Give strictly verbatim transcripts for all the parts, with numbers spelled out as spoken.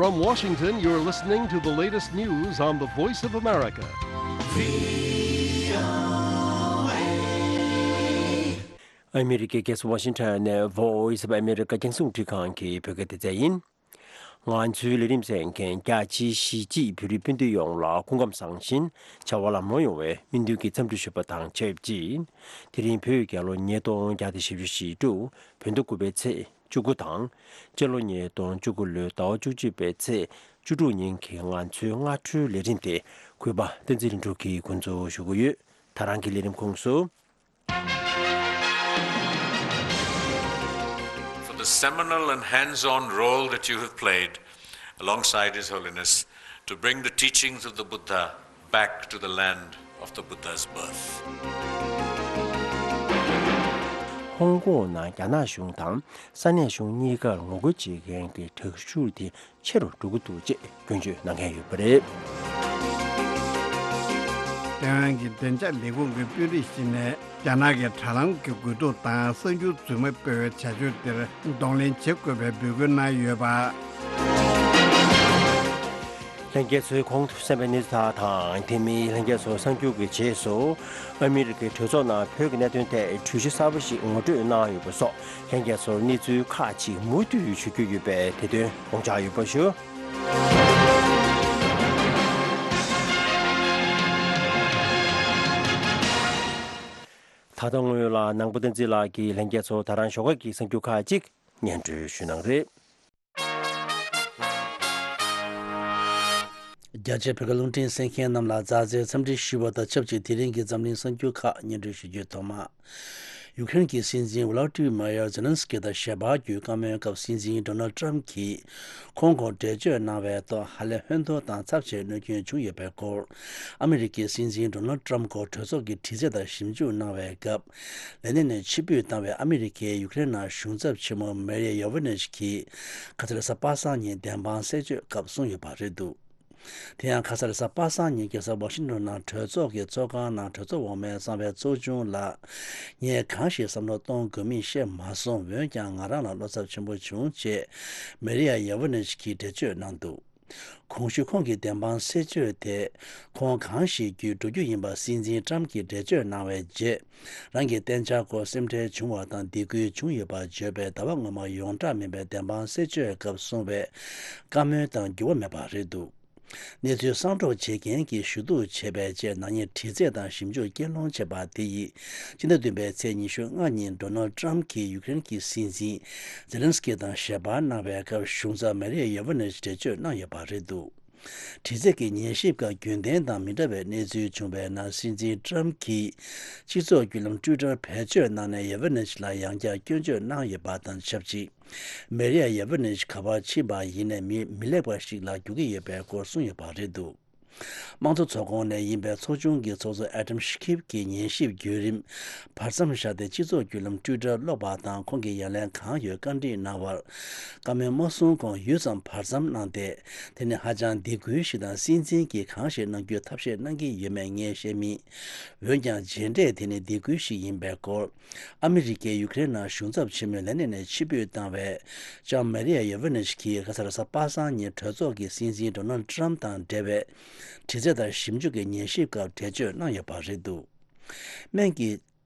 From Washington, you're listening to the latest news on the Voice of America. ཨ་མི་རི་ཀའི་རྒྱལ་ས་ཝ་ཤིང་ཊོན་ནས་Voice of America རྒྱང་སྲིང་རླུང་འཕྲིན་ཁང་གི་བོད་སྐད་སྡེ་ཚན་ཡིན། ང་ཚོའི་ལས་རིམ་གསན་མཁན་རྒྱ་ཆེའི་གཞིས་བྱེས་བོད་རིགས་སྤུན་ཟླ་ཡོངས་ལ་སྐུ་ཁམས་བཟང་ཞིང་བྱ་བ་ལམ་ལྷོང་ཡོང་བའི་སྨོན་འདུན་གྱི་འཚམས་འདྲི་ཞུ་བ་དང་ཆབས་ཅིག་དེ་རིང་བོད་རྒྱལ་ལོ་ཉིས་སྟོང་བརྒྱ་དང་བཞི་བཅུ་ཞེ་དྲུག་བོད་ཟླ་དགུ་པའི་ཚེས་བཅུ་དགུ་དང་། སྤྱི་ལོ་ཉིས་སྟོང་བཅུ་དགུ་ལོའི་ཟླ་བ་བཅུ་གཅིག་པའི་ཚེས་བཅུ་དྲུག་ཉིན་གྱི་ང་ཚོའི་སྔ་དྲོའི་ལས་རིམ་དེ་གུས་པ་བསྟན་འཛིན་ལྷུན་གྲུབ་ཀྱིས་འགོ་འཛུགས་ཞུ་གི་ཡོད། ད་རང་གི་ལས་རིམ་ཁོངས་སུ། For the seminal and hands-on role that you have played alongside His Holiness to bring the teachings of the Buddha back to the land of the Buddha's birth. ཧོང་ཀོང་ནང་རྒྱ་ནག་གཞུང་དང་ས་གནས་གཞུང་གཉིས་ཀར་ངོ་རྒོལ་བྱེད་མཁན་གྱི་དྲག་ཤུགས་དེ་ཆེ་རུ་འགྲོ་གི་འདུག་ཅེས་སྐྱོན་བརྗོད་གནང་མཁན་ཡོད་པ་རེད། ཐའེ་ཝན་གྱི་བདེ་འཇགས་ལས་ཁུངས་ཀྱི་དཔོན་རིགས་ཤིག་ནས་རྒྱ་ནག་གི་དྲ་ལམ་གྱི་དགོས་གཏུག་དང་གསར་འགྱུར་རྫུན་མ་སྤེལ་བའི་བྱ་སྤྱོད་དེར་གདོང་ལེན་བྱེད་དགོས་པའི་འབོད་སྐུལ་གནང་ཡོད་པ། ལྷན་རྒྱས་ཚོས་གོང་དུ་གསན་པའི་གནས་ཚུལ་དག་དང་དེ་མིན་ལྷན་རྒྱས་ཚོ་གསར་འགྱུར་གྱི་རྗེས་སུ་ཨ་མི་རི་ཀའི་གྲོས་ཚོགས་ནང་བོད་ཀྱི་གནད་དོན་ཐད་གྲོས་གཞི་གསར་པ་ཞིག་ངོ་སྤྲོད་གནང་ཡོད་པ་སོགས། ལྷན་རྒྱས་ཚོར་གནས་ཚུལ་ཁག་ཅིག་མུ་མཐུད་ཞུ་རྒྱུ་ཡོད་པས་དེ་དོན་དགོངས་འཇགས་ཡོད་པ་ཞུ། ད་ལྟ་སྔོན་ལ་ནང་པ་བསྟན་འཛིན་ལགས་ཀྱིས་ལྷན་རྒྱས་ཚོར་ད་རང་ཞོགས་ཀ་གི་གསར་འགྱུར་ཁག་ཅིག་སྙན་སྒྲོན་ཞུ་གནང་རེད། རྒྱ་ཆེའི་བོད་སྐད་རླུང་འཕྲིན་གསན་མཁན་རྣམས་ལ་མཛའ་བརྩེའི་འཚམས་འདྲི་ཞུ་བ་དང་ཆབས་ཅིག་དེ་རིང་གི་འཛམ་གླིང་གསར་འགྱུར་ཁག་སྙན་སྒྲོན་ཞུ་རྒྱུའི་ཐོག་མ། ཡུ་ཀེ་རེན་གྱི་སྲིད་འཛིན་ཝོ་ལོ་ཏི་མ་ཡར་ཛེ་ལན་སི་ཀི་དང་ཞལ་པར་བརྒྱུད་བཀའ་མོལ་སྐབས་སྲིད་འཛིན་ཌོ་ནལ་ཏྲམ་གྱིས་ཁོང་སྐོར་འགྲེལ་བརྗོད་གནང་བའི་ཐོག་ཧ་ལས་ཧོན་ཐོར་དང་ཚབས་ཆེའི་གནོད་སྐྱོན་བྱུང་ཡོད་པའི་སྐོར། ཨ་མི་རི་ཀའི་སྲིད་འཛིན་ཌོ་ནལ་ཏྲམ་སྐོར་གྲོས་ཚོགས་ཀྱི་དྲི་རྩད་དང་ཞིབ་འཇུག་གནང་བའི་སྐབས། ལས་གནས་ནས་ཕྱིར་འབུད་བཏང་བའི་ཨ་མི་རི་ཀའི་ཡུ་ཀེ་རེན་ནང་གཞུང་ཚབ་ཆེན་མོ་མེ་རི་ཡ་ཡོ་ཝེ་ནེ་ཆི་གིས་ཁ་ས་ལོ་གསར་པ་སངས་ཉིན་བདེན་དཔང་གསལ་བརྗོད་སྐབས་གསུངས་ཡོད་པ་རེད་འདུག་དེ་ཡང་ཁ་ས་ལོ་གསར་པ་སངས་ཉིན་རྒྱལ་ས་ཝ་ཤིང་ཊོན་ནང་གྲོས་ཚོགས་ཀྱི་ཚོགས་ཁང་ནང་གྲོས་ཚོགས་འོག་མའི་གསང་བའི་ཚོགས་ཆུང་ལ། ངས་གང་ཞིག་བསམ་བློ་གཏོང་དགོས་མིན་ཤེས་མ་སོང་། འོན་ཀྱང་ང་རང་ལ་བློ་འཚབ་ཆེན་པོ་བྱུང་ཅེས་མེ་རི་ཡ་ཡ་ཝེ་ནེ་ཆི་གིས་འགྲེལ་བརྗོད་གནང་འདུག་གོང་ཞུས་ཁོང་གི་བདེན་དཔང་གསལ་བརྗོད་དེ། ཁོང་གང་ཞིག་བརྒྱུད་འགྲོ་རྒྱུ་ཡིན་པ་སྲིད་འཛིན་ཏྲམ་གྱིས་འགྲེལ་བརྗོད་གནང་བའི་རྗེས། རང་གི་གཏན་འཇགས་སྐོར་སེམས་ཁྲལ་བྱུང་བ་དང་སྡིགས་སྐུལ་བྱུང་ཡོད་པར་བརྗོད་པའི་ཟླ་བ་སྔོན་མ་ཡོངས་གྲགས་མིན་པའི་བདེན་དཔང་གསལ་བརྗོད་སྐབས་གསུངས་པའི་བཀའ་མོལ་དང་འགྱུར་བ་མེད་པ་རེད་འདུག་གནས་ཚུལ་གསང་སྒྲོག་བྱེད་མཁན་གྱིས་ཞུ་གཏུག་བྱས་པའི་རྗེས་ནག་ཉེས་དྲི་རྩད་དང་ཞིབ་འཇུག་སྐྱེལ་སློང་བྱས་པ་དེ་ཡིས་སྤྱི་ཟླ་བདུན་པའི་ཚེས་ཉི་ཤུ་ལྔ་ཉིན་ཌོ་ནལ་ཏྲམ་གྱིས་ཡུ་ཀེ་རེན་གྱི་སྲིད་འཛིན་ཛེ་ལན་སི་ཀི་དང་ཞལ་པར་གནང་བའི་སྐབས་གཞུང་ཚབ་མེ་རི་ཡ་ཡོ་ཝེ་ནེ་ཆི་འགྲེལ་བརྗོད་གནང་ཡོད་པ་རེད་འདུག་དྲི་རྩད་ཀྱི་ཉན་ཞིབ་ཁག་རྒྱུན་ལྡན་དང་མི་འདྲ་བའི་གནས་ཚུལ་བྱུང་བའི་ནང་སྲིད་འཛིན་ཏྲམ་གྱིས་སྤྱི་ཚོགས་བརྒྱུད་ལམ་ཊུའི་ཊར་བེད་སྤྱོད་གནང་ནས་ཡ་ཝེ་ནེ་ཆི་ལ་ཡང་བསྐྱར་སྐྱོན་བརྗོད་གནང་ཡོད་པ་དང་ཆབས་ཅིག་མེ་རི་ཡ་ཡ་ཝེ་ནེ་ཆི་ག་པར་ཕྱིན་པ་ཡིན་ནའི་མི་མི་ལེགས་པ་ཞིག་ལ་འགྱུར་གྱི་ཡོད་པའི་སྐོར་གསུངས་ཡོད་པ་རེད་འདུག་དམངས་གཙོ་ཚོགས་ཁོངས་ནས་ཡིན་པའི་ཚོགས་ཆུང་གི་ཚོགས་གཙོ་ཨེ་ཌམ་ཤི་ཁིབ་ཀྱིས་ཉན་ཞིབ་བརྒྱུད་རིམ་བར་མཚམས་བཞག་སྟེ་སྤྱི་ཚོགས་བརྒྱུད་ལམ་ཊུའི་ཊར་ཀློག་པ་དང་ཁོང་གིས་ཡ་ལན་གང་ཡོད་བཀའ་འདྲི་གནང་བར། བཀའ་མོལ་མ་གསུང་གོང་ཡུད་ཙམ་བར་མཚམས་གནང་སྟེ། དེ་ནི་ཧ་ཅང་སྡིགས་སྐུལ་ཞིག་དང་སྲིད་འཛིན་གྱིས་གང་ཞིག་གནང་རྒྱུའི་ཐབས་ཤེས་གནང་གི་ཡོད་མེད་ངས་བཤད་མིན། འོན་ཀྱང་རྗེས་འབྲས་དེ་ནི་སྡིགས་སྐུལ་ཞིག་ཡིན་པའི་སྐོར། ཨ་མི་རི་ཀས་ཡུ་ཀེ་རེན་ནང་གཞུང་ཚབ་ཆེན་མོའི་ལས་གནས་ནས་ཕྱིར་འབུད་བཏང་བའི་ལྕམ་མེ་རི་ཡ་ཡོ་ཝེ་ནེ་ཆི་གིས་ཁ་ས་ལོ་གསར་པ་སངས་ཉིན་གྲོས་ཚོགས་ཀྱི་སྲིད་འཛིན་ཌོ་ནལ་ཏྲམ་དང་འབྲེལ་བའི་དྲི་རྩད་དང་ཞིབ་འཇུག་གི་ཉན་ཞིབ་སྐབས་འགྲེལ་བརྗོད་གནང་ཡོད་པ་རེད་འདུག་སྨན་གྱི་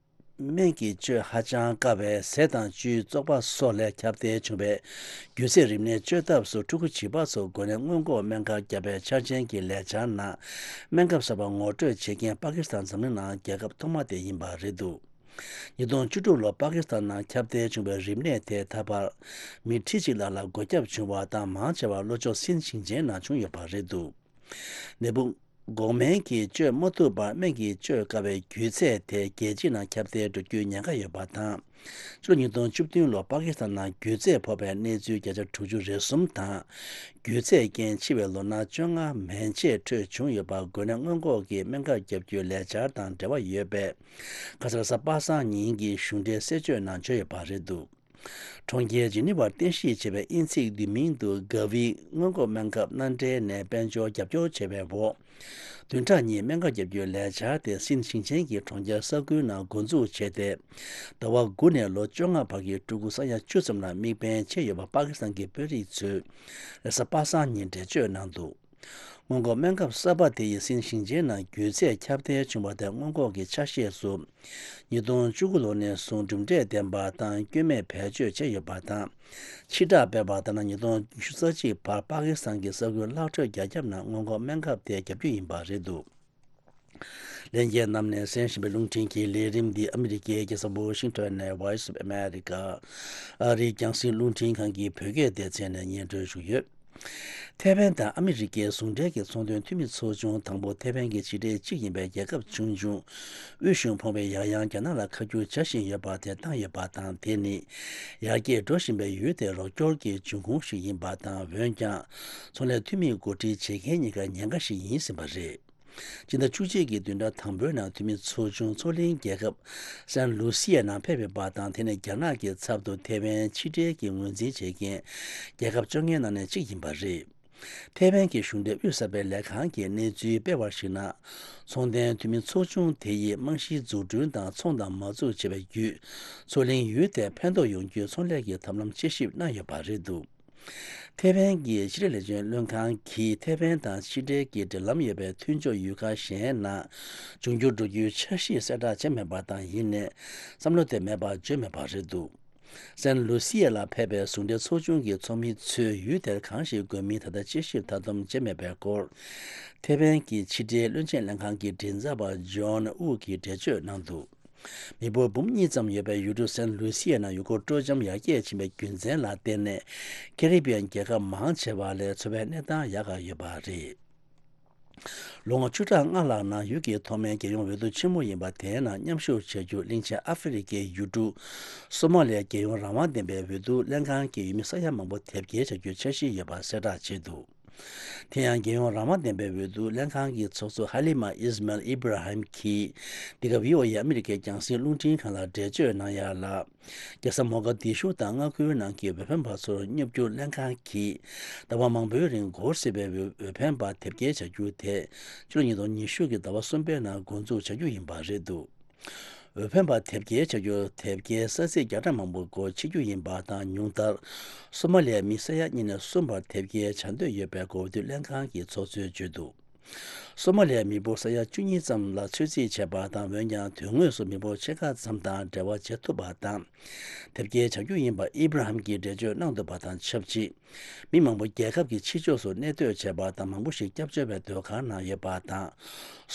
སྨན་གྱི་བཅོས་ཧ་ཅང་དཀའ་བས་ཟས་དང་བཅུད་བཙོག་པ་སོགས་ལས་ཁྱབ་གདལ་བྱུང་བའི་རྒྱུ་ཚད་རིམས་ནད་བཅོས་ཐབས་སུ་ཕྲུ་གུ་བྱིས་པ་ཚོར་འགོས་ནད་སྔོན་འགོག་སྨན་ཁབ་བརྒྱབ་པའི་འཆར་ཅན་གྱི་ལས་འཆར་ནང་སྨན་ཁབ་གསར་པ་ངོ་སྤྲོད་བྱེད་མཁན་པ་ཀི་སི་ཐན་འཛམ་གླིང་ནང་རྒྱལ་ཁབ་ཐོག་མ་དེ་ཡིན་པ་རེད་འདུག་ཉིས་སྟོང་བཅུ་དྲུག་ལོར་པ་ཀི་སི་ཐན་ནང་ཁྱབ་གདལ་བྱུང་བའི་རིམས་ནད་དེ་ད་བར་མི་ཁྲི་གཅིག་ལྷག་ལ་འགོས་ཁྱབ་བྱུང་བ་དང་མང་ཆེ་བ་ལྷོ་ཕྱོགས་སིན་ཞིང་ཆེན་ནང་བྱུང་ཡོད་པ་རེད་འདུག་ནད་འབུ་འགོག་སྨན་གྱིས་བཅོས་མ་ཐུབ་པར་སྨན་གྱིས་བཅོས་དཀའ་བའི་རྒྱུ་ཚད་དེ་རྒྱལ་སྤྱི་ནང་ཁྱབ་གདལ་འགྲོ་རྒྱུའི་ཉེན་ཁ་ཡོད་པ་དང་། ཕྱི་ལོ་ཉིས་སྟོང་བཅུ་བདུན་ལོར་པ་ཀི་སི་ཐན་ནང་རྒྱུ་ཚད་ཕོག་པའི་གནས་ཚུལ་བརྒྱ་ཆ་དྲུག་ཅུ་རེ་གསུམ་དང་། རྒྱུ་ཚད་རྐྱེན་འཆི་བའི་ལོ་ན་བཅོ་ལྔ་མན་ཆད་འཕྲོད་བྱུང་ཡོད་པ་འགོས་ནད་སྔོན་འགོག་གི་སྨན་ཁབ་བརྒྱབ་རྒྱུའི་ལས་འཆར་དང་འབྲེལ་བ་ཡོད་པའི་ཁ་ས་ལོ་གསར་པ་སངས་ཉིན་གྱི་གཞུང་འབྲེལ་གསལ་བརྗོད་ནང་བརྗོད་ཡོད་པ་རེད་འདུག་གྲོང་ཁྱེར་ཇི་ནི་ཝར་རྟེན་གཞི་བྱས་པའི་དབྱིན་ཚིག་བསྡུས་མིང་དུ་ག་བི་སྔོན་འགོག་སྨན་ཁབ་མནའ་འབྲེལ་ནས་དཔལ་འབྱོར་རྒྱབ་སྐྱོར་བྱས་པའི་འོག་བདུན་ཕྲག་གཉིས་སྨན་ཁབ་བརྒྱབ་རྒྱུའི་ལས་འཆར་དེ་སིན་ཞིང་ཆེན་གྱི་གྲོང་ཁྱེར་ས་ཁུལ་ནང་འགོ་འཛུགས་བྱས་ཏེ། ཟླ་བ་དགུ་ནས་ལོ་བཅོ་ལྔ་བར་གྱི་ཕྲུ་གུ་ས་ཡ་བཅུ་ཙམ་ལ་དམིགས་འབེན་བྱས་ཡོད་པ་པ་ཀི་སི་ཐན་གྱི་དཔོན་རིགས་ཚོས་རེས་གཟའ་པ་སངས་ཉིན་འགྲེལ་བརྗོད་གནང་འདུག་སྔོན་འགོག་སྨན་ཁབ་གསར་པ་དེ་ཡིས་སིན་ཞིང་ཆེན་ནང་རྒྱུད་ཚད་ཁྱབ་གདལ་བྱུང་བ་དང་སྔོན་འགོག་གི་ཆ་ཤས་སུ། ཉིས་སྟོང་བཅུ་དགུ་ལོ་ནས་བཟུང་གྲུབ་འབྲས་ལྡན་པ་དང་སྐྱོན་མེད་བེད་སྤྱོད་བྱས་ཡོད་པ་དང་། ཕྱིར་བསྒྲགས་སྤེལ་བ་ལྟར་ན། ཉིས་སྟོང་ཉི་ཤུ་རྩ་གཅིག་བར་པ་ཀི་སི་ཐན་གྱི་ས་ཁུལ་ལྷག་འཕྲོས་བརྒྱ་ཁྱབ་ནང་སྔོན་འགོག་སྨན་ཁབ་དེ་བརྒྱབ་རྒྱུ་ཡིན་པ་རེད་འདུག་ལྷན་རྒྱས་རྣམས་ནས་གསན་བཞིན་པའི་རླུང་འཕྲིན་གྱི་ལས་རིམ་འདི་ཨ་མི་རི་ཀའི་རྒྱལ་ས་ཝ་ཤིང་ཊོན་ནས་Voice of America ཨ་རིའི་རྒྱང་སྲིང་རླུང་འཕྲིན་ཁང་གི་བོད་སྐད་སྡེ་ཚན་ནས་སྙན་སྒྲོན་ཞུས་ཡོད། ཐའེ་ཝན་དང་ཨ་མི་རི་ཀའི་ཟུང་འབྲེལ་གྱི་ཚོང་དོན་འཐུས་མི་ཚོ་ཆུང་དང་པོ་ཐའེ་ཝན་གྱི་ཕྱི་འབྲེལ་གཅིག་ཡིན་པའི་རྒྱལ་ཁབ་ཆུང་ཆུང་དབུས་གཞུང་ཕོངས་པས་ཡང་ཡང་རྒྱ་ནག་ལ་ཁ་བསྒྱུར་བྱ་བཞིན་ཡོད་པ་དེ་བཏང་ཡོད་པ་དང་། དེ་ནི་ཡར་རྒྱས་འགྲོ་བཞིན་པའི་ཡུལ་དེར་རོགས་སྐྱོར་གྱི་འབྱུང་ཁུངས་ཤིག་ཡིན་པ་དང་། འོན་ཀྱང་། ཚོང་ལས་འཐུས་མིས་གོ་སྒྲིག་བྱེད་མཁན་གཉིས་ཀ་ཉེན་ཁ་ཞིག་ཡིན་ཟིན་པ་རེད། སྤྱི་ཟླ་བཅུ་གཅིག་གི་བདུན་ཕྲག་དང་པོའི་ནང་འཐུས་མི་ཚོ་ཆུང་མཚོ་གླིང་རྒྱལ་ཁབ་སན་ལུ་སི་ཡའི་ནང་ཕེབས་ཡོད་པ་དང་། དེ་ནི་རྒྱ་ནག་གི་ཚབ་ཏུ་ཐའེ་ཝན་ཕྱི་འབྲེལ་གྱི་ངོས་འཛིན་བྱེད་མཁན་རྒྱལ་ཁབ་བཅོ་ལྔའི་ནང་ནས་གཅིག་ཡིན་པ་རེད། ཐའེ་ཝན་གྱི་གཞུང་འབྲེལ་དབུས་གསར་པའི་ལས་ཁང་གིས་གནས་ཚུལ་སྤེལ་བར་གཞིགས་ན། ཚོང་དོན་འཐུས་མི་ཚོ་ཆུང་དེ་ཡིས་རྨང་གཞིའི་འཛུགས་སྐྲུན་དང་ཚོང་དང་མ་འཛུགས་བྱས་པའི་བརྒྱུད། མཚོ་གླིང་ཡུལ་དེར་ཕན་ཐོགས་ཡོང་རྒྱུའི་ཚོང་ལས་ཀྱི་ཐབས་ལམ་དཔྱད་ཞིབ་གནང་ཡོད་པ་རེད་འདུག་ཐའེ་ཝན་གྱི་ཕྱི་འབྲེལ་ལས་དོན་བློན་ཁང་གིས་ཐའེ་ཝན་དང་ཕྱི་འབྲེལ་གྱི་འབྲེལ་ལམ་ཡོད་པའི་མཐུན་ཕྱོགས་ཡུལ་ཁག་གཞན་ནང་འབྱུང་འགྱུར་འགྲོ་རྒྱུའི་འཆར་གཞི་གསལ་བསྒྲགས་བྱས་མེད་པ་དང་། ཡིན་ནའི་བསམ་བློ་དེ་མེད་པ་བརྗོད་མེད་པ་རེད་འདུག་སན་ལུ་སི་ཡ་ལ་ཕེབས་པའི་ཟུང་འབྲེལ་ཚོགས་ཆུང་གི་ཚོགས་མི་ཚོས་ཡུལ་དེར་གང་ཞིག་དགོས་མིན་ད་ལྟ་དཔྱད་ཞིབ་མཐའ་སྡོམ་བྱས་མེད་པའི་སྐོར། ཐའེ་ཝན་གྱི་ཕྱི་འབྲེལ་བློན་ཆེན་ལྷན་ཁང་གི་མགྲིན་ཚབ་པ་ཇོན་ཨུ་གིས་འགྲེལ་བརྗོད་གནང་འདུག་མི་འབོར་འབུམ་གཉིས་ཙམ་ཡོད་པའི་ཡུལ་གྲུ་སན་ལུ་སི་ཡ་ནང་ཡུལ་སྐོར་སྤྲོ་འཆམ་ཡར་རྒྱས་ཕྱིན་པའི་རྒྱུ་མཚན་ལ་བརྟེན་ནས། ཀེ་རི་བི་ཡན་རྒྱལ་ཁབ་མང་ཆེ་བ་ལས་འཚོ་བའི་གནས་སྟངས་ཡག་ག་ཡོད་པ་རེད། ལོ་ངོ་བཅུ་ཕྲག་ལྔ་ལྷག་ནང་ཡུལ་གྱི་ཐོག་མའི་རྒྱལ་ཡོངས་འོས་བསྡུ་ཆེན་མོ་ཡིན་པ་དེའི་ནང་མཉམ་ཞུགས་བྱ་རྒྱུ་གླིང་ཆེན་ཨ་ཧྥེ་རི་ཁའི་ཡུལ་གྲུ་སོ་མ་ལིའི་རྒྱལ་ཡོངས་རང་དབང་ལྡན་པའི་འོས་བསྡུ་ལྷན་ཁང་གི་འོས་མི་ས་ཡ་མང་པོ་དེབ་སྐྱེལ་བྱ་རྒྱུའི་འཆར་གཞི་ཡོད་པ་གསལ་བསྒྲགས་བྱས་འདུག་དེ་ཡང་རྒྱལ་ཡོངས་རང་དབང་ལྡན་པའི་འོས་བསྡུ་ལྷན་ཁང་གི་ཚོགས་གཙོ་ཧ་ལི་མ་ཨིས་མལ་ཨི་བྷ་ར་ཧིམ་གྱིས་འདི་ག་བྷི་ཨོ་ཨེ་ཨ་མི་རི་ཀའི་རྒྱང་སྲིང་རླུང་འཕྲིན་ཁང་ལ་འགྲེལ་བརྗོད་གནང་ཡག་ལ། རྒྱལ་ས་མོ་ག་དི་ཤུ་དང་མངའ་ཁུལ་ནང་གི་འོས་འཕེན་པ་ཚོར་སྙོབ་རྒྱུར་ལྷན་ཁང་གིས་ཟླ་བ་མང་པོའི་རིང་འགོར་སྲིད་པའི་འོས་འོས་འཕེན་པ་དེབ་སྐྱེལ་བྱ་རྒྱུ་དེ་ཕྱི་ལོ་ཉིས་སྟོང་ཉི་ཤུ་གི་ཟླ་བ་གསུམ་པའི་ནང་འགོ་འཛུགས་བྱ་རྒྱུ་ཡིན་པ་རེད་འདུག་འོས་འཕེན་པ་དེབ་སྐྱེལ་བྱ་རྒྱུར་དེབ་སྐྱེལ་ས་ཚིགས་བརྒྱ་ཕྲག་མང་པོ་སྒོ་ཕྱེ་རྒྱུ་ཡིན་པ་དང་། ཉུང་མཐར་སོ་མ་ལིའི་མི་ས་ཡ་གཉིས་ནས་གསུམ་བར་དེབ་སྐྱེལ་བྱ་འདོད་ཡོད་པའི་འོས་བསྡུ་ལྷན་ཁང་གི་ཚོགས་གཙོས་བརྗོད་འདུག་སོ་མ་ལིའི་མི་འབོར་ས་ཡ་བཅུ་གཉིས་ཙམ་ལ་ཚོད་རྩིས་བྱས་པ་དང་། འོན་ཀྱང་དོན་དངོས་སུ་མི་འབོར་ཕྱེད་ཀ་ཙམ་དང་འབྲེལ་བ་བྱེད་ཐུབ་པ་དང་། དེབ་སྐྱེལ་བྱ་རྒྱུ་ཡིན་པ་ཨི་བྷ་ར་ཧམ་གྱིས་འགྲེལ་བརྗོད་གནང་འདུག་པ་དང་ཆབས་ཅིག་མི་མང་པོ་རྒྱལ་ཁབ་ཀྱི་ཕྱི་ཕྱོགས་སུ་གནས་སྡོད་བྱས་པ་དང་། མང་པོ་ཞིག་སྐྱབས་བཅོལ་བའི་སྡོད་ཁང་ནང་ཡོད་པ་དང་།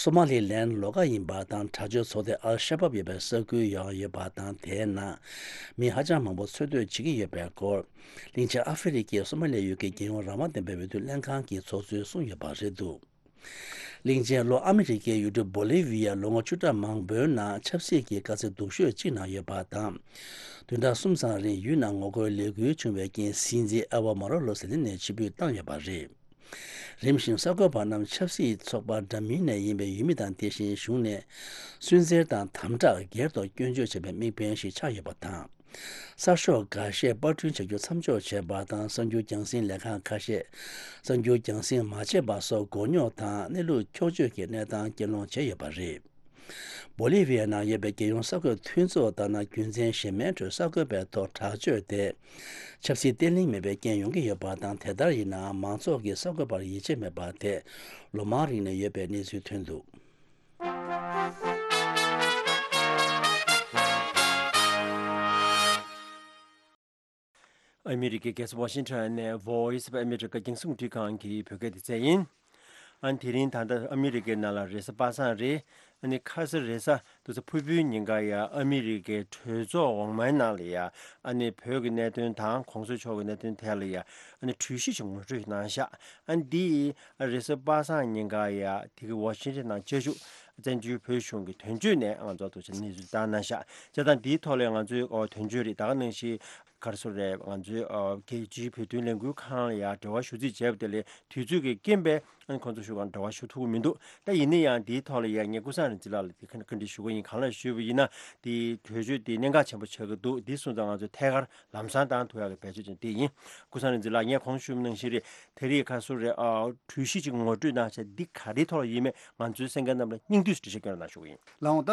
སོ་མ་ལི་ལན་ལོགས་ཀ་ཡིན་པ་དང་། དྲག་སྤྱོད་ཚོགས་སྡེ་ཨལ་ཤ་བབ་ཡོད་པའི་ས་ཁུལ་ཡང་ཡོད་པ་དང་། དེའི་ནང་མི་ཧ་ཅང་མང་པོ་འཚོ་སྡོད་བྱེད་ཀྱི་ཡོད་པའི་སྐོར། གླིང་ཆེན་ཨ་ཧྥེ་རི་ཁའི་སོ་མ་ལི་ཡུལ་གྱི་རྒྱལ་ཡོངས་རང་དབང་ལྡན་པའི་འོས་བསྡུ་ལྷན་ཁང་གི་ཚོགས་གཙོས་གསུངས་ཡོད་པ་རེད་འདུག་གླིང་ཆེན་ལྷོ་ཨ་མི་རི་ཀའི་ཡུལ་གྲུ་བོ་ལི་ཝི་ཡ་ལོ་ངོ་བཅུ་ཕྲག་མང་པོའི་ནང་ཆབ་སྲིད་ཀྱི་དཀའ་ཚེགས་སྡུག་ཤོས་གཅིག་ནང་ཡོད་པ་དང་། བདུན་ཕྲག་གསུམ་ཙམ་རིང་ཡུལ་ནང་ངོ་རྒོལ་ལས་འགུལ་བྱུང་བའི་རྐྱེན། སྲིད་འཛིན་ཨེ་ཝ་མ་རོ་ལོ་ཟེར་ནས་ཕྱིར་འབུད་བཏང་ཡོད་པ་རེད། རིམ་བཞིན་གསར་འགོད་པ་རྣམས་ཆབ་སྲིད་ཚོགས་པ་འདྲ་མིན་ནས་ཡིན་པའི་ཡུལ་མི་དང་། དེ་བཞིན་གཞུང་ནས་སུན་གཙེར་དང་དམ་དྲག་སྒེར་ཐོག་སྐྱོན་བརྗོད་བྱས་པའི་དམིགས་འབེན་ཞིག་ཆགས་ཡོད་པ་དང་། གསར་ཤོག་འགའ་ཤས་པར་སྐྲུན་བྱ་རྒྱུ་མཚམས་འཇོག་བྱས་པ་དང་། གསར་འགྱུར་རྒྱང་སྲིང་ལས་ཁང་ཁ་ཤས་གསར་འགྱུར་རྒྱང་སྲིང་མ་བྱས་པ་སོགས་མགོ་རྙོག་དང་གནས་ལུགས་འཁྱོག་བརྗོད་ཀྱི་གནས་སྟངས་རྐྱེན་སློང་བྱས་ཡོད་པ་རེད། བོ་ལི་ཝི་ཡའི་ནང་ཡོད་པའི་རྒྱལ་ཡོངས་གསར་འགོད་མཐུན་ཚོགས་ལྟར་ན། རྒྱུ་མཚན་གཞན་མའི་ཁྲོད་གསར་འགོད་པའི་ཐོག་དྲག་སྤྱོད་དེ་ཆབ་སྲིད་བརྟན་ལྷིང་མེད་པའི་རྐྱེན་ཡོང་གི་ཡོད་པ་དང་། དེ་ལྟར་ཡིན་ནའང་མང་ཚོགས་ཀྱིས་གསར་འགོད་པར་ཡིད་ཆེས་མེད་པ་དེ་ལོ་མང་རིང་ནས་ཡོད་པའི་གནས་ཚུལ་ཐོན་འདུག་ཨ་མི་རི་ཀའི་རྒྱལ་ས་ཝ་ཤིང་ཊོན་ནས་Voice of America རྒྱང་སྲིང་རླུང་འཕྲིན་ཁང་གི་བོད་སྐད་སྡེ་ཚན་ཡིན། ཨ་ནི་དེ་རིང་ད་ལྟ་ཨ་མི་རི་ཀའི་ནང་ལ་རེས་གཟའ་པ་སངས་རེད། ཨ་ནི་ཁ་ས་རེས་གཟའ་ཏུ་ཚ་ཕུར་བུའི་ཉིན་ཀ་ཡ་ཨ་མི་རི་ཀའི་གྲོས་ཚོགས་འོག་མའི་ནང་ལ་ཡ་ཨ་ནི་བོད་ཀྱི་གནད་དོན་དང་གོང་ས་མཆོག་གི་གནད་དོན་ཐད་ལ་ཡ་ཨ་ནི་གྲོས་གཞི་ཞིག་ངོ་སྤྲོད་གནང་ཤག་ཨ་ནི་འདི་རེས་གཟའ་པ་སངས་ཉིན་ཀ་ཡ་དེ་གི་ཝ་ཤིང་ཊོན་ནང་བཅའ་བཞུགས་བཙན་བྱོལ་བོད་གཞུང་གི་དོན་གཅོད་ནས་ང་ཚོ་ཐུགས་ཆེ་གནས་ཚུལ་བཏང་གནང་ཤག་བྱས་ཙང་འདིའི་ཐོག་ལ་ང་ཚོའི་ཨོ་དོན་གཅོད་རེད། ད་ག་ནང་བཞིན་ ག་རེ་ཟེར་རེད། ང་ཚོའི་ཨ་རྒྱལ་སྤྱིའི་བོད་དོན་ལས་འགུལ་ཁང་ལ་ཡང་འབྲེལ་བ་ཞུ་རྩིས་བྱས་པ་དེ་ལས་དུས་ཚོད་ཀྱི་རྐྱེན་པས་ཨ་ནི་ཁོང་ཚོ་ཞུ་གང་འབྲེལ་བ་ཞུ་ཐུབ་ཀྱི་མི་འདུག་ད་ཡིན་ན་ཡང་འདིའི་ཐོག་ལ་ཡང་ངས་ཀུན་བཟང་རིག་འཛིན་ལགས་ལ་དེ་ཁ་ནས་བཀའ་འདྲི་ཞུ་གི་ཡིན། གང་ལ་ཞུས་པ་ཡིན་ན་དེ་གྲོས་ཆོད་དེ་གནད་འགག་ཆེན་པོ་ཆགས་ཀྱི་འདུག་འདི་སོང་ཙང་ང་ཚོས་ཐད་ཀར་ལམ་སང་བཏང་ཐུབ་ཡག་གི་བེད་སྤྱོད་ཅན་དེ་ཡིན། ཀུན་བཟང་རིག་འཛིན་ལགས་ངས་གོང་ཞུས་པ་ནང་བཞིན་རེད། དེ་རིང་ཁ་སང་རེད་ཨ་གྲོས་གཞི་ཅིག་ངོ་སྤྲོད་གནང་བྱས་འདི་ག་རེའི་ཐོག་ལ་ཡིན་མེད་ང་ཚོའི་གསན་མཁན་རྣམས་ལ་སྙིང་བསྡུས་སུ་འགྲེལ་བཤད་སྐྱོན་རོགས་གནང་ཞུ་གི་ཡིན། ལགས་འོང་། ད་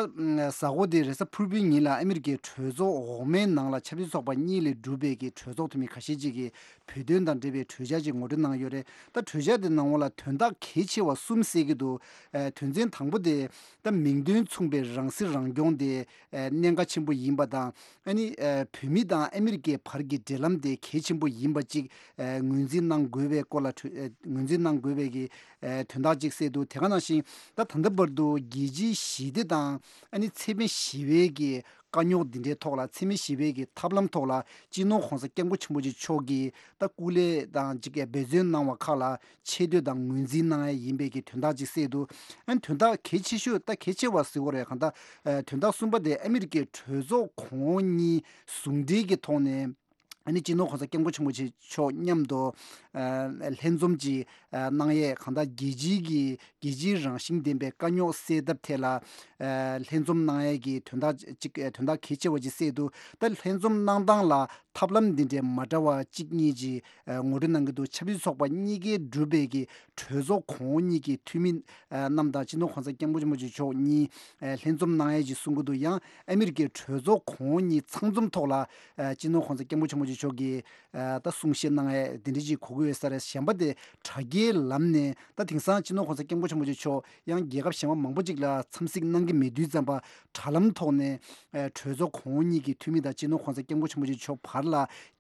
གཟའ་འཁོར་འདིའི་རེས་གཟའ་ཕུར་བུའི་ཉིན་ལ་ཨ་མི་རི་ཀའི་གྲོས་ཚོགས་འོག་མའི་ནང་ལ་ཆབ་སྲིད་ཚོགས་པ་གཉིས་ལས་གྲུབ་པའི་གི་གྲོས་ཚོགས་འཐུས་མི་ཁ་ཤས་ཅིག་གིས་བོད་དོན་དང་འབྲེལ་བའི་གྲོས་འཆར་ཅིག་ངོ་སྤྲོད་གནང་ཡོད་རེད། ད་གྲོས་འཆར་དེ་ནང་ལ་དོན་དག་གལ་ཆེ་བ་གསུམ་གསལ་གྱི་འདུག་ཨ་དོན་ཚན་དང་པོ་དེ་ད་མིང་དོན་མཚུངས་པའི་རང་སྲིད་རང་སྐྱོང་དེ་ཨ་གནད་འགག་ཆེན་པོ་ཡིན་པ་དང་། ཨ་ནི་ཨ་བོད་མི་དང་ཨ་མི་རི་ཀའི་བར་གྱི་འབྲེལ་ལམ་དེ་གལ་ཆེན་པོ་ཡིན་པ་ཅིག་ཨ་ངོས་འཛིན་གནང་དགོས་པའི་སྐོར་ལ་གྲོས་ཨ་ངོས་འཛིན་གནང་དགོས་པའི་གི་ཨ་དོན་དག་ཅིག་གསལ་འདུག་དེ་ག་ནང་བཞིན་ད་ད་ལྟ་བར་དུ་རྒྱལ་སྤྱིའི་ཞི་བདེ་དང་ཨ་ནི་འཚེ་མེད་ཞི་བའི་གི་དཀའ་རྙོག་འདི་འདྲའི་ཐོག་ལ་འཚེ་མེད་ཞི་བའི་གི་ཐབས་ལམ་ཐོག་ལ་སྤྱི་ནོར་༸གོང་ས་༸སྐྱབས་མགོན་ཆེན་པོ་མཆོག་གིས་ད་སྐུ་ལས་དང་ཅིག་འབད་བརྩོན་གནང་བ་ཁག་ལ་ཆེ་བསྟོད་དང་ངོས་འཛིན་གནང་ཡ་ཡིན་པའི་གི་དོན་དག་ཅིག་གསལ་འདུག་ཨ་ནི་དོན་དག་གལ་ཆེ་ཤོས་ད་གལ་ཆེ་བ་ཟེར་དགོས་རེད། གང་ལྟར་ཨ་དོན་དག་གསུམ་པ་དེ་ཨ་མི་རི་ཀའི་གྲོས་ཚོགས་གོང་འོག་གཉིས་ཟུང་འབྲེལ་གྱི་ཐོག་ནས་ཨ་ནི་སྤྱི་ནོར་༸གོང་ས་༸སྐྱབས་མགོན་ཆེན་པོ་མཆོག་མཉམ་དུ་ཨ་ལྷན་འཛོམས་ཀྱི་ཨ་གནང་ཡས་གང་ལྟར་རྒྱལ་སྤྱིའི་གི་རྒྱལ་སྤྱིའི་རང་བཞིན་ལྡན་པའི་དཀའ་རྙོག་སེལ་ཐབས་ཐད་ལ་ཨ་ལྷན་འཛོམས་གནང་ཡས་ཀྱི་དོན་དག་ཅིག་ཨ་དོན་དག་གལ་ཆེ་བ་ཅིག་གསལ་འདུག་ད་ལྷན་འཛོམས་གནང་སྟངས་ལ་ཐབས་ལམ་འདི་འདྲའི་མ་འདྲ་བ་གཅིག་གཉིས་ཀྱིས་ཨ་ངོ་སྤྲོད་གནང་གི་འདུག་ཆབ་སྲིད་ཚོགས་པ་གཉིས་ཀས་གྲུབ་པའི་གི་གྲོས་ཚོགས་གོང་འོག་གཉིས་ཀྱི་འཐུས་མི་ཨ་རྣམས་དང་སྤྱི་ནོར་༸གོང་ས་༸སྐྱབས་མགོན་ཆེན་པོ་མཆོག་གཉིས་ཨ་ལྷན་འཛོམས་གནང་ཡས་ཀྱི་གསུང་གི་འདུག་ཡང་ཨ་མི་རི་ཀའི་གྲོས་ཚོགས་གོང་འོག་གཉིས་ཚང་འཛོམས་ཐོག་ལ་ཨ་སྤྱི་ནོར་༸གོང་ས་༸སྐྱབས་མགོན་ཆེན་པོ་མཆོག་གིས་ཨ་ད་གསུང་བཤད་གནང་ཡས་དེ་འདྲ་ཅིག་གོ་གི་ཡོད་ས་རེད། གཞན་པ་དེ་དྲ་རྒྱའི་ལམ་ནས་ད་དེང་སང་སྤྱི་ནོར་༸གོང་ས་༸སྐྱབས་མགོན་ཆེན་པོ་མཆོག་ཡང་རྒྱལ་ཁབ་གཞན་པ་མང་པོ་ཅིག་ལ་འཚམས་གཟིགས་གནང་གི་མེད་དུས་ཙམ་པ་དྲ་ལམ་ཐོག་ནས་ཨ་གྲོས་ཚོགས་གོང་འོག་གཉིས་ཀྱི་འཐུས་མི་དང་སྤྱི་ནོར་༸གོང་ས་༸སྐྱབས་མགོན་ཆེན་པོ་མཆོག་བར་ལ་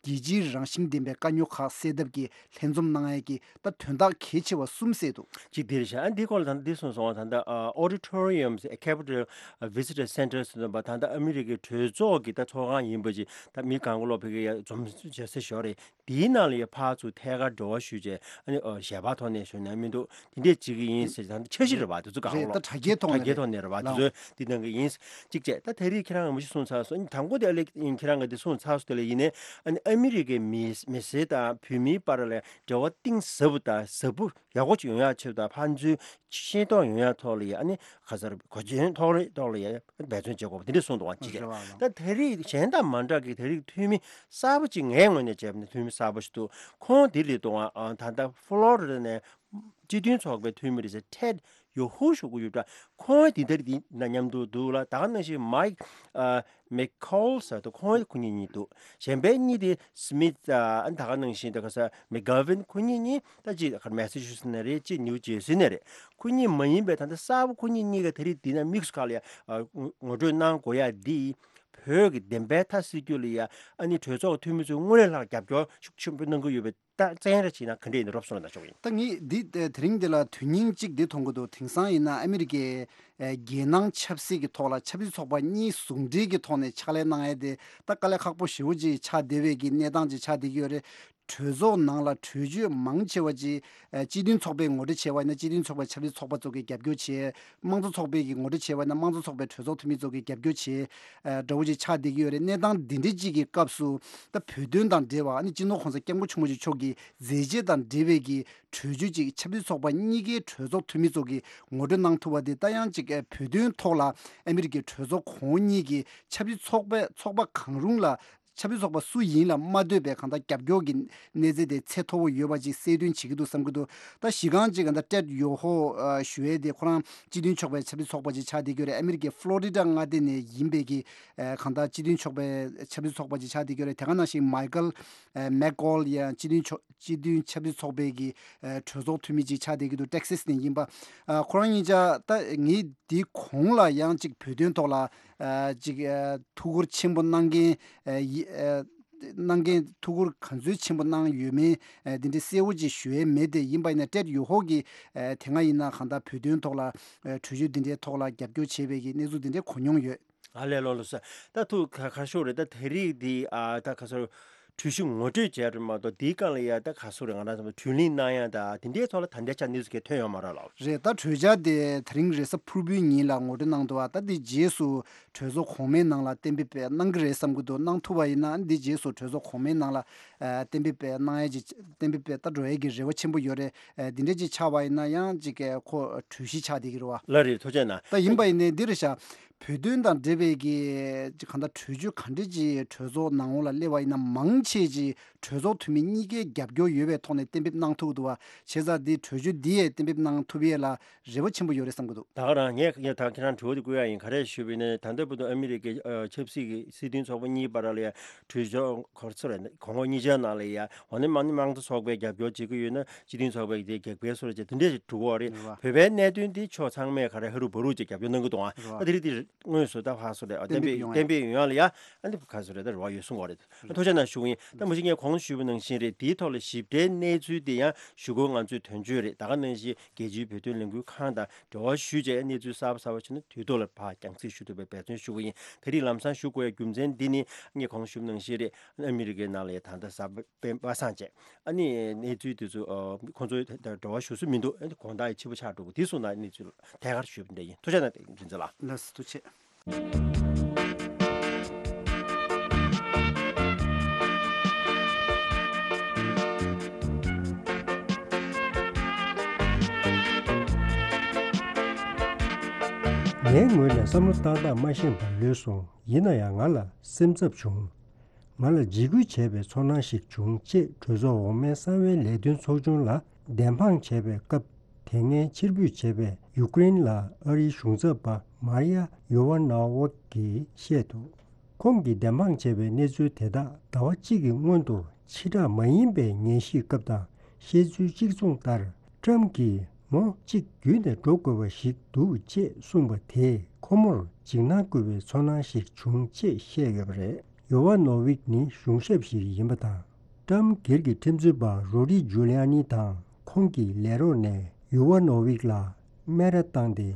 རྒྱལ་སྤྱིའི་རང་བཞིན་ལྡན་པའི་དཀའ་རྙོག་ཁག་སེལ་ཐབས་ཀྱི་ལྷན་འཛོམས་གནང་ཡས་ཀྱི་ད་དོན་དག་གལ་ཆེ་བ་གསུམ་གསལ་འདུག་གཅིག་དེ་རེད་ཤག་ཨ་འདི་སྐོར་ལ་ད་ལྟ་འདི་གསུངས་སོང་བ། ད་ལྟ་ཨ་Auditorium Capitol Visitor Center ཟེར་བ་ད་ལྟ་ཨ་མི་རི་ཀའི་གྲོས་ཚོགས་ཀྱི་ད་ཚོགས་ཁང་ཡིན་པ་ཅིག་ད་མི་གང་ག་ལོག་ཕ་གི་ཡ་འཛོམས་བྱེད་ས་ཞོར་རེད། དེའི་ནང་ལ་ཡ་ཕར་ཚུར་ཐད་ཀར་འབྲེལ་བ་ཞུས་བྱས་ཨ་ནི་ཨ་ཞལ་པར་ཐོག་ནས་ཞུ་ན་མི་འདུག་དེ་འདྲས་བྱེད་ཀྱི་ཡིན་ཟེར། ད་འཆར་གཞི་རེད་བ་དེ་ཚོ་གང་རེད། ལོག་ད་དྲ་རྒྱའི་ཐོག་དྲ་ནས་རྒྱའི་རེད་ཐོག་ནས་རེད་བ། དེ་ལགས། ཚོས་དེ་གནང་གི་ཡིན། གཅིག་བྱས་ད་དེ་རིང་ཁྱེད་རང་ངོ་མ་ཞིག་གསུངས་ཚར་སོང་། དང་པོ་དེ་ཨ་ལེག་ཁྱེད་རང་གིས་དེ་གསུངས་ཚར་སོང་། དེ་ལ་ཡིན་ནའི་ཨ་ནི་ཨ་མི་རི་ཀའི་མི་མི་སེར་དང་བོད་མིའི་བར་ལ་འབྲེལ་བ་གཏིང་ཟབ་པོ་དང་ཟབ་པོ་ཡག་པོ་ཅིག་ཡོང་ཡག་ཆེད་དུ་དང་ཕན་ཚུན་ཤེས་རྟོགས་ཡོང་ཡག་ཐོག་ལ་ཡ་ཨ་ནི་ག་ཚར་གོ་མཚོན་ཐོག་ལ་ཐོག་ལ་ཡ་འབད་བརྩོན་བྱེད་དགོས་པ་དེ་འདྲས་གསུངས་འདུག་བ་གཅིག་རེད་བ། ད་དེ་རིང་གཞན་དང་མ་འདྲ་གི་དེ་རིང་འཐུས་མི་གསར་པ་ཅིག་ངའི་ངོས་ནས་བྱས་པ་ན་འཐུས་མི་གསར་པ་ཞིག་འདུག་ཁོང་དེ་རེད་འདུག་ཨ། ད་ལྟ་ཕློ་རི་ཌ་ནས་སྤྱི་མཐུན་ཚོགས་པའི་འཐུས་མི་རེད་ཟེར་ཊེཌ་ཡོ་ཧུ་ཞུ་གི་ཡོད་འདྲ། ཁོང་དེ་ལྟར་དེ་ན་མཉམ་དུ་འདུག་ལ། ད་ག་ནང་བཞིན་མའིག་ཨ་མེག་ཁོལ་ཟེར་འདུག་ཁོང་ཁོ་གཉིས་གཉིས་འདུག་གཞན་པའི་གཉིས་དེ་སི་མིད་ཨ་ད་ག་ནང་བཞིན་ད་ག་ས་མེག་གྷ་ཝིན་ཁོ་གཉིས་གཉིས་ད་ཅི་མེ་སི་ཆུ་སེ་ནས་རེད། ཅི་ནིའུ་ཇེར་སི་ནས་རེད། ཁོ་གཉིས་མ་ཡིན་པའི་ད་ལྟ་གསར་པ་ཁོ་གཉིས་གཉིས་ཀ་དེ་རིང་འདི་ན་དམིགས་སུ་བཀར་ལ་ཡ་ཨ་ངོ་སྤྲོད་གནང་དགོས་ཡ་འདི་བོད་ཀྱི་བདེན་པའི་མཐའ་གསལ་རྒྱུ་ལ་ཡ་ཨ་ནི་གྲོས་ཚོགས་འཐུས་མི་ཚོས་དངོས་གནས་ལྷག་རྒྱབ་སྐྱོར་ཤུགས་ཆེན་པོ་གནང་གི་ཡོད་པའི་ད་བཙན་ར་བྱས་ན་ག་འདྲས་ཡིན་རོབ་སོང་ན་ཆོག་ཡིན། ད་ངས་འདི་དེ་རིང་འདི་ལ་དོན་སྙིང་གཅིག་འདི་མཐོང་གི་འདུག་དེང་སང་ཡིན་ན་ཨ་མི་རི་ཀའི་ཨ་རྒྱལ་ནང་ཆབ་སྲིད་ཀྱི་ཐོག་ལ་ཆབ་སྲིད་ཚོགས་པ་གཉིས་ཟུང་འབྲེལ་གྱི་ཐོག་ནས་ཕྱག་ལས་གནང་ཡས་དེ་ད་དཀའ་ལས་ཁག་པོ་ཞེ་པོ་ཅིག་ཆགས་བསྡད་པའི་གི་གནས་སྟངས་ཅིག་ཆགས་བསྡད་ཀྱི་ཡོད་རེད། གྲོས་ཚོགས་ནང་ལ་གྲོས་ཆོད་མང་ཆེ་བ་ཅིག་ཨ་སྤྱི་མཐུན་ཚོགས་པའི་ངོ་སྤྲོད་བྱས་པ་ཡིན་ན་སྤྱི་མཐུན་ཚོགས་པའི་ཆབ་སྲིད་ཚོགས་པ་ཚོ་གིས་རྒྱབ་སྐྱོར་བྱས། དམངས་གཙོ་ཚོགས་པའི་གི་ངོ་སྤྲོད་བྱས་པ་ཡིན་ན་དམངས་གཙོ་ཚོགས་པའི་གྲོས་ཚོགས་འཐུས་མི་ཚོ་གིས་རྒྱབ་སྐྱོར་བྱས། ཨ་འདྲ་བོ་ཅིག་ཆགས་བསྡད་ཀྱི་ཡོད་རེད། གནས་སྟངས་འདི་འདྲ་ཅིག་གི་སྐབས་སུ་ད་བོད་དོན་དང་འབྲེལ་བ་ཨ་ནི་སྤྱི་ནོར་༸གོང་ས་༸སྐྱབས་མགོན་ཆེན་པོ་མཆོག་གི་མཛད་རྗེས་དང་འབྲེལ་བའི་གི་གྲོས་ཆོད་ཅིག་ཆབ་སྲིད་ཚོགས་པ་གཉིས་ཀའི་གྲོས་ཚོགས་འཐུས་མི་ཚོ་གིས་ངོ་སྤྲོད་གནང་ཐུབ་པ་དེ་ད་ཡང་ཅིག་ཨ་བོད་དོན་ཐོག་ལ་ཨ་མི་རི་ཀའི་གྲོས་ཚོགས་གོང་འོག་གཉིས་ཀྱིས་ཆབ་སྲིད་ཚོགས་པ་ཚོགས་པ་གང་རུང་ལ་ཆབ་སྲིད་ཚོགས་པ་སུ་ཡིན་ལ་མ་ལྟོས་པའི་གང་ལྟར་རྒྱབ་སྐྱོར་གྱི་གནས་ཚད་དེ་ཚད་མཐོ་བོ་ཡོད་པ་ཅིག་གསལ་སྟོན་བྱེད་ཀྱི་འདུག་བསམ་གྱི་འདུག་ད་གཞི་རྐང་ཅིག་གང་ལྟར་ཊེཌ་ཡོ་ཧོ་ཨ་ཞུ་ཡས་དེ་ཁོ་རང་སྤྱི་མཐུན་ཚོགས་པའི་ཆབ་སྲིད་ཚོགས་པ་ཅིག་ཆགས་བསྡད་ཀྱི་ཡོད་རེད། ཨ་མི་རི་ཀའི་ཕློ་རི་ཌ་མངའ་སྡེ་ནས་ཡིན་པའི་གི་ཨ་གང་ལྟར་སྤྱི་མཐུན་ཚོགས་པའི་ཆབ་སྲིད་ཚོགས་པ་ཅིག་ཆགས་བསྡད་ཀྱི་ཡོད་རེད། དེ་ག་ནང་བཞིན་མའི་ཀལ་ཨ་མེག་ཀོལ་ཡང་སྤྱི་མཐུན་ཚོགས་སྤྱི་མཐུན་ཆབ་སྲིད་ཚོགས་པའི་གི་ཨ་གྲོས་ཚོགས་འཐུས་མི་ཅིག་ཆགས་བསྡད་ཀྱི་འདུག་ཊེག་སི་སི་ནས་ཡིན་པ། ཨ་ཁོ་རང་གཉིས་ཆ་ད་ངས་འདི་གོང་ལ་ཡང་ཅིག་བོད་དོན་ཐོག་ལ་ཨ་ཅིག་ཨ་ཐུགས་ཁུར་ཆེན་པོ་གནང་མཁན་ཨ་ཡི་ཨ་གནང་མཁན་ཐུགས་ཁུར་ག་ཚོད་ཆེན་པོ་གནང་ཡོད་མེད་ཨ་འདི་འདྲའི་གསལ་བོ་ཅིག་ཞུ་ཡས་མེད་དེ། ཡིན་པ་ཡིན་ན་ཊེཌ་ཡོ་ཧོ་གིས་ཨ་དེ་སྔ་ཡིན་ན་གང་ལྟར་བོད་དོན་ཐོག་ལ་ཨ་གྲོས་ཆོད་འདི་འདྲའི་ཐོག་ལ་རྒྱབ་སྐྱོར་བྱས་པའི་གི་གནས་ཚུལ་འདི་འདྲའི་གོ་མྱོང་ཡོད། ཨ་ལས་ལོ་ལོ་ས། ད་ཐུགས་ཁ་ཁ་ཤོར་རེད། ད་དེ་རིང་འདི་ཨ་ད་ཁ་སོར་ གྲོས་གཞི་ངོ་སྤྲོད་བྱས་རེད་མ་གཏོགས། དེའི་སྒང་ལ་ཡ་ད་ག་སུ་རེད། ང་རང་ཚོ་གྲོས་གླེང་གནང་ཡ་ད་དེ་འདྲའི་ཐོག་ལ་ད་ལྟའི་ཆར་གནས་ཚུལ་གང་ཐོན་ཡོད་མ་རེད་ལགས། རེད། ད་གྲོས་འཆར་དེ་དེ་རིང་རེས་གཟའ་ཕུར་བུའི་ཉིན་ལ་ངོ་སྤྲོད་གནང་འདུག་བ། ད་དེ་རྗེས་སུ་གྲོས་ཚོགས་གོང་མའི་ནང་ལ་གཏན་འབེབས་གནང་གི་རེད་བསམ་གྱི་འདུག་གནང་ཐུབ་པ་ཡིན་ན་འདི་རྗེས་སུ་གྲོས་ཚོགས་གོང་མའི་ནང་ལ་ཨ་གཏན་འབེབས་གནང་ཡ་ཅིག་གཏན་འབེབས་ད་འགྲོ་ཡ་གི་རེ་བ་ཆེན་པོ་ཡོད་རེད། ཨ་འདི་འདྲ་ཅིག་ཆགས་པ་ཡིན་ན་ཡང་ཅིག་གི་ཁོ་གྲོས་གཞི་ཆགས་བསྡད་ཀྱི་རེད་བ། ལགས་རེད། ཐུགས་རྗེ་གནང་། ད་ཡིན་པ་ཡིན་ནའི་འདི་རེད་ཤག་བོད་དོན་དང་འབྲེལ་བའི་གི་ཅིག་གང་ལྟར་གྲོས་ཆོད་ག་འདྲ་ཅིག་གྲོས་ཚོགས་ནང་ལོགས་ལ་སླེབས་པ་ཡིན་ན། མང་ཆེ་ཅིག་གྲོས་ཚོགས་འཐུས་མི་གཉིས་ཀའི་རྒྱབ་སྐྱོར་ཡོད་པའི་ཐོག་ནས་གཏན་འབེབས་གནང་ཐུབ་ཀྱི་འདུག་བ། བྱས་ཙང་འདི་གྲོས་ཆོད་འདི་ཡས་གཏན་འབེབས་གནང་ཐུབ་ཡས་ལ་རེ་བ་ཆེན་པོ་ཡོད་རེད་བསམ་གྱི་འདུག་ད་ག་རང་ངས་ཡ་ད་ཁྱེད་རང་དྲི་བ་དེ་བཀོད་ཡ་ཡིན། ག་རེ་ཞུས་པ་ཡིན་ན། ད་ལྟ་བར་དུ་ཨ་མི་རི་ཀའི་ཨ་ཆབ་སྲིད་ཀྱི་སྲིད་དོན་ཚོགས་པ་གཉིས་བར་ལ་ཡ་གྲོས་ཆོད་གོ་སོང་རེད། གོང་འོག་གཉིས་ཆའི་ནང་ལ་ཡ་འོ་ན་མང་ནི་མང་གཙོ་ཚོགས་པའི་རྒྱབ་སྐྱོར་བྱེད་ཀྱི་ཡོད་ན་སྤྱི་མཐུན་ཚོགས་པའི་དེ་གེགས་པའི་སོ་རེད་ཅེས་དེ་འདྲས་ཞིག་འགྲོ་གི་ཡོད་རེད། རེད་བ། བོད་པའི་གནད་དོན་དེ་ཕྱོགས་ཚང་མས་ག་རེ་ཧ་རུ་བ་རུ་ཅིག་རྒྱབ་སྐྱོར་གནང་གི་འདུག་ཨ། རེད་བ། ད་དེ་རིང་དེ་དངོས་སུ་ད་ཕར་སོ་རེད། ཨ་གཏན་འབེབས་ཡོང་ཡ་ལ་ཡ་ཨ་ནི་ག་སོ་རེད། ད་རེ་བ་ཡོད་གསུང་གི་ཡོད་རེད། ཐུགས་རྗེ་གནང་ཞུ་གི་ཡིན། ད་མ་གཞི་ངས་གོང་ཞུས་པ་ནང་བཞིན་རེད། དེའི་ཐོག་ལ་ཞིབ་ཕྲའི་གནས་ཚུལ་དེ་ཡང་གཞུག་གུ་ང་ཚོས་དོན་གཅོད་རེད། ད་ག་ནང་བཞིན་རྒྱལ་སྤྱིའི་བོད་དོན་ལས་འགུལ་ཁང་དང་འབྲེལ་བ་ཞུས་བྱས་གནས་ཚུལ་གསར་པ་གསར་པ་བྱུང་ན་དུས་ཐོག་ལ་ཕར་རྒྱང་སྲིང་ཞུ་ཐུབ་པའི་འབད་བརྩོན་ཞུ་གི་ཡིན། དེ་རིང་ལམ་སང་ཞུ་དགོས་ཡ་རྒྱུ་མཚན་འདི་ནི་ངས་གོང་ཞུས་པ་ནང་བཞིན་རེད། ཨ་མི་རི་ཀའི་ནང་ལ་ཡ་ད་ལྟ་གཟའ་སྤེན་པ་སངས་བྱས་ཨ་ནི་གནས་ཚུལ་དེ་ཚོ་ཨ་ཁོང་ཚོའི་ད་འབྲེལ་བ་ཞུ་སྲོལ་མི་འདུག་ཨ་ནི་དགོང་དག་ཡ་ཕྱི་པོ་ཆགས་འགྲོ་གི། དེ་སོང་ན་གནས་ཚུལ་ཐད་ཀར་ཞུས་པ་འདྲ་ཡིན། ཐུགས་རྗེ་གནང་། རྒྱུ་མཚན་ལ། ལགས་སོ། ཐུགས་རྗེ་ཆེ། ངའི་ངོས་ནས་བསམ་བློ་བཏང་སྟངས་མ་ཤེས་པར་ལུས་སོང་། ཡིན་ན་ཡང་ང་ལ་སེམས་འཚབ་བྱུང་། ང་ལ་འཇིགས་སྐུལ་བྱས་པའི་ཚོར་སྣང་ཞིག་བྱུང་ཅེས་གྲོས་ཚོགས་འོག་མའི་གསང་བའི་ལས་དོན་ཚོགས་ཆུང་ལ་བདེན་དཔང་བྱས་པའི་སྐབས། དེ་སྔའི་ཕྱིར་འབུད་བྱས་པའི་ཡུཀ་རེན་ལ་ཨ་རིའི་གཞུང་ཚབ་པ་མར་ཡ་ཡོ་ཝ་ནོ་ཝིག་གིས་བཤད་འདུག་ཁོང་གིས་བདེན་དཔང་བྱས་པའི་གནས་ཚུལ་དེ་དག་ཟླ་བ་གཅིག་གི་སྔོན་དུ་ཕྱི་བསྒྲགས་མ་ཡིན་པའི་ཉན་ཞིབ་སྐབས་དང་བཤད་ཚུལ་གཅིག་མཚུངས་ལྟར། ཏྲམ་གྱིས་ངོ་གཅིག་བརྒྱུད་ནས་འགྲོ་དགོས་པ་ཞིག་འདུག་ཅེས་གསུངས་པ་དེས་ཁོ་མོར་འཇིགས་སྣང་སྐུལ་བའི་ཚོར་སྣང་ཞིག་བྱུང་ཅེས་བཤད་ཡོད་པ་རེད། ཡོ་ཝ་ནོ་ཝིག་ནི་གཞུང་ཞབས་ཤིག་ཡིན་པ་དང་། ཏྲམ་སྒེར་གྱི་ཁྲིམས་རྩོད་པ་རོ་ཌི་ཇུ་ལི་ཡ་ནི་དང་ཁོང་གི་ལས་རོགས་ནས་ཡོ་ཝ་ནོ་ཝིག་ལ་སྨད་ར་བཏང་སྟེ་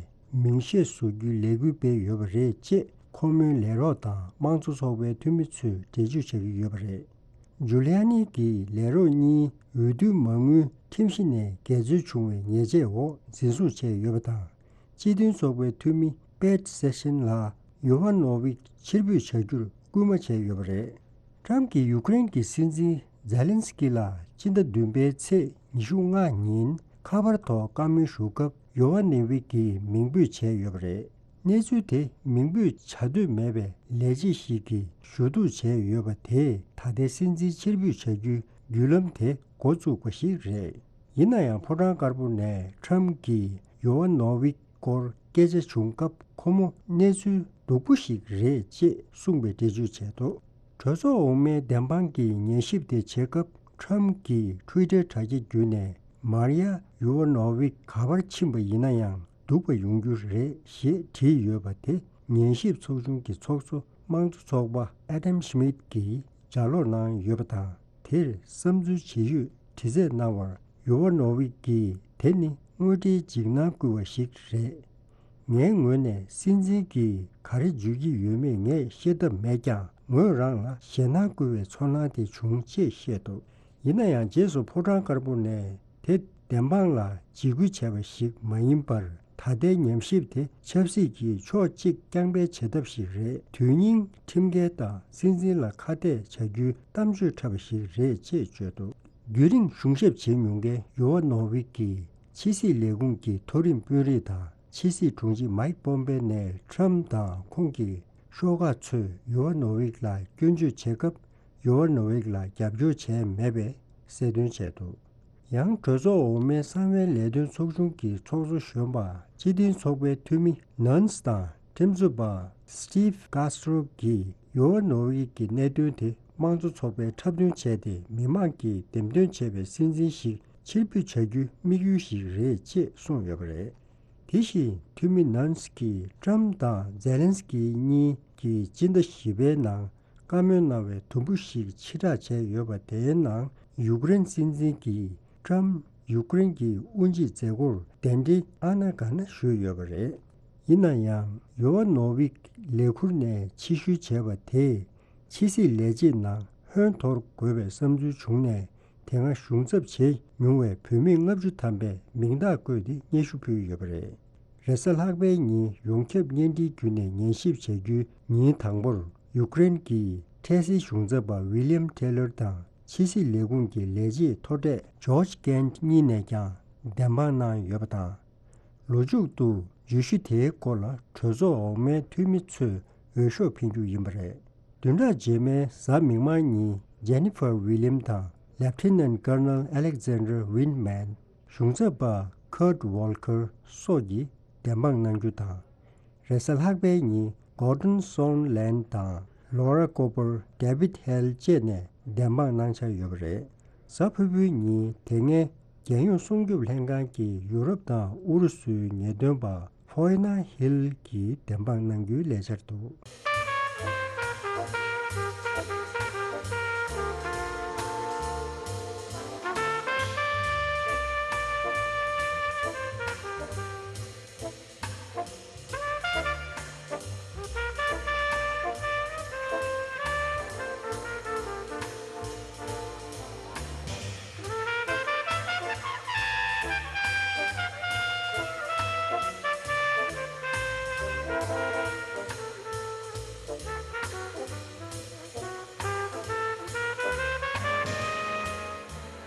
མིང་ཤས་བཟོ་རྒྱུའི་ལས་འགུལ་སྤེལ་ཡོད་པ་རེད་ཅེས་ཁོ་མོའི་ལས་རོགས་དང་དམངས་གཙོ་ཚོགས་པའི་འཐུས་མི་ཚོས་འགྲེལ་བརྗོད་བྱ་གི་ཡོད་པ་རེད། ཇུ་ལི་ཡ་ནི་གི་ལས་རོགས་གཉིས་འོས་བསྡུ་མ་དངུལ་ཁྲིམས་གཞི་ནས་འགལ་འཛོལ་བྱུང་བའི་ཉེས་ཆད་འོག་འཛིན་བཟུང་བྱས་ཡོད་པ་དང་། སྤྱི་མཐུན་ཚོགས་པའི་འཐུས་མི་པེཊ་སེ་ཤན་ལ་ཡོ་ཝ་ནོ་ཝིག་ཕྱིར་འབུད་བྱ་རྒྱུར་སྐུལ་མ་བྱས་ཡོད་པ་རེད། ཏྲམ་གྱིས་ཡུཀ་རེན་གྱི་སྲིད་འཛིན་ཛེ་ལན་སི་ཀི་ལ་སྤྱི་ཟླ་བདུན་པའི་ཚེས་ཉི་ཤུ་ལྔ་ཉིན་ཁ་པར་ཐོག་བཀའ་མོལ་ཞུ་སྐབས་ཡོ་ཝ་ནོ་ཝིག་གིས་མིང་འབོད་བྱས་ཡོད་པ་རེད། གནས་ཚུལ་དེ་མིང་འབོད་བྱ་འདོད་མེད་པའི་ལས་བྱེད་ཞིག་གིས་ཞུ་གཏུག་བྱས་ཡོད་པ་དེས་ད་ལྟའི་སྲིད་འཛིན་ཕྱིར་འབུད་བྱ་རྒྱུའི་བརྒྱུད་ལམ་དེ་འགོ་བཙུགས་པ་ཞིག་རེད། ཡིན་ན་ཡང་ཕོ་བྲང་དཀར་པོ་ནས་ཁྲམ་གྱིས་ཡོ་ཝ་ནོ་ཝིག་སྐོར་སྐད་ཆ་བྱུང་སྐབས་ཁོ་མོ་གནས་ཚུལ་སྡུག་པོ་ཞིག་རེད་ཅེས་གསུངས་པའི་འགྲེལ་བརྗོད་བྱས་འདུག་གྲོས་ཚོགས་འོག་མའི་བདེན་དཔང་གི་ཉན་ཞིབ་དེ་བྱེད་སྐབས་ཁྲམ་གྱིས་ཊུའི་ཊར་དྲ་རྒྱ་བརྒྱུད་ནས་མར་ཡ་ཡོ་ཝ་ནོ་ཝིག་ག་པར་ཕྱིན་པ་ཡིན་ན་ཡང་། སྡུག་པ་ཡོང་རྒྱུ་རེད་ཞེས་བྲིས་ཡོད་པ་དེ་ཉན་ཞིབ་ཚོགས་ཆུང་གི་ཚོགས་གཙོ་དམངས་གཙོ་ཚོགས་པ་ཨ་དམ་ཤི་མིད་ཀྱིས་ལྗགས་ཀློག་གནང་ཡོད་པ་དང་། དེར་བསམ་ཚུལ་ཇི་ཡོད་དྲི་རྩད་གནང་བར་ཡོ་ཝ་ནོ་ཝིག་གིས་དེ་ནི་དངོས་འབྲེལ་འཇིགས་སྣང་སྐུལ་བ་ཞིག་རེད། ངའི་ངོས་ནས་སྲིད་འཛིན་གྱིས་ག་རེ་བརྗོད་ཀྱི་ཡོད་མེད་ངས་ཤེས་ཐབས་མེད་ཀྱང་ངོས་རང་ལ་ཞེད་སྣང་སྐུལ་བའི་ཚོར་སྣང་དེ་བྱུང་ཅེས་བཤད་འདུག་ཡིན་ན་ཡང་རྗེས་སུ་ཕོ་བྲང་དཀར་པོ་ནས་དེ་བདེན་དཔང་ལ་འཇིགས་སྐུལ་བྱས་པ་ཞིག་མ་ཡིན་པར། ད་ལྟའི་ཉམས་ཞིབ་དེ་ཆབ་སྲིད་ཀྱི་ཕྱོགས་གཅིག་རྐྱང་པའི་བྱེད་ཐབས་ཤིག་རེད། དོན་སྙིང་ཁྲིམས་འགལ་དང་སྲིད་འཛིན་ལ་ཁ་གཏད་བྱ་རྒྱུའི་གཏམ་བརྗོད་འཁྲབ་པ་ཞིག་རེད་ཅེས་བརྗོད་འདུག་རྒྱུན་རིང་གཞུང་ཞབས་བྱེད་མྱོང་མཁན་ཡོ་ཝ་ནོ་ཝིག་གིས་ཕྱི་སྲིད་ལས་ཁུངས་ཀྱི་མཐོ་རིམ་དཔོན་རིགས་དང་ཕྱི་སྲིད་དྲུང་ཆེ་མའིག་པོམ་པེ་ནས་ཁྲམ་དང་ཁོང་གི་ཤོག་ཁག་ཚོས་ཡོ་ཝ་ནོ་ཝིག་ལ་སྐྱོན་བརྗོད་བྱེད་སྐབས། ཡོ་ཝ་ནོ་ཝིག་ལ་རྒྱབ་སྐྱོར་བྱས་མེད་པའི་གསལ་སྟོན་བྱས་འདུག་ཡང་གྲོས་ཚོགས་འོག་མའི་གསང་བའི་ལས་དོན་ཚོགས་ཆུང་གི་ཚོགས་གཙོ་གཞོན་པ་སྤྱི་མཐུན་ཚོགས་པའི་འཐུས་མི་ནན་སི་དང་ཁྲིམས་རྩོད་པ་སི་ཊིབ་ཀཱ་སི་ཊོ་གིས་ཡོ་ཝ་ནོ་ཝིག་གི་གནད་དོན་དེ་དམངས་གཙོ་ཚོགས་པས་འཁྲབ་སྟོན་བྱས་ཏེ་མི་མང་གིས་འདེམས་ཐོན་བྱས་པའི་སྲིད་འཛིན་ཞིག་ཕྱིར་འབུད་བྱ་རྒྱུའི་དམིགས་ཡུལ་ཞིག་རེད་ཅེས་གསུངས་ཡོད་པ་རེད། དེ་བཞིན་འཐུས་མི་ནན་སི་ཀིས་ཀྲམ་དང་ཛེ་ལན་སི་ཀི་གཉིས་ཀྱིས་སྤྱི་ཟླ་བཞི་པའི་ནང་བཀའ་མོལ་གནང་བའི་དུམ་བུ་ཞིག་ཕྱིར་བསྒྲགས་བྱས་ཡོད་པ་དེའི་ནང་ཡུཀ་རེན་སྲིད་འཛིན་གྱིས་ཀྲམ་ཡུཀ་རེན་གྱི་དབུ་འབྱེད་མཛད་སྒོར་གདན་འདྲེན་ཨ་ན་ག་ན་ཞུས་ཡོད་པ་རེད། ཡིན་ན་ཡང་ཡོ་ཝ་ནོ་ཝིག་ལས་ཁུར་ནས་ཕྱིར་བཤོལ་བྱས་པ་དེས་ཕྱི་སྲིད་ལས་བྱེད་ནང་ ཧོན་དོར་དགོས་པའི་བསམ་ཚུལ་བྱུང་ནས། དེ་སྔ་གཞུང་ཚབ་བྱས་མྱོང་བའི་བུད་མེད་ལྔ་བཅུ་ཐམ་པས་མིང་རྟགས་བཀོད་དེ་སྙན་ཞུ་ཕུལ་ཡོད་པ་རེད། རེས་གཟའ་ལྷག་པའི་ཉིན་ཡོངས་ཁྱབ་བརྙན་འཕྲིན་བརྒྱུད་ནས་ཉན་ཞིབ་བྱ་རྒྱུའི་ཉིན་དང་པོར། ཡུཀ་རེན་གྱི་འཕྲལ་སེལ་གཞུང་ཚབ་པ་ཝི་ལི་ཡམ་ཐེ་ལར་དང་། ཕྱི་སྲིད་ལས་ཁུངས་ཀྱི་ལས་བྱེད་མཐོ་གྲས་ཇོརྗ་ཀེན་གཉིས་ནས་ཀྱང་བདེན་དཔང་གནང་ཡོད་པ་དང་། ལོ་མཇུག་ཏུ་བརྗོད་གཞི་དེའི་སྐོར་ལ་གྲོས་ཚོགས་འོག་མའི་འཐུས་མི་ཚོས་འོས་ཤོག་འཕེན་རྒྱུ་ཡིན་པ་རེད། བདུན་ཕྲག་རྗེས་མའི་གཟའ་མིག་དམར་ཉིན་ཇེ་ནི་ཕར་ཝི་ལི་ཡམ་དང་། ལེབ་ཊི་ནན་ཀར་ནལ་ཨ་ལེག་ཛན་ཌར་ཝིན་མན། གཞུང་ཚབ་པ་ཁར་ཊི་ཝོལ་ཁར་སོགས་ཀྱིས་བདེན་དཔང་གནང་རྒྱུ་དང་། རེས་གཟའ་ལྷག་པའི་ཉིན་གོར་ཌོན་སོན་ལན་དང་ལོ་ར་ཀོ་པར། ཌེ་བིད་ཧེལ་བཅས་ནས་བདེན་དཔང་གནང་འཆར་ཡོད་པ་རེད། གཟའ་ཕུར་བུའི་ཉིན་དེ་སྔའི་རྒྱལ་ཡོངས་སྲུང་སྐྱོབ་ལྷན་ཁང་གི་ཡུ་རོབ་དང་ཨུ་རུ་སུའི་ངེས་སྟོན་པ་ཧྥོ་ཡེ་ན་ཧིལ་གྱིས་བདེན་དཔང་གནང་རྒྱུའི་ལས་འཆར་འདུག་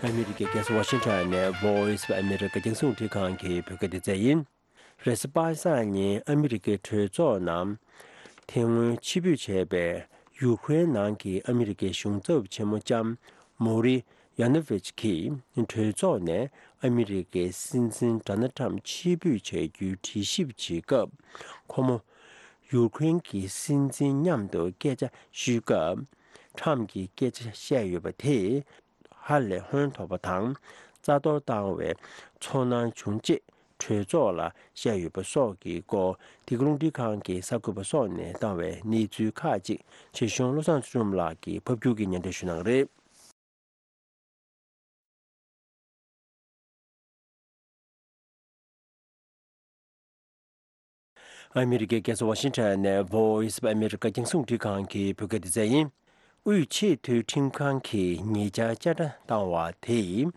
ཨ་མི་རི་ཀའི་རྒྱལ་ས་ཝ་ཤིང་ཊོན་ནས་Voice of America རྒྱང་སྲིང་རླུང་འཕྲིན་ཁང་གི་བོད་སྐད་སྡེ་ཚན་ཡིན། རེས་གཟའ་པ་སངས་ཉིན་ཨ་མི་རི་ཀའི་གྲོས་ཚོགས་ནང་དེ་སྔོན་ཕྱིར་འབུད་བྱས་པའི་ཡུ་ཀེ་རེན་ནང་གི་ཨ་མི་རི་ཀའི་གཞུང་ཚབ་ཆེན་མོ་ལྕམ་མོ་རི་ཡ་ནོ་ཝིཆ་གིས་གྲོས་ཚོགས་ནས་ཨ་མི་རི་ཀའི་སྲིད་འཛིན་ཌོ་ནལ་ཊམ་ཕྱིར་འབུད་བྱ་རྒྱུའི་དྲི་ཞིབ་བྱེད་སྐབས། ཁོ་མོ་ཡུ་ཀེ་རེན་གྱི་སྲིད་འཛིན་མཉམ་དུ་སྐད་ཆ་ཞུས་སྐབས། ཊམ་གྱིས་སྐད་ཆ་བཤད་ཡོད་པ་དེས། ཧ་ལས་ཧོན་ཐོར་བ་དང་རྩ་གཏོར་བཏང་བའི་ཚོར་སྣང་བྱུང་ཅེས་གྲོས་ཚོགས་ལ་བཤད་ཡོད་པ་སོགས་ཀྱི་སྐོར། འདི་ག་རླུང་འཕྲིན་ཁང་གི་གསར་འགོད་པ་སོགས་ནས་བཏང་བའི་གནས་ཚུལ་ཁག་ཅིག་ཆེད་གཞུང་བློ་བཟང་ཚུལ་ཁྲིམས་ལགས་ཀྱིས་ཕབ་སྒྱུར་གྱིས་སྙན་སྒྲོན་ཞུ་གནང་གི་རེད། ཨ་མི་རི་ཀའི་རྒྱལ་ས་ཝ་ཤིང་ཊོན་ནས་Voice of America རྒྱང་སྲིང་རླུང་འཕྲིན་ཁང་གི་བོད་སྐད་སྡེ་ཚན་ཡིན། དབུས་ཆེས་མཐོའི་ཁྲིམས་ཁང་གིས་ཉེ་ཆར་བསྐྱར་བསྒྲགས་བཏང་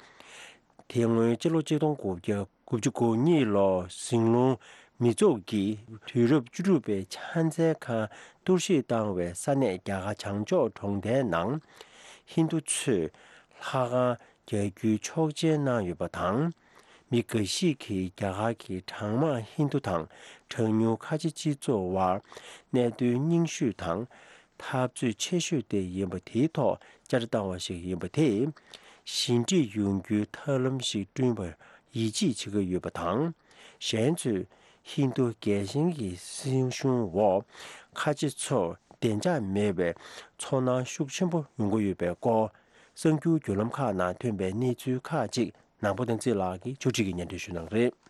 བ་དེས། དེ་སྔོན་སྤྱི་ལོ་ཆིག་སྟོང་དགུ་བརྒྱ་དགུ་བཅུ་གོ་གཉིས་ལོར་ཟིང་སློང་མི་ཚོགས་ཀྱིས་དུས་རབས་བཅུ་དྲུག་པའི་ཕྱག་འཚལ་ཁང་གཏོར་བཤིག་བཏང་བའི་ས་གནས་རྒྱ་གར་བྱང་ཕྱོགས་གྲོང་རྡལ་ནང་ཧིན་རྡུ་ཚོས་ལྷ་ཁང་རྒྱག་རྒྱུའི་ཆོག་མཆན་གནང་ཡོད་པ་དང་། མི་འགའ་ཞིག་གིས་རྒྱ་གར་གྱི་གྲངས་མང་ཧིན་རྡུ་དང་གྲངས་ཉུང་ཁ་ཆེ་སྤྱི་ཚོགས་དབར་གནད་དོན་རྙིང་ཤོས་དང་འཐབ་རྩོད་ཆེ་ཤོས་དེ་ཡིན་པ་དེའི་ཐོག་བསྐྱར་བཏང་བ་ཞིག་ཡིན་པ་དེས། ཞི་འགྲིག་ཡོང་རྒྱུའི་ཐབས་ལམ་ཞིག་བསྐྲུན་པར་ཡིད་ཆེས་བྱེད་ཀྱི་ཡོད་པ་དང་། གཞན་ཚོས་ཧིན་རྡུ་རྒྱལ་ཞེན་གྱི་སྲིད་གཞུང་འོག་ཁ་ཆེ་ཚོར་བདེ་འཇགས་མེད་པའི་ཚོར་སྣང་ཤུགས་ཆེན་པོ་ཡོང་གི་ཡོད་པའི་སྐོར། གསར་འགྱུར་བརྒྱུད་ལམ་ཁག་ནང་ཐོན་པའི་གནས་ཚུལ་ཁག་ཅིག་ནང་པ་བསྟན་འཛིན་ལགས་ཀྱིས་ཕྱོགས་སྒྲིག་གིས་སྙན་སྒྲོན་ཞུ་གནང་གི་རེད།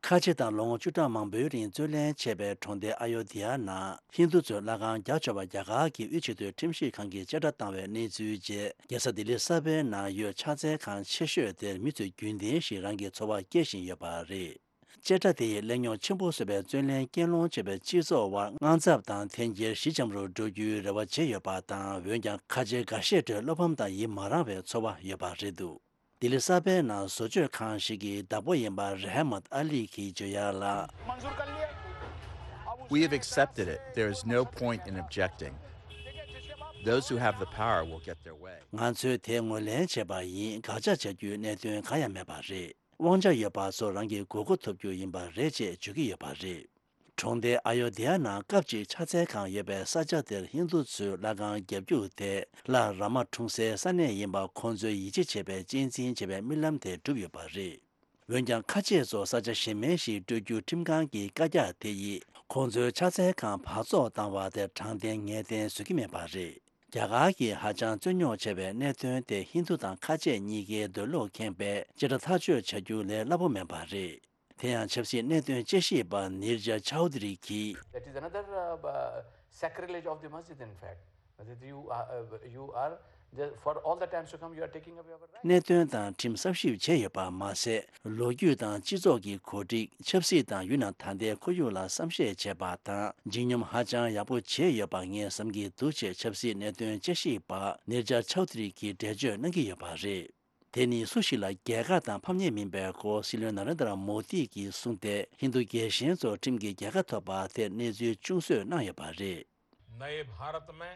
ཁ་ཆེ་དང་ལོ་ངོ་བཅུ་ཕྲག་མང་པོའི་རིང་བཙོན་ལེན་བྱས་པའི་གྲོང་སྡེ་ཨ་ཡོ་དྷི་ཡ་ནང་ཧིན་རྡུ་ཚོས་ལྷ་ཁང་རྒྱག་ཆོག་པ་རྒྱ་གར་གྱི་དབུས་ཆེས་མཐོའི་ཁྲིམས་ཞིབ་ཁང་གིས་བཅད་ཁྲ་བཏང་བའི་གནས་ཚུལ་རྗེས། རྒྱལ་ས་ལྡི་ལི་གསར་པའི་ནང་ཡོད་ཕྱག་འཚལ་ཁང་ཆེ་ཤོས་དེར་མི་ཚོས་རྒྱུན་ལྡན་བཞིན་རང་གི་ཚོར་བ་སྐྱེ་བཞིན་ཡོད་པ་རེད། བཅད་ཁྲ་དེ་ཡིས་གླེང་རྙོག་ཆེན་པོ་བཟོས་པའི་བཙོན་ལེན་གྱེན་ལོག་བྱས་པའི་སྤྱི་ཚོགས་དབར་དངངས་འཚབ་དང་འཐེན་འཁྱེར་ཞི་འཇམ་རུ་འགྲོ་རྒྱུའི་རེ་བ་བྱེད་ཡོད་པ་དང་། འོན་ཀྱང་ཁ་ཆེ་འགའ་ཤས་ཁྲོད་བློ་ཕམ་དང་ཡིད་མ་རངས་པའི་ཚོར་བ་ཡོད་པ་རེད་འདུག་ལྡི་ལི་གསར་པའི་ནང་བཟོ་བཅོས་ཁང་ཞིག་གི་བདག་པོ་ཡིན་པ་རེ་ཧ་མད་ཨ་ལི་གིས་བརྗོད་ཡག་ལ། We have accepted it. There is no point in objecting. Those who have the power will get their way. ང་ཚོས་དེ་ངོས་ལེན་བྱས་པ་ཡིན། དགག་བྱ་བྱ་རྒྱུའི་གནད་དོན་གང་ཡང་མེད་པ་རེད། དབང་ཆ་ཡོད་པ་ཚོ་རང་གི་དགོས་མཁོ་ཐོབ་རྒྱུ་ཡིན་པ་རེད་ཅེས་བརྗོད་ཀྱི་ཡོད་པ་རེད། གྲོང་སྡེ་ཨ་ཡོ་དྷི་ཡ་ནང་སྐབས་གཅིག་ཕྱག་འཚལ་ཁང་ཡོད་པའི་ས་ཆ་དེར་ཧིན་རྡུ་ཚོས་ལྷ་ཁང་བརྒྱབ་རྒྱུ་དེ་ལྷ་རཱ་མ་འཁྲུངས་སའི་ས་གནས་ཡིན་པ་ཁོང་ཚོས་ཡིད་ཆེས་བྱེད་པའི་གཅེས་འཛིན་བྱེད་པའི་རྨི་ལམ་དེ་གྲུབ་ཡོད་པ་རེད། འོན་ཀྱང་ཁ་ཆེ་ཚོ་ས་ཆ་གཞན་མིན་ཞིག་སྤྲོད་རྒྱུ་ཁྲིམས་ཁང་གི་བཀའ་རྒྱ་དེ་ཡིས་ཁོང་ཚོའི་ཕྱག་འཚལ་ཁང་བར་རྫོགས་བཏང་བ་དེར་དྲང་བདེན་ངེས་གཏན་བཟོ་གི་མེད་པ་རེད། རྒྱ་གར་གྱིས་ཧ་ཅང་རྩོད་རྙོག་ཆེ་བའི་གནད་དོན་དེ་ཧིན་རྡུ་དང་ཁ་ཆེ་གཉིས་ཀའི་འདོད་བློ་ཁེངས་པས་བཅད་ཁྲ་ཐག་གཅོད་བྱ་རྒྱུ་ལས་སླ་པོ་མིན་པ་རེད། དེ་ཡང་ཆབ་སྲིད་གནད་དོན་དཔྱད་ཞིབ་པ་ནིར་ཇ་ཆའོ་དི་རི་གིས། That is another, uh, uh, sacrilege of the masjid, in fact. That you are, uh, you are Just for all the times to come, you are taking away our rights. གནད་དོན་དང་ཁྲིམས་གསབ་ཞིབ་བྱས་ཡོད་པ་མ་ཟད། ལོ་རྒྱུས་དང་སྤྱི་ཚོགས་ཀྱི་གོ་སྒྲིག་ཆབ་སྲིད་དང་ཡུལ་ནང་ད་ལྟའི་ཁོར་ཡུག་ལ་བསམ་ཤེས་བྱས་པ་དང་། ལྗིད་སྙོམས་ཧ་ཅང་ཡག་པོ་བྱས་ཡོད་པ་ངས་བསམ་གྱི་འདུག་ཅེས་ཆབ་སྲིད་གནད་དོན་དཔྱད་ཞིབ་པ་ནེར་ཇ་ཆའོ་དྷི་རི་གིས་འགྲེལ་བརྗོད་གནང་གི་ཡོད་པ་རེད། དེ་ནི་སུ་ཞིག་ལ་རྒྱལ་ཁ་དང་ཕམ་ཉེས་མིན་པའི་སྐོར་སྲིད་བློན་ན་རེན་དྲ་མོ་དི་གིས་གསུངས་ཏེ། ཧིན་རྡུ་རྒྱལ་ཞེན་ཚོ་ཁྲིམས་ཀྱི་རྒྱལ་ཁ་ཐོབ་པ་དེར་གནས་ཚུལ་ཅུང་བཟོས་གནང་ཡོད་པ་རེད། नए भारत में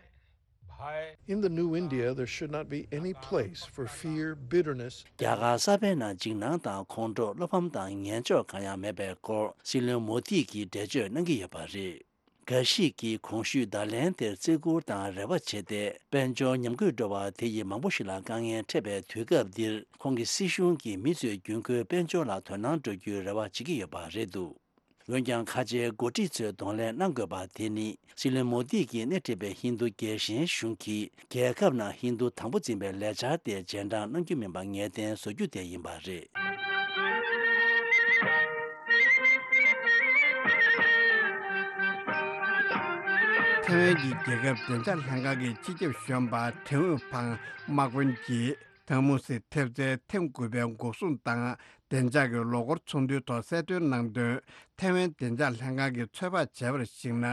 भय In the new India, there should not be any place for fear, bitterness. རྒྱ་གར་གསར་པའི་ནང་འཇིགས་སྣང་དང་ཁོང་ཁྲོ། བློ་ཕམ་དང་ངན་ཕྱོགས་གང་ཡང་མེད་པའི་སྐོར་སྲིད་བློན་མོ་དི་གིས་འགྲེལ་བརྗོད་གནང་གི་ཡོད་པ་རེད། འགའ་ཞིག་གིས་གོང་ཞུས་བརྡ་ལན་དེར་བརྩི་བཀུར་དང་རེ་བ་བྱས་ཏེ། དཔལ་འབྱོར་ཉམས་རྒུད་འགྲོ་བ་དེ་ཡིས་མང་པོ་ཞིག་ལ་དཀའ་ངལ་འཕྲད་པའི་དུས་སྐབས་འདིར། ཁོང་གི་སྲིད་གཞུང་གིས་མི་ཚོའི་རྒྱུན་མཁོའི་དཔལ་འབྱོར་ལ་དོ་སྣང་སྤྲོད་རྒྱུའི་རེ་བ་བྱེད་ཀྱི་ཡོད་པ་རེད་འདུག་འོན་ཀྱང་། ཁ་ཆེའི་འགོ་ཁྲིད་ཚོས་གདོང་ལེན་གནང་དགོས་པ་དེ་ནི། སྲིད་བློན་མོ་དི་གིས་སྣེ་ཁྲིད་པའི་ཧིན་རྡུ་རྒྱལ་ཞེན་གཞུང་གིས། རྒྱལ་ཁབ་ནང་ཧིན་རྡུ་དང་པོ་འཛིན་པའི་ལས་འཆར་དེ་རྗེས་འབྲང་གནང་རྒྱུ་མིན་པ་ངེས་གཏན་བཟོ་རྒྱུ་དེ་ཡིན་པ་རེད། ཐེ་ཝན་གྱི་རྒྱལ་ཁབ་བདེ་འཇགས་ལྷན་ཁང་གི་སྤྱི་ཁྱབ་གཞོན་པ་ཁྲེན་ཝུན་ཕང་དམག་དཔོན་གྱིས། ཐང་མུ་སི་ཐེབས་རྩའི་ཐེངས་དགུ་པའི་འགོག་སྲུང་དང་བདེ་འཇགས་ཀྱི་ལོ་འཁོར་ཚོགས་འདུའི་ཐོག་གསལ་སྟོན་གནང་དོན། ཐེ་ཝན་བདེ་འཇགས་ལྷན་ཁང་གིས་ཚོད་དཔག་བྱས་པར་གཞིགས་ན།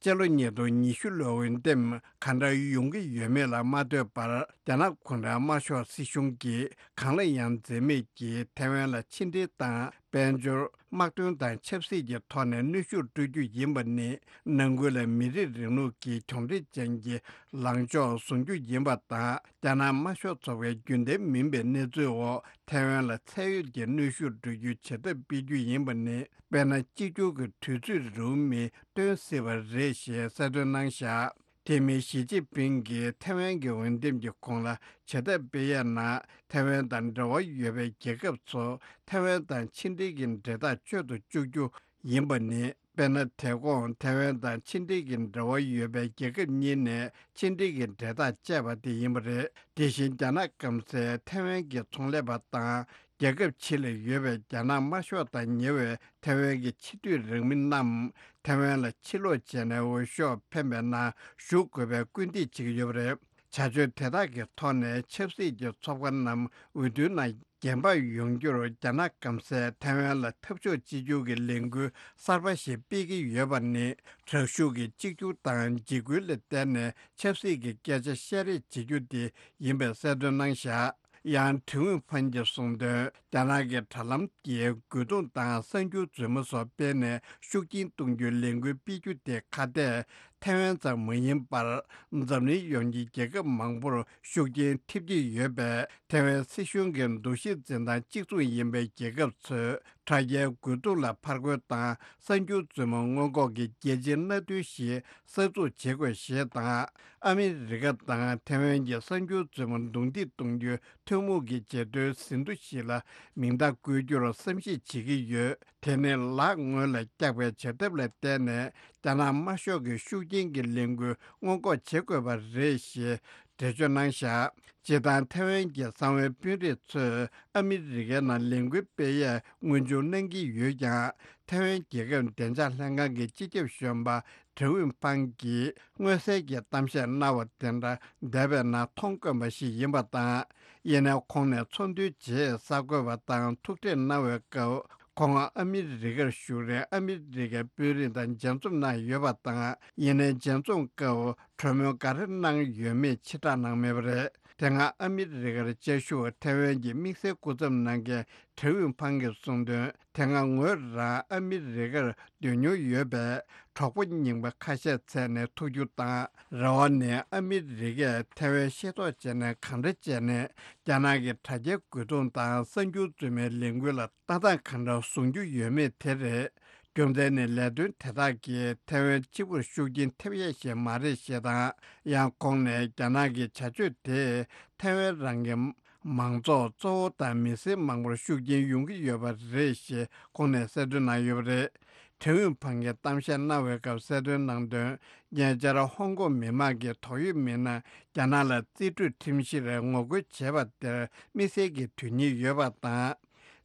སྤྱི་ལོ་ཉིས་སྟོང་ཉི་ཤུ་ལོའི་འོས་འདེམས་ག་འདྲ་ཡོང་གི་ཡོད་མེད་ལ་མ་ལྟོས་པར། རྒྱ་ནག་གུང་ཁྲན་དམར་ཤོག་སྲིད་གཞུང་གིས་གང་ལ་ཡང་འཛེམས་མེད་ཀྱིས་ཐེ་ཝན་ལ་ཕྱི་འབྲེལ་དང་། དཔལ་འབྱོར། དམག་དོན་དང་ཆབ་སྲིད་ཀྱི་ཐོག་ནས་གནོན་ཤུགས་སྤྲོད་རྒྱུ་ཡིན་པ་ནི། ནང་ཁུལ་ལ་མི་རིགས་རིང་ལུགས་ཀྱི་གྱོང་རིམ་ཅན་གྱི་ལངས་ཕྱོགས་བཟུང་རྒྱུ་ཡིན་པ་དང་། རྒྱ་ནག་དམར་ཤོག་ཚོགས་པའི་རྒྱུན་ལྡན་མིན་པའི་གནས་ཚུལ་འོག་ཐའེ་ཝན་ལ་ཚད་ཡོད་ཀྱི་གནོན་ཤུགས་སྤྲོད་རྒྱུའི་བྱེད་ཐབས་སྤེལ་རྒྱུ་ཡིན་པ་ནི། དཔེར་ན། གཅིག་གྱུར་གྱི་དུས་ཚོད་རིང་མོ་མིན་སྟོན་སྲིད་པ་རེད་ཞེས་གསལ་སྟོན་གནང་བཞག་དེ་མིན། ཞི་ཅིན་ཕིང་གིས་ཐའེ་ཝན་གྱི་འོས་འདེམས་ཀྱི་གོང་ལ་བྱེད་ཐབས་སྤེལ་ཡས་ནང་། ཐའེ་ཝན་དང་འབྲེལ་བ་ཡོད་པའི་རྒྱལ་ཁབ་ཚོ་ཐའེ་ཝན་དང་ཕྱི་འབྲེལ་གྱི་འབྲེལ་ཐག་གཅོད་དུ་བཅུག་རྒྱུ་ཡིན་པ་ནི། དཔེར་ན། དེ་གོང་ཐའེ་ཝན་དང་ཕྱི་འབྲེལ་གྱི་འབྲེལ་བ་ཡོད་པའི་རྒྱལ་ཁབ་གཉིས་ནས་ཕྱི་འབྲེལ་གྱི་འབྲེལ་ཐག་བཅད་པ་དེ་ཡིན་པ་རེད། དེ་བཞིན། རྒྱ་ནག་སྐམ་སའི་ཐའེ་ཝན་གྱི་ཚོང་ལས་པ་དང་། རྒྱལ་ཁབ་ཕྱི་ལ་ཡོད་པའི་རྒྱ་ནག་དམར་ཤོག་དང་ཉེ་བའི་ཐའེ་ཝན་གྱི་ཕྱི་སྡོད་རང་མི་རྣམས་ཐའེ་ཝན་ལ་ཕྱིར་ལོག་བྱས་ནས་འོས་ཤོག་འཕེན་པའི་ནང་ཞུགས་དགོས་པའི་སྐུལ་འདེད་བྱེད་ཀྱི་ཡོད་པ་རེད། བྱ་སྤྱོད་དེ་དག་གི་ཐོག་ནས་ཆབ་སྲིད་ཀྱི་ཚོགས་པ་རྣམས་འོས་བསྡུའི་ནང་རྒྱན་འབག་ཡོང་རྒྱུར། རྒྱ་ནག་སྐམ་སའི་ཐའེ་ཝན་ལ་འཐབ་ཕྱོགས་གཅིག་གྱུར་གྱི་ལས་འགུལ་གསར་པ་ཞིག་སྤེལ་གྱི་ཡོད་པ་ནི། དྲག་ཤུགས་ཀྱི་གཅིག་གྱུར་དང་འཇིགས་སྐུལ་ལ་བརྟེན་ནས་ཆབ་སྲིད་ཀྱི་སྐད་ཆ་བཤད་རེས་བྱེད་རྒྱུ་དེ་ཡིན་པའི་གསལ་སྟོན་གནང་བཞག་ཡང་། ཁྲེན་ཝུན་ཕན་གྱིས་གསུངས་དོན། རྒྱ་ནག་གི་དྲ་ལམ་གྱི་རྒོལ་རྡུང་དང་གསར་འགྱུར་རྫུན་མ་སོགས་སྤེལ་ནས་ཤུགས་རྐྱེན་གཏོང་རྒྱུའི་ལས་འགུལ་སྤེལ་རྒྱུ་དེ་ཁ་གཏད་ཐའེ་ཝན་ཙམ་མ་ཡིན་པར། འཛམ་གླིང་ཡོངས་ཀྱི་རྒྱལ་ཁབ་མང་པོར་ཤུགས་རྐྱེན་ཐེབས་ཀྱི་ཡོད་པས། ཐའེ་ཝན་སྲིད་གཞུང་གི་འདུ་ཤེས་འཛིན་སྟངས་གཅིག་མཚུངས་ཡིན་པའི་རྒྱལ་ཁབ་ཚོས། དྲ་རྒྱའི་རྒོལ་རྡུང་ལ་ཕར་རྒོལ་དང་གསར་འགྱུར་རྫུན་མ་སྔོན་འགོག་གི་རྒྱལ་སྤྱིའི་མནའ་མཐུན་ཞིག་གསར་འཛུགས་བྱེད་དགོས་ཞེས་དང་། ཨ་མི་རི་ཀ་དང་ཐའེ་ཝན་གྱི་གསར་འགྱུར་རྫུན་མ་རྡུང་རྡེག་གཏོང་རྒྱུའི་ཐུན་མོང་གི་བརྗེ་མཐུན་ཟིན་ཐོ་ཞིག་ལ་མིང་རྟགས་བཀོད་རྒྱུར་བསམ་གཞིག་བྱེད་ཀྱི་ཡོད། དེ་ནི་ལག་སྔོན་ལ་བཀྱག་པའི་བྱ་ཐབས་ལ་བརྟེན་ནས། རྒྱ་ནག་དམར་ཤོག་གི་ཤུགས་རྐྱེན་གྱི་ལས་འགུལ་སྔོན་འགོག་བྱེད་དགོས་པ་རེད་ཞེས་འགྲེལ་བརྗོད་གནང་བཞག་སྤྱིར་བཏང་ཐའེ་ཝན་གྱི་གསང་བའི་དཔོན་རིགས་ཚོས་ཨ་མི་རི་ཀའི་ནང་ལས་འགུལ་སྤེལ་ཡས་སྔོན་འཇུག་གནང་གི་ཡོད་ཀྱང་། ཐའེ་ཝན་རྒྱལ་ཁབ་བདེ་འཇགས་ལྷན་ཁང་གི་སྤྱི་ཁྱབ་གཞོན་པ་ཁྲེན་ཝུན་ཕང་གིས་མངོན་གསལ་གྱི་གཏམ་བཤད་གནང་བ་དེ་འདྲ་འདས་པའི་ནང་མཐོང་དཀོན་པ་ཞིག་ཡིན་པ་དང་། ཡིན་ནའི་ཁོང་ནས་ཚོགས་འདུའི་རྗེས་གསར་འགོད་པ་དང་ཐུག་འཕྲད་གནང་བའི་སྐབས། ཁོང་ཨ་མི་རི་ཀར་བཞུགས་རིང་ཨ་མི་རི་ཀའི་དཔོན་རིགས་དང་མཇལ་འཛོམས་གནང་ཡོད་པ་དང་། ཡིན་ནའི་མཇལ་འཛོམས་སྐབས་གྲོས་མོལ་ག་རེ་གནང་ཡོད་མེད་ཕྱིར་བསྒྲགས་གནང་མེད་པ་རེད། དེ་སྔ་ཨ་མི་རི་ཀར་བཅའ་བཞུགས་ཐའེ་ཝན་གྱི་དམིགས་བསལ་སྐུ་ཚབ་གནང་མཁན་ཁྲེན་ཝུན་ཕང་གིས་གསུངས་དོན། དེ་སྔ་ངོས་རང་ཨ་མི་རི་ཀར་སྡོད་མྱོང་ཡོད་པས། གྲོགས་པོ་རྙིང་པ་ཁ་ཤས་བཙལ་ནས་ཐུག་རྒྱུ་དང་། རེ་བ་ནི་ཨ་མི་རི་ཀས་ཐའེ་ཝན་ཤེས་རྟོགས་བྱས་ནས་གང་འདྲ་བྱས་ནས་རྒྱ་ནག་གི་དྲ་རྒྱའི་རྒོལ་རྡུང་དང་གསར་འགྱུར་རྫུན་མའི་ལས་འགུལ་ལ་ལྟ་སྟངས་གང་འདྲ་བཟུང་རྒྱུ་ཡོད་མེད་དེ་རེད། རྒྱུ་མཚན་ནི་ལས་དོན་དེ་དག་གིས་ཐའེ་ཝན་གཅིག་པུར་ཤུགས་རྐྱེན་ཐེབས་ཡས་ཤིག་མ་རེད་ཞེས་དང་། ཡང་ཁོང་ནས་རྒྱ་ནག་གི་བྱ་སྤྱོད་དེས་ཐའེ་ཝན་རང་གི་མང་ཚོགས་གཙོ་བོ་དང་མི་སེར་མང་པོར་ཤུགས་རྐྱེན་ཡོང་གི་ཡོད་པ་རེད་ཞེས་ཁོང་ནས་གསལ་སྟོན་གནང་ཡོད་པ་རེད། ཁྲེན་ཝུན་ཕང་གིས་གཏམ་བཤད་གནང་བའི་སྐབས་གསལ་སྟོན་གནང་དོན། ཉེ་ཆར་ཧོང་ཀོང་མི་མང་གིས་དོགས་ཡོད་མི་སྣ་རྒྱ་ནག་ལ་རྩིས་སྤྲོད་ཁྲིམས་གཞིར་ངོ་རྒོལ་བྱས་པ་དེར་དམིགས་བསལ་གྱི་དོན་སྙིང་ཡོད་པ་དང་།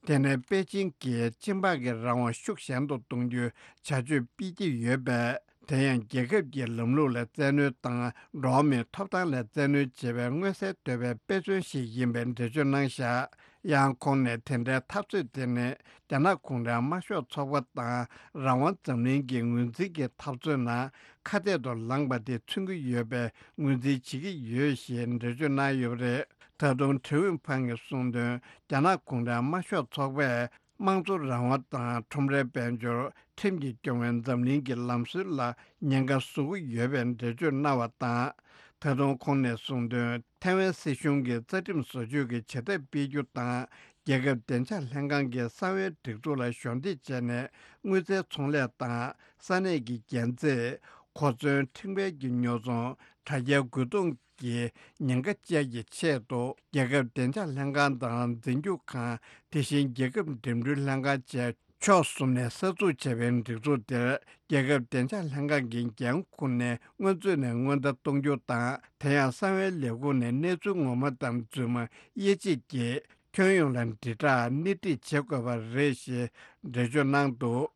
དེ་ནས་པེ་ཅིང་གིས་སྤྱི་འབངས་ཀྱི་རང་དབང་ཤུགས་ཞན་དུ་གཏོང་རྒྱུའི་བྱ་སྤྱོད་སྤེལ་གྱི་ཡོད་པས། དེ་ཡང་རྒྱལ་ཁབ་ཀྱི་ལམ་ལུགས་ལ་བཙན་གནོན་དང་། འགྲོ་བ་མིའི་ཐོབ་ཐང་ལ་བཙན་གནོན་བྱེད་པའི་མངོན་གསལ་དོད་པའི་དཔེ་མཚོན་ཞིག་ཡིན་པའི་འགྲེལ་བརྗོད་གནང་བཞག་ཡང་ཁོང་ནས་དེ་འདྲའི་འཐབ་རྩོད་དེ་ནི་རྒྱ་ནག་གུང་ཁྲན་དམར་ཤོག་ཚོགས་པ་དང་རང་དབང་འཛམ་གླིང་གི་ངོས་འཛིན་གྱི་འཐབ་རྩོད་ནང་ཁ་གཏད་དུ་ལངས་པ་དེ་མཚོན་གྱི་ཡོད་པའི་ངོས་འཛིན་བྱེད་ཀྱི་ཡོད་ཞེས་འགྲེལ་བརྗོད་གནང་ཡོད་པ་རེད། ད་དུང་ཀྲེ་ཝུན་ཕང་གིས་གསུངས་དོན། རྒྱ་ནག་གུང་ཁྲན་དམར་ཤོག་ཚོགས་པས་དམངས་གཙོ་རང་དབང་དང་ཁྲོམ་རའི་དཔལ་འབྱོར། ཁྲིམས་ཀྱིས་སྐྱོང་བའི་འཛམ་གླིང་གི་ལམ་སྲོལ་ལ་ཉེན་ཁ་བཟོ་གི་ཡོད་པའི་འགྲེལ་བརྗོད་གནང་བ་དང་། ད་དུང་ཁོང་ནས་གསུངས་དོན། ཐའེ་ཝན་སྲིད་གཞུང་གིས་རྩ་ཁྲིམས་བཟོ་བཅོས་ཀྱི་བྱ་ཐབས་སྤེལ་རྒྱུ་དང་། རྒྱལ་ཁབ་བདེ་འཇགས་ལྷན་ཁང་གི་གསང་བའི་སྒྲིག་འཛུགས་ལ་གཞོགས་འདེགས་བྱས་ནས། དངུལ་རྩའི་ཚོང་ལས་དང་། ས་གནས་ཀྱི་རྒྱན་རྩེད། གོ་མཚོན། ཕྲེང་བའི་གི་ཉོ་ཚོང་། དྲ་རྒྱའི་རྒོལ་རྡུང་གི་ཉེན་ཁ་བཅས་ཀྱི་ཆེད་དུ། རྒྱལ་ཁབ་བདེ་འཇགས་ལྷན་ཁང་དང་འཛིན་སྐྱོང་ཁང་། དེ་བཞིན་རྒྱལ་ཁབ་འགྲིམ་འགྲུལ་ལྷན་ཁང་བཅས་ཕྱོགས་གསུམ་ནས་གསར་འཛུགས་བྱས་པའི་སྒྲིག་འཛུགས་དེར། རྒྱལ་ཁབ་བདེ་འཇགས་ལྷན་ཁང་གི་འགན་འཁུར་ནས་སྔོན་ཚུད་ནས་སྔོན་བརྡ་གཏོང་རྒྱུ་དང་། དེ་ཡང་གསང་བའི་ལས་ཁུངས་ནས་གནས་ཚུལ་ངོ་མ་དང་རྫུན་མ་དབྱེ་འབྱེད་ཀྱིས། ཁྱོན་ཡོངས་ལ་དྲིལ་བསྒྲགས་སྣེ་ཁྲིད་བྱེད་དགོས་པ་རེད་ཞེས་འགྲེལ་བརྗོད་གནང་འདུག་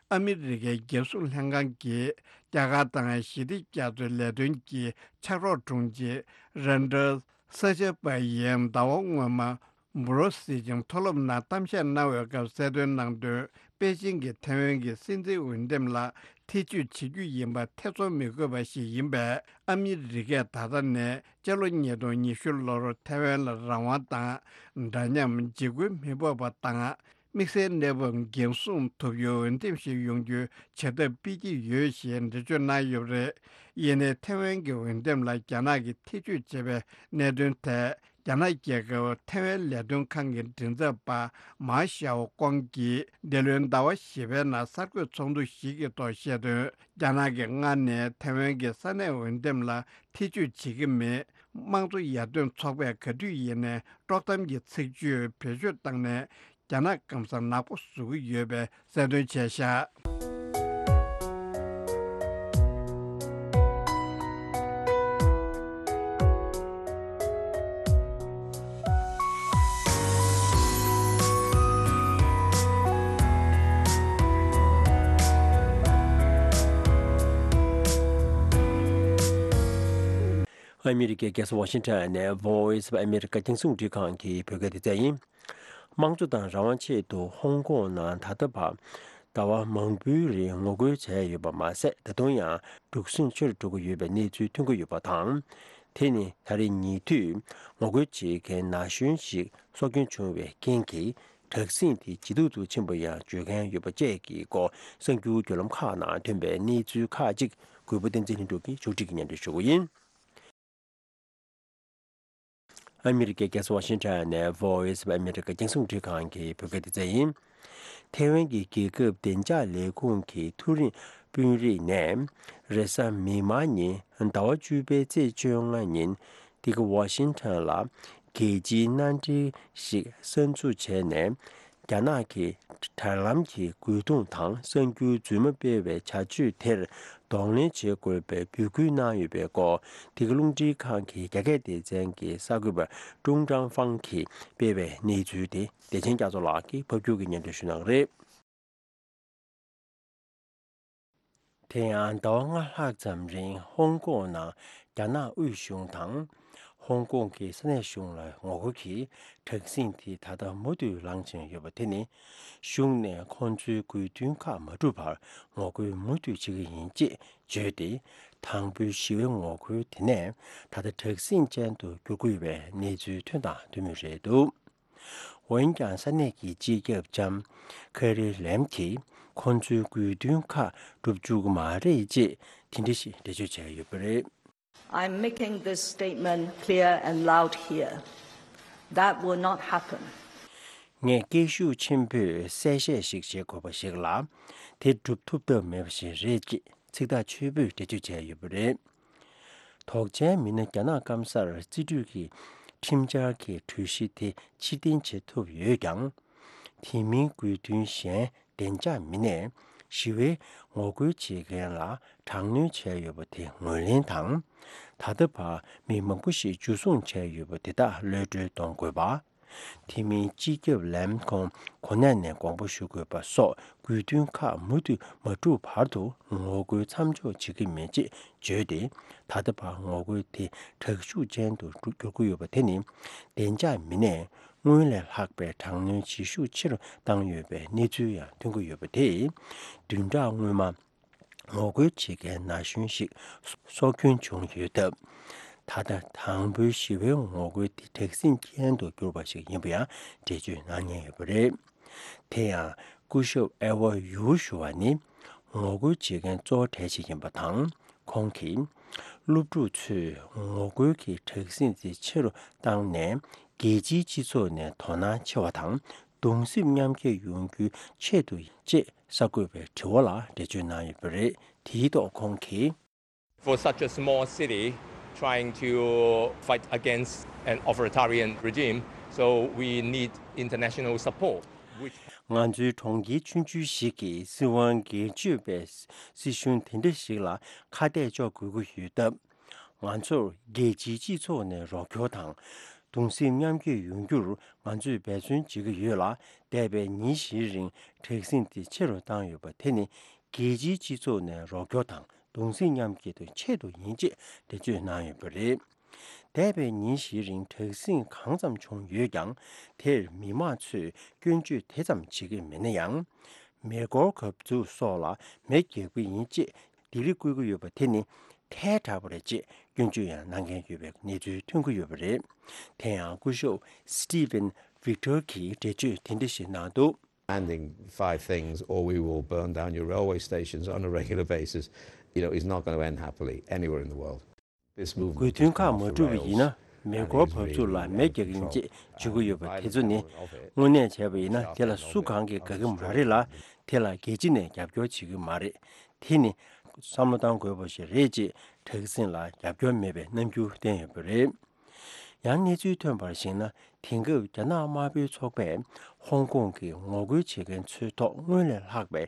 ཨ་མི་རི་ཀའི་རྒྱལ་སྲུང་ལྷན་ཁང་གིས་རྒྱ་གར་དང་ཞི་བདེ་རྒྱ་མཚོའི་ལས་དོན་གྱི་ཕྱག་རོགས་དྲུང་ཆེ་རན་ཌར་ས་ཆ་པ་ཡིས་ཟླ་བ་སྔོན་མ་འབུ་རོ་སིལ་ཅིང་མཐོ་སློབ་ནང་གཏམ་བཤད་གནང་བའི་སྐབས་གསལ་སྟོན་གནང་དོན། པེ་ཅིང་གིས་ཐའེ་ཝན་གྱི་སྲིད་འཛིན་འོས་འདེམས་ལ་ཐེ་བྱུས་བྱེད་རྒྱུ་ཡིན་པ་ཐེ་ཚོམ་མི་དགོས་པ་ཞིག་ཡིན་པས། ཨ་མི་རི་ཀས་ད་ལྟ་ནས་སྤྱི་ལོ་ཉིས་སྟོང་ཉི་ཤུ་ལོར་ཐའེ་ཝན་ལ་རང་དབང་དང་། འདྲ་མཉམ། འཇིགས་སྐུལ་མི་ཕོག་པ་དང་། དམིགས་བསལ་གནས་བབ་འགན་སྲུང་ཐུབ་རྒྱུའི་འོས་འདེམས་ཤིག་ཡོང་རྒྱུའི་བྱ་ཐབས་སྤེལ་གྱི་ཡོད་ཞེས་འགྲེལ་བརྗོད་གནང་ཡོད་པ་རེད། ཡིན་ནའི་ཐའེ་ཝན་གྱི་འོས་འདེམས་ལ་རྒྱ་ནག་གིས་ཐེ་བྱུས་བྱས་པའི་གནད་དོན་ཐད། རྒྱ་ནག་རྒྱལ་ཁབ་ཐའེ་ཝན་ལས་དོན་ཁང་གི་མགྲིན་ཚབ་པ་མཱ་ཞའོ་ཀོང་གིས་འདི་ལོའི་ཟླ་བ་བཞི་པའི་ནང་གསར་འགོད་ཚོགས་འདུ་ཞིག་གི་ཐོག་བཤད་དོན། རྒྱ་ནག་གིས་སྔར་ནས་ཐའེ་ཝན་གྱི་ས་གནས་འོས་འདེམས་ལ་ཐེ་བྱུས་བྱེད་ཀྱི་མེད། དམངས་གཙོ་ཡར་ཐོན་ཚོགས་པས་ག་དུས་ཡིན་ནའི་དཀྲོག་གཏམ་གྱི་ཚིག་བརྗོད་བེད་སྤྱོད་བཏང་ནས། རྒྱ་ནག་སྐམ་ས་ནག་པོ་བཟོ་གི་ཡོད་པའི་གསལ་སྟོན་བྱས་བཞག་ཨ་མི་རི་ཀའི་རྒྱལ་ས་ཝ་ཤིང་ཊོན་ནས་Voice of America རྒྱང་སྲིང་རླུང་འཕྲིན་ཁང་གི་བོད་སྐད་སྡེ་ཚན་ཡིན། དམངས་གཙོ་དང་རང་དབང་ཆེད་དུ་ཧོང་ཀོང་ནང་ད་ལྟ་བར་ཟླ་བ་མང་པོའི་རིང་ངོ་རྒོལ་བྱས་ཡོད་པ་མ་ཟད། ད་དུང་ཡང་འཁྲུག་ཟིང་ཆེ་རུ་འགྲོ་གི་ཡོད་པའི་གནས་ཚུལ་ཐོན་གྱི་ཡོད་པ་དང་། དེ་ནི་ད་རེས་ཉེ་དུས་ངོ་རྒོལ་བྱེད་མཁན་ན་གཞོན་ཞིག་སྲོག་སྐྱོན་བྱུང་བའི་རྐྱེན་གྱིས། དྲག་ཟིང་དེ་ཇེ་སྡུག་ཏུ་ཕྱིན་པ་ཡང་བརྗོད་མཁན་ཡོད་པ་བཅས་ཀྱི་སྐོར་གསར་འགྱུར་བརྒྱུད་ལམ་ཁག་ནང་ཐོན་པའི་གནས་ཚུལ་ཁག་ཅིག་གུས་པ་བསྟན་འཛིན་ལྷུན་གྲུབ་ཀྱིས་ཕྱོགས་སྒྲིག་གིས་སྙན་སྒྲོན་ཞུ་གི་ཡིན། ཨ་མི་རི་ཀའི་རྒྱལ་ས་ཝ་ཤིང་ཊོན་ནས་Voice of America རྒྱང་སྲིང་རླུང་འཕྲིན་ཁང་གི་བོད་སྐད་སྡེ་ཚན་ཡིན། ཐའེ་ཝན་གྱི་རྒྱལ་ཁབ་བདེ་འཇགས་ལས་ཁུངས་ཀྱི་མཐོ་རིམ་དཔོན་རིགས་ནས་རེས་གཟའ་མིག་དམར་ཉིན་ཟླ་བ་བཅུ་པའི་ཚེས་བཅོ་ལྔ་ཉིན་འདི་ག་ཝ་ཤིང་ཊོན་ལ་རྒྱལ་སྤྱིའི་མནའ་འབྲེལ་ཞིག་གསར་འཛུགས་བྱས་ནས། རྒྱ་ནག་གིས་དྲ་ལམ་གྱི་རྒོལ་རྡུང་དང་གསར་འགྱུར་རྫུན་མ་སྤེལ་བའི་བྱ་སྤྱོད་དེར་གདོང་ལེན་བྱེད་དགོས་པའི་འབོད་སྐུལ་གནང་ཡོད་པའི་སྐོར། འདི་ག་རླུང་འཕྲིན་ཁང་གི་རྒྱ་སྐད་སྡེ་ཚན་གྱི་གསར་འགོད་པ་ཀྲུང་ཀྲང་ཧྥང་གིས་སྤེལ་བའི་གནས་ཚུལ་དེ་བདེ་ཆེན་རྒྱ་མཚོ་ལགས་ཀྱིས་ཕབ་སྒྱུར་གྱིས་སྙན་སྒྲོན་ཞུ་གནང་གི་རེད། དེ་ཡང་ཟླ་བ་ལྔ་ལྷག་ཙམ་རིང་ཧོང་ཀོང་ནང་རྒྱ་ནག་དབུས་གཞུང་དང་། ཧོང་ཀོང་གི་ས་གནས་གཞུང་ལ་ངོ་རྒོལ་གྱི་དྲག་ཟིང་དེ་ད་ལྟ་མུ་མཐུད་ལངས་བཞིན་ཡོད་པ་དེ་ནི། གཞུང་ནས་ཁོང་ཚོའི་དགོས་འདུན་ཁག་མ་འགྲུབ་བར་ངོ་རྒོལ་མུ་མཐུད་བྱེད་ཀྱི་ཡིན་ཅེས་བརྗོད་དེ། དང་པོའི་ཞི་བའི་ངོ་རྒོལ་དེ་ནས་ད་ལྟ་དྲག་ཟིང་ཅན་དུ་འགྱུར་གྱི་ཡོད་པའི་གནས་ཚུལ་ཐོན་དང་ཐོན་མུས་རེད་འདུག་འོན་ཀྱང་ས་གནས་ཀྱི་སྤྱི་ཁྱབ་ལྕམ་ཀེ་རི་ལེམ་གྱིས་ཁོང་ཚོའི་དགོས་འདུན་ཁག་འགྲུབ་བཅུག་གི་མ་རེད་ཅེས་དེ་འདྲ་ཞིག་འགྲེལ་བརྗོད་བྱས་ཡོད་པ་རེད། I'm making this statement clear and loud here. That will not happen. ངས་སྐད་ཤུགས་ཆེན་པོས་གསལ་བཤད་ཞིག་བྱེད་དགོས་པ་ཞིག་ལ། དེ་སྒྲུབ་ཐུབ་ཐབས་མེད་པ་ཞིག་རེད་ཅེས་ཚིག་ཐག་ཆོད་པོས་འགྲེལ་བརྗོད་བྱས་ཡོད་པ་རེད། དོགས་ཅན་མི་སྣ་རྒྱ་ནག་སྐམ་སར་རྩིས་སྤྲོད་ཀྱི་ཁྲིམས་འཆར་གྱི་གྲོས་གཞི་དེ་ཕྱིར་འཐེན་བྱེད་ཐུབ་ཡོད་ཀྱང་། དེ་མིན་དགོས་འདུན་གཞན་བདེ་འཇགས་མི་སྣས་ཞི་བའི་ངོ་རྒོལ་བྱེད་མཁན་ལ་དྲག་གནོན་བྱས་ཡོད་པ་དེ་ངོས་ལེན་དང་། ད་ལྟ་བར་མི་མང་པོ་ཞིག་འཇུ་བཟུང་བྱས་ཡོད་པ་དེ་དག་གློད་གྲོལ་གཏོང་དགོས་པ། དེ་མིན་སྤྱི་ཁྱབ་ལམ་ཁོང་གོ་གནས་ནས་དགོངས་པ་ཞུ་དགོས་པ་སོགས་དགོས་འདུན་ཁག་མུ་མཐུད་མ་གྲུབ་བར་དུ་ངོ་རྒོལ་མཚམས་འཇོག་བྱེད་ཀྱི་མེད་ཅེས་བརྗོད་དེ། ད་ལྟ་བར་ངོ་རྒོལ་དེ་དྲག་ཤུགས་ཅན་དུ་འགྱུར་གྱི་ཡོད་པ་དེ་ནི། བདེ་འཇགས་མི་སྣས་སྔོན་ལས་ལྷག་པའི་དྲག་གནོན་བྱེད་ཤུགས་ཆེ་རུ་བཏང་ཡོད་པའི་གནས་ཚུལ་ཡང་ཐོན་གྱི་ཡོད་པ་དེས། བདུན་ཕྲག་སྔོན་མ། ངོ་རྒོལ་བྱེད་མཁན་ན་གཞོན་ཞིག་སྲོག་སྐྱོན་བྱུང་ཡོད་སྟབས། ད་ལྟ་དང་པོའི་ཞི་བའི་ངོ་རྒོལ་དེ་དྲག་ཟིང་ཅན་དུ་གྱུར་པ་ཞིག་ཡིན་པ་ཡང་འགྲེལ་བརྗོད་གནང་མཁན་ཡོད་པ་རེད། དེ་ཡང་སྐུ་ཞབས་ཨེ་ཝ་ཡུའུ་ཞུ་བ་ནི་ངོ་རྒོལ་བྱེད་མཁན་གཙོ་བོ་གྲས་ཤིག་ཡིན་པ་དང་། ཁོང་གིས་སློབ་ཕྲུག་ཚོས་ངོ་རྒོལ་གྱི་དྲག་ཟིང་དེ་ཆེ་རུ་བཏང་ནས་རྒྱལ་སྤྱིའི་སྤྱི་ཚོགས་ནས་དོ་སྣང་ཆེ་བ་དང་གདུང་སེམས་མཉམ་སྐྱེད་ཡོང་རྒྱུའི་ཆེད་དུ་ཡིན་ཅེས་གསར་འགོད་པའི་དྲི་བ་ལ་འགྲེལ་བརྗོད་གནང་ཡོད་པ་རེད། དེའི་ཐོག་ཁོང་གིས། For such a small city trying to fight against an authoritarian regime, so we need international support, which ང་ཚོའི་གྲོང་ཁྱེར་ཆུང་ཆུང་ཞིག་གིས་སྲིད་དབང་སྒེར་གཅོད་པའི་སྲིད་གཞུང་དེ་འདྲ་ཞིག་ལ་ཁ་གཏད་གཅོག་དགོས་ཀྱི་ཡོད་སྟབས། ང་ཚོར་རྒྱལ་སྤྱིའི་སྤྱི་ཚོགས་ནས་རོགས་སྐྱོར་དང་། གདུང་སེམས་མཉམ་སྐྱེད་ཡོང་རྒྱུར་ང་ཚོས་འབད་བརྩོན་བྱེད་ཀྱི་ཡོད་ལ། འདས་པའི་ཉིན་བཞིའི་རིང་དྲག་ཟིང་དེ་ཆེ་རུ་བཏང་ཡོད་པ་དེ་ནི་རྒྱལ་སྤྱིའི་སྤྱི་ཚོགས་ནས་རོགས་སྐྱོར་དང་གདུང་སེམས་མཉམ་སྐྱེད་དུ་ཆེད་དུ་ཡིན་ཅེས་འགྲེལ་བརྗོད་གནང་ཡོད་པ་རེད། འདས་པའི་ཉིན་བཞིའི་རིང་དྲག་ཟིང་གང་ཙམ་བྱུང་ཡོད་ཀྱང་། དེར་མི་མང་ཚོས་སྐྱོན་བརྗོད་དེ་ཙམ་བྱེད་ཀྱི་མེད་ན་ཡང་། མེ་འཁོར་གབ་ཚུགས་སོགས་ལ་མེ་བརྒྱབ་ཀྱི་ཡིན་ཅེས་ལྡི་ལི་བསྐུལ་གྱི་ཡོད་པ་དེ་ནི་ཐལ་དྲགས་པ་རེད་ཅེས་སྐྱོན་བརྗོད་ཡང་གནང་མཁན་ཡོད་པའི་གནས་ཚུལ་ཐོན་གྱི་ཡོད་པ་རེད། དེ་ཡང་སྐུ་ཞབས་Stephen Victor གྱིས་འགྲེལ་བརྗོད་དེ་འདྲ་ཞིག་གནང་འདུག། Demanding five things, or we will burn down your railway stations on a regular basis, you know, is not going to end happily anywhere in the world. This movement དགོས་འདུན་ཁག་མ་གྲུབ་པ་ཡིན་ན། མེ་འཁོར་བབས་ཚུགས་ལ་མེ་རྒྱག་གི་ཡིན་ཅེས་བརྗོད་ཀྱི་ཡོད་པ་དེ་ཚོ་ནི། དངོས་གནས་བྱས་པ་ཡིན་ན་དེ་ལ་སུ་གང་གིས་དགའ་གི་མ་རེད་ལ། དེ་ལ་རྒྱལ་སྤྱི་ནས་རྒྱབ་སྐྱོར་བྱེད་ཀྱི་མ་རེད། དེ་ནི་བསམ་བློ་གཏང་དགོས་པ་ཞིག་རེད་ཅེས་དྲག་ཟིང་ལ་རྒྱབ་སྐྱོར་མེད་པའི་རྣམ་འགྱུར་བསྟན་ཡོད་པ་རེད། ཡང་གནས་ཚུལ་ཐོན་པར་གཞིགས་ན། དེང་སྐབས་རྒྱ་ནག་དམར་པོའི་ཚོགས་པས་ཧོང་ཀོང་གི་ངོ་རྒོལ་བྱེད་མཁན་ཚོའི་ཐོག་སྔོན་ལས་ལྷག་པའི་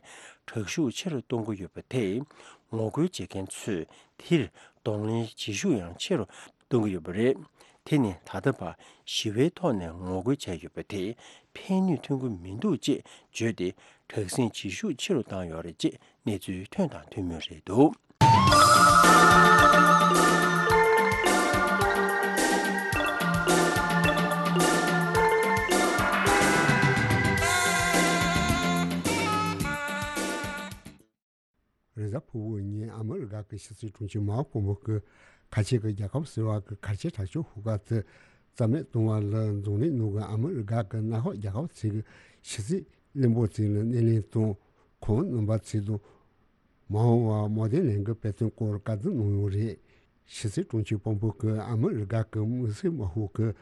དྲག་ཤུགས་ཆེ་རུ་གཏོང་གི་ཡོད་པ་དེས། ངོ་རྒོལ་བྱེད་མཁན་ཚོས་དེར་གདོང་ལེན་བྱེད་ཤུགས་ཡང་ཆེ་རུ་གཏོང་གི་ཡོད་པ་རེད། དེ་ནི་ད་ལྟ་བར་ཞི་བའི་ཐོག་ནས་ངོ་རྒོལ་བྱས་ཡོད་པ་དེས་ཕན་ནུས་ཐོན་གྱི་མི་འདུག་ཅེས་བརྗོད་དེ། དྲག་ཟིང་བྱེད་ཤུགས་ཆེ་རུ་བཏང་ཡོད་རེད་ཅེས་གནས་ཚུལ་ཐོན་དང་ཐོན་མུས་རེད་འདུག། རེས་གཟའ་ཕུར་བུ་ཉིན་ཨ་མི་རི་ཀ་གི་ཕྱི་སྲིད་དྲུང་ཆེ་མཱིག་པོམ་པེ་ཡོ་གིས་ཁ་ཆེ་གི་རྒྱལ་ཁབ་ཟེར་བ་གི་གལ་ཆེ་དྲག་ཤོས་ཤོག་ཁག་དེ་རྩ་མེད་གཏོང་བ་ལ་འཛམ་གླིང་ནང་གི་ཨ་མི་རི་ཀ་གི་མནའ་ཤོག་རྒྱལ་ཁབ་ཚོའི་གི་ཕྱི་སྲིད་བློན་པོ་ཚོ་ལ་སྣེ་ལེན་དང་། ཁོང་རྣམ་པ་ཚོ་དང་མ་འོངས་པར་མོ་དེ་ལན་གྱི་འབད་བརྩོན་སྐོར་བཀའ་བསྡུར་གནང་ཡོད་རེད། ཕྱི་སྲིད་དྲུང་ཆེ་པོམ་པེ་ཡོ་གིས་ཨ་མི་རི་ཀ་གི་དམིགས་བསལ་དམག་ཤོག་གིས་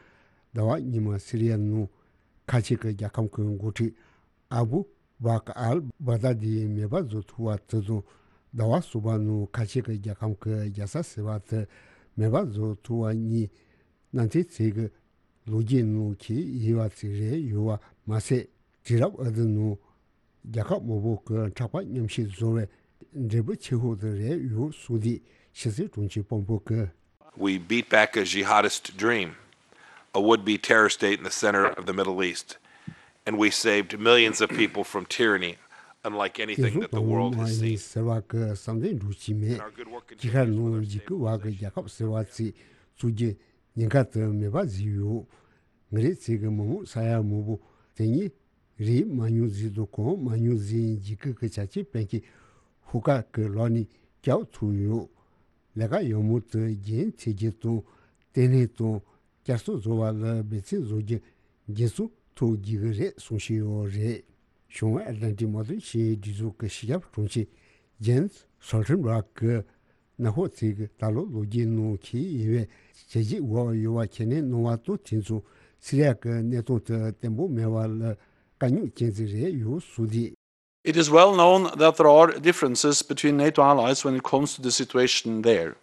ཟླ་བ་སྔོན་མ་སི་རི་ཡ་ནང་ཁ་ཆེ་གི་རྒྱལ་ཁབ་ཀྱི་འགོ་ཁྲིད་ཨ་བུ་བྷ་ཀ་ཨལ་བྷག་དཱ་དི་མེ་འབར་བཟོ་ཐུབ་པ་དེ་དང་། ཟླ་བ་གསུམ་པ་ནང་ཁ་ཆེ་གི་རྒྱལ་ཁབ་ཀྱི་རྒྱལ་ས་ཟེར་བ་དེ་མེ་འབར་བཟོ་ཐུབ་པ་གཉིས། གནམ་ཐེ་ཚོའི་གི་ལོ་རྒྱུས་ནང་གལ་ཡིན་པ་ཞིག་རེད་ཡོད་པ་མ་ཟད། དུས་རབས་འདིའི་ནང་རྒྱལ་ཁབ་མང་པོ་གི་མཁྲེགས་པོ་མཉམ་གཤིབ་བཟོ་བའི་འབྲས་བུ་ཆེ་ཤོས་དེ་རེད་ཡོད་གསུངས་ཏེ། ཕྱི་སྲིད་དྲུང་ཆེ་པོམ་པེ་ཡོ་གིས། We beat back a jihadist dream, a would-be terror state in the center of the Middle East, and we saved millions of people from tyranny, unlike anything that the world has seen. ཟེར་བ་གི་བསམ་གཏན་འགྲུབ་ཀྱི་མེད། དཀྱིལ་ཤར་ནང་འཇིགས་སྐུལ་བ་གི་རྒྱལ་ཁབ་ཟེར་བ་ཅིག་བཙུགས་རྒྱུ་ཉེན་ཁ་དེ་མེད་པ་བཟོས་ཡོད། ང་རང་ཚོའི་གི་མི་མང་ས་ཡ་མང་པོ་དེ་ཉིད་རིག་མ་མྱོང་ཟིག་དང་གོ་མ་མྱོང་ཟིག་འཇིགས་སྐུལ་གི་བྱ་སྤྱོད་སྤེལ་མཁན་ཤོག་ཁག་གི་ལག་ནས་སྐྱོབ་ཐུབ་ཡོད། ལས་ཀ་ཡག་མོ་དེ་རྒྱུན་མཐུད་རྒྱུ་དང་། བརྟན་ལྷིང་དང་བསྐྱར་གསོ་བཟོ་བ་ལ་འབད་བརྩོན་བཟོ་རྒྱུ་འགན་སྲུང་ཐུབ་རྒྱུ་གི་རེད་གསུང་བཞིན་ཡོད་རེད། བྱང་ཨེཊ་ལན་ཊིག་མོ་ཊ་ཤེས་ཡོན་སྒྲིག་འཛུགས་ཀྱི་སྤྱི་ཁྱབ་དྲུང་ཆེ་ཇེན་སི་སོལ་ཊན་བྷར་གིས། མནའ་ཤོག་ཚོའི་གི་ད་ལོ་ལོ་རྒྱུས་ནང་གལ་ཡིན་པའི་བྱས་རྗེས་འོག་ཡོད་པ་ཁས་ལེན་གནང་བ་དང་། དེ་མཚུངས་སི་རི་ཡ་གི་གནས་སྟངས་དེ་བརྟན་པོ་མེད་པ་ལ་དཀའ་རྙོག་ཅན་ཞིག་རེད་ཡོད་གསུངས་ཏེ། It is well known that there are differences between NATO allies when it comes to the situation there.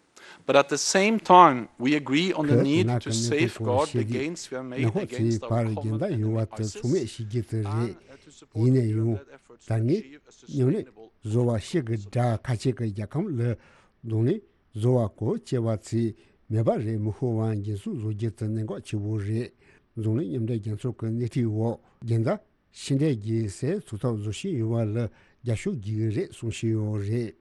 But at the same time, we agree on the need to safeguard the gains we have made against our common enemy ISIS and to support the effort of the G five plus countries to achieve a sustainable end to the war. ཁོས་མནའ་ཁོ་ཚོའི་བར་གྱི་འགལ་ཟླ་ཡོད་པ་དེ་ཚང་མས་ཤེས་ཀྱི་དེ་རེད། ཡིན་ན་ཡང་ད་ངས་མཉམ་ལས་བཟོ་བ་ཤིག་གི་དགྲ་ཁ་ཆེ་གི་རྒྱལ་ཁམས་ལ་གདོང་ལེན་བཟོ་བ་གོ་བཅད་པ་ཚོས་མེད་པ་རེད་མི་ཤོར་བ་འགན་སྲུང་བཟོ་རྒྱུ་དེ་གནད་འགག་ཆེ་བོ་རེད། འཛམ་གླིང་མཉམ་འབྲེལ་རྒྱལ་ཚོགས་ཀྱི་སྣེ་ཁྲིད་འོག་རྒྱལ་དར་ཕྱི་འབྲེལ་གྱི་སའི་ཚོགས་ཐོག་བཟོ་བཞིན་ཡོད་པ་ལ་རྒྱབ་སྐྱོར་བགྱི་གི་རེད་གསུངས་བཞིན་ཡོད་རེད།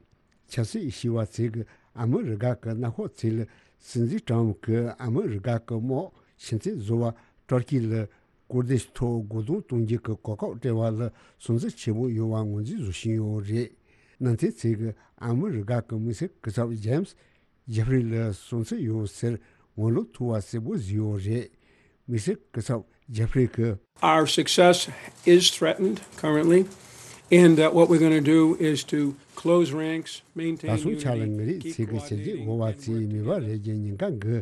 ཆབ་སྲིད་ཞི་བ་ཚེ་གིས་ཨ་མི་རི་ཀ་གི་གནམ་འཁོར་ཚེ་ལ་སྲིད་འཛིན་ཀྲམ་གྱིས་ཨ་མི་རི་ཀ་གི་དམག་ཕྱི་འཐེན་བཟོ་བ་ཏུར་ཀི་ལ་ཀུར་དིཤ་ཐོག་རྒོལ་རྡུང་གཏོང་རྒྱུ་གི་གོ་སྐབས་སྤྲད་པ་ལ་སུན་གཙེར་ཆེན་པོ་ཡོད་པ་ངོས་འཛིན་བཟོ་བཞིན་ཡོད་རེད། ནང་བསྟན་ཚེ་གིས་ཨ་མི་རི་ཀ་གི་དམིགས་བསལ་སྐུ་ཚབ་ཇེམ་སི་ཇེ་ཕི་རི་ལ་སུན་གཙེར་ཡོད་ཟེར་ངོ་ལོག་ཐུབ་པ་གསལ་པོ་བཟོས་ཡོད་རེད། དམིགས་བསལ་སྐུ་ཚབ་ཇེ་ཕི་རི་གིས། Our success is threatened currently, and uh, what we're going to do is to close ranks, maintain ད་སོང་ཆ་ལ་ངེད་རིགས་ཚེ་གི་བྱས་རྗེས་འོ་བ་ཚེ་མེད་པ་རེད་ཀྱི་ཉེན་ཁ་འགི་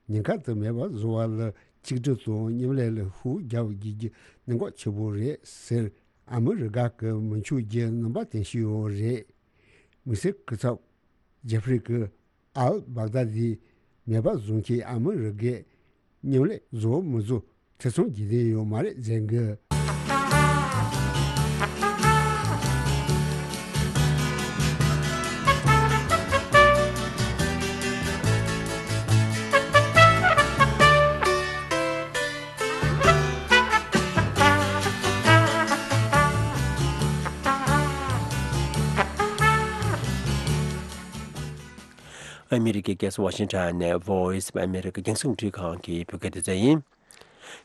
ཉེན་ཁ་དུ་མེད་པ་བཟོ་བ་ལ་གཅིག་སྒྲིལ་དང་མཉམ་ལས་ལ་ཤུགས་རྒྱབ་དགོས་རྒྱུ་གནད་འགག་ཆེ་པོ་རེད་ཟེར། ཨ་མི་རི་ཀ་གི་མི་ཆོས་ཀྱི་རྣམ་པ་བསྟན་བཞིན་ཡོད་རེད། དམིགས་བསལ་སྐུ་ཚབ་ཇེ་ཕི་རི་གིས་ཨལ་བག་དཱ་དི་མེད་པ་བཟོ་མཁན་ཨ་མི་རི་ཀས་མཉམ་ལས་བཟོ་མི་བཟོ་ཐེ་ཚོམ་གྱི་དོན་ཡོད་མ་རེད་ཟེར་གི། ཨ་མི་རི་ཀའི་རྒྱལ་ས་ཝ་ཤིང་ཊོན་ནས་Voice of America རྒྱང་སྲིང་རླུང་འཕྲིན་ཁང་གི་བོད་སྐད་སྡེ་ཚན་ཡིན།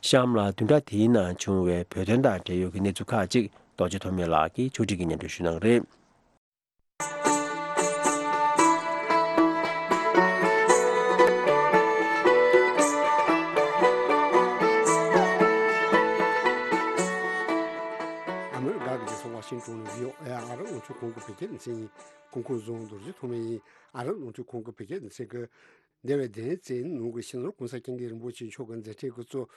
གཤམ་ལ་བདུན་ཕྲག་འདིའི་ནང་བྱུང་བའི་བོད་དོན་དང་འབྲེལ་ཡོད་ཀྱི་གནས་ཚུལ་ཁག་ཅིག་རྡོ་རྗེ་ཐོགས་མེད་ལགས་ཀྱིས་ཕྱོགས་སྒྲིག་གིས་སྙན་སྒྲོན་ཞུ་གནང་གི་རེད། ཨ་མི་རི་ཀ་གི་རྒྱལ་ས་ཝ་ཤིང་ཊོན་ནས་བྷི་ཨོ་ཨེ་ཨ་རབ་རླུང་འཕྲིན་ཁང་གི་བོད་སྐད་སྡེ་ཚན་ཡིན། གོང་བཀུར་བཟང་རྡོ་རྗེ་ཐོགས་མེད་ཡིན། ཨ་རབ་རླུང་འཕྲིན་ཁང་གི་བོད་སྐད་སྡེ་ཚན་གྱི་འདས་པའི་བདུན་ཕྲག་ནང་གི་སྤྱི་ནོར་༸གོང་ས་༸སྐྱབས་མགོན་རིན་པོ་ཆེ་མཆོག་གི་མཛད་འཕྲིན་དགུ་ཚོགས་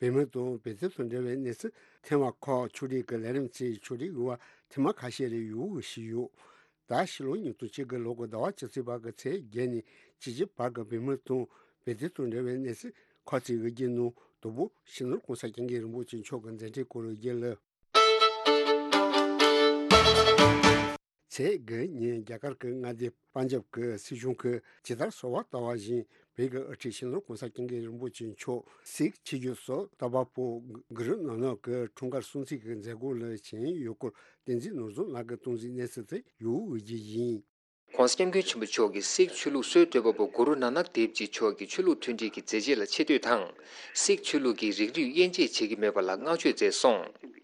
བོད་མི་དང་བོད་དོན་དང་འབྲེལ་བའི་གནས་ཚུལ་ཐེངས་མ་ཁག་ཕྱོགས་སྒྲིག་གི་ལས་རིམ་ཚོའི་ཕྱོགས་སྒྲིག་འོས་པ་ཐེངས་མ་ཁ་ཤས་རེ་ཡོད་ཞུས་ཡོད། ད་ཕྱི་ལོ་ཉིས་སྟོང་གཅིག་གི་ལོ་གི་ཟླ་བ་བཅུ་གཅིག་པ་གི་ཚེས་བརྒྱད་ནས་བཅུ་གཅིག་བར་གྱི་བོད་མི་དང་བོད་དོན་དང་འབྲེལ་བའི་གནས་ཚུལ་ཁག་ཅིག་གི་རྒྱུན་ནང་དང་པོ་སྤྱི་ནོར་༸གོང་ས་༸སྐྱབས་མགོན་རིན་པོ་ཆེ་མཆོག་གི་མཛད་འཕྲིན་སྐོར་གྱི་རྒྱུན་ལ། ཚེས་དགུ་ཉིན་རྒྱ་གར་གྱི་མངའ་སྡེ་པན་ཇབ་ཀྱི་སྲིད་གཞུང་གིས་ཇི་ལྟར་གསོལ་བ་བཏབ་པ་བཞིན་བོད་ཀྱི་དབུ་ཁྲིད་སྤྱི་ནོར་༸གོང་ས་༸སྐྱབས་མགོན་རིན་པོ་ཆེ་མཆོག་སིག་ཆོས་བརྒྱུད་སོ་དགུ་པ་པོ་གུ་རུ་ནཱ་ནག་གི་འཁྲུངས་སྐར་སྲུང་བརྩི་གི་མཛད་སྒོ་ལ་བྱོན་ཡོད་སྐོར་བསྟན་འཛིན་ནོར་བཟང་ལགས་ཀྱིས་གཏམ་གཟིགས་གནང་ཟིན་ཏེ་ཡོད་ཡོད་ཀྱི་ཡིན། ༸གོང་ས་༸སྐྱབས་མགོན་ཆེན་པོ་མཆོག་གིས་སིག་ཆོས་ལུགས་སྲོལ་གཏོད་པ་པོ་གུ་རུ་ནཱ་ནག་དེབ་ཇི་མཆོག་གི་ཆོས་ལུགས་མཐུན་སྒྲིལ་གྱི་མཛད་རྗེས་ལ་ཆེ་བསྟོད་དང་། སིག་ཆོས་ལུགས་ཀྱི་རིགས་རུས་དབྱེ་འབྱེད་བྱེད་ཀྱི་མེད་པ་ལ་བསྔགས་བརྗོད་མཛད་སོང་།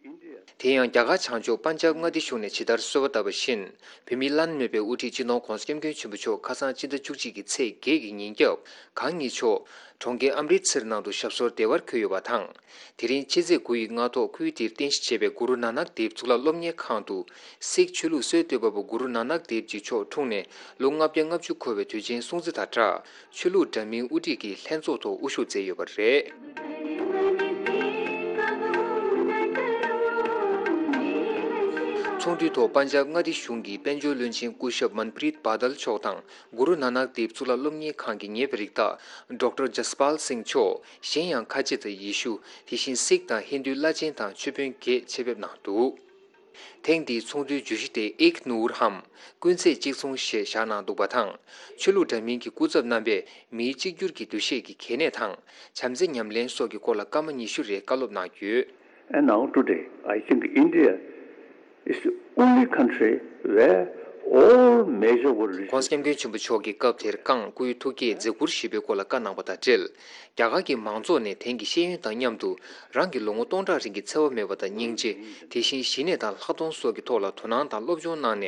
དེ་ཡང་རྒྱ་གར་བྱང་ཕྱོགས་པན་ཇབ་མངའ་སྡེ་གཞུང་ནས་ཇི་ལྟར་གསོལ་བ་བཏབ་པ་བཞིན། བོད་མིའི་བླ་ན་མེད་པའི་དབུ་ཁྲིད་སྤྱི་ནོར་༸གོང་ས་༸སྐྱབས་མགོན་ཆེན་པོ་མཆོག་ཁ་སང་སྤྱི་ཟླ་བཅུ་གཅིག་གི་ཚེས་བརྒྱད་ཀྱི་ཉིན་རྒྱབ་གང་ཉིད་མཆོག་གྲོང་ཁྱེར་ཨམ་རི་ཚེར་ནང་དུ་ཞབས་སོར་བདེ་བར་འཁོད་ཡོད་པ་དང་། དེ་རིང་ཕྱི་ཚེས་དགུ་ཡི་སྔ་ཐོག་ཁུལ་དེར་རྟེན་གཞི་བྱས་པའི་གུ་རུ་ནཱ་ནག་དེབ་གཙུག་ལག་སློབ་གཉེར་ཁང་དུ། སིག་ཆོས་ལུགས་སྲོལ་གཏོད་པ་པོ་གུ་རུ་ནཱ་ནག་དེབ་ཇི་མཆོག་འཁྲུངས་ནས་ལོ་ལྔ་བརྒྱ་ལྔ་བཅུ་འཁོར་བའི་དུས་ཆེན་སྲུང་བརྩི་དང་སྦྲགས། ཆོས་ལུགས་འདྲ་མིན་དབུ་ཁྲིད་ཀྱིས་ལྷན་ཚོགས་ཐོག་དབུ་བཞུགས་མཛད་ཡོད་པ་རེད། ཚོགས་འདུའི་ཐོག་པན་ཇབ་མངའ་སྡེ་གཞུང་གི་དཔལ་འབྱོར་བློན་ཆེན་སྐུ་ཞབས་མན་པྲིད་བྷ་དལ་མཆོག་དང་། གུ་རུ་ནཱ་ནག་དེབ་གཙུག་ལག་སློབ་གཉེར་ཁང་གི་ངེས་པར་རིགས་བདག་ཌོག་ཊར་ཇ་སི་པཱལ་སིང་མཆོག་གཞན་ཡང་ཁ་ཆེ་དང་ཡེ་ཤུ། དེ་བཞིན་སིག་དང་ཧིན་དུའི་བླ་ཆེན་དང་ཆོས་དཔོན་བརྒྱད་ཆེད་ཕེབས་གནང་འདུག་ཐེངས་འདིའི་ཚོགས་འདུའི་བརྗོད་གཞི་དེ་ཨིག་ནུར་ཧམ། ཀུན་ཚེས་གཅིག་མཚུངས་ཞེས་བཞག་གནང་འདུག་པ་དང་། ཆོས་ལུགས་འདྲ་མིན་གྱི་སྐུ་ཚབ་རྣམ་པས་མིའི་གཅིག་གྱུར་གྱི་འདུ་ཤེས་ཀྱི་གལ་གནད་དང་། བྱམས་བརྩེ་ཉམས་ལེན་སོགས་ཀྱི་སྐོར་ལ་སྐར་མ་ཉི་ཤུ་རེ་བཀའ་སློབ་གནང་ཡོད། And now today, I think India is the only country where all major world religions ༸གོང་ས་༸སྐྱབས་མགོན་ཆེན་པོ་མཆོག་གིས་སྐབས་དེར་ཀང་སྐུའི་ཐུགས་བསྐྱེད་མཛད་ཁུར་ཞུས་པའི་སྐོར་ལ་བཀའ་གནང་བ་དང་འབྲེལ། རྒྱ་གར་གྱི་མང་ཚོགས་ནས་དེང་གི་ཤེས་ཡོན་དང་མཉམ་དུ་རང་གི་ལོ་ངོ་སྟོང་ཕྲག་རིང་གི་འཚེ་བ་མེད་པ་དང་སྙིང་རྗེ། དེ་བཞིན་ཞི་གནས་དང་ལྷག་མཐོང་སོགས་ཀྱི་ཐོག་ལ་དོ་སྣང་དང་སློབ་སྦྱོང་གནང་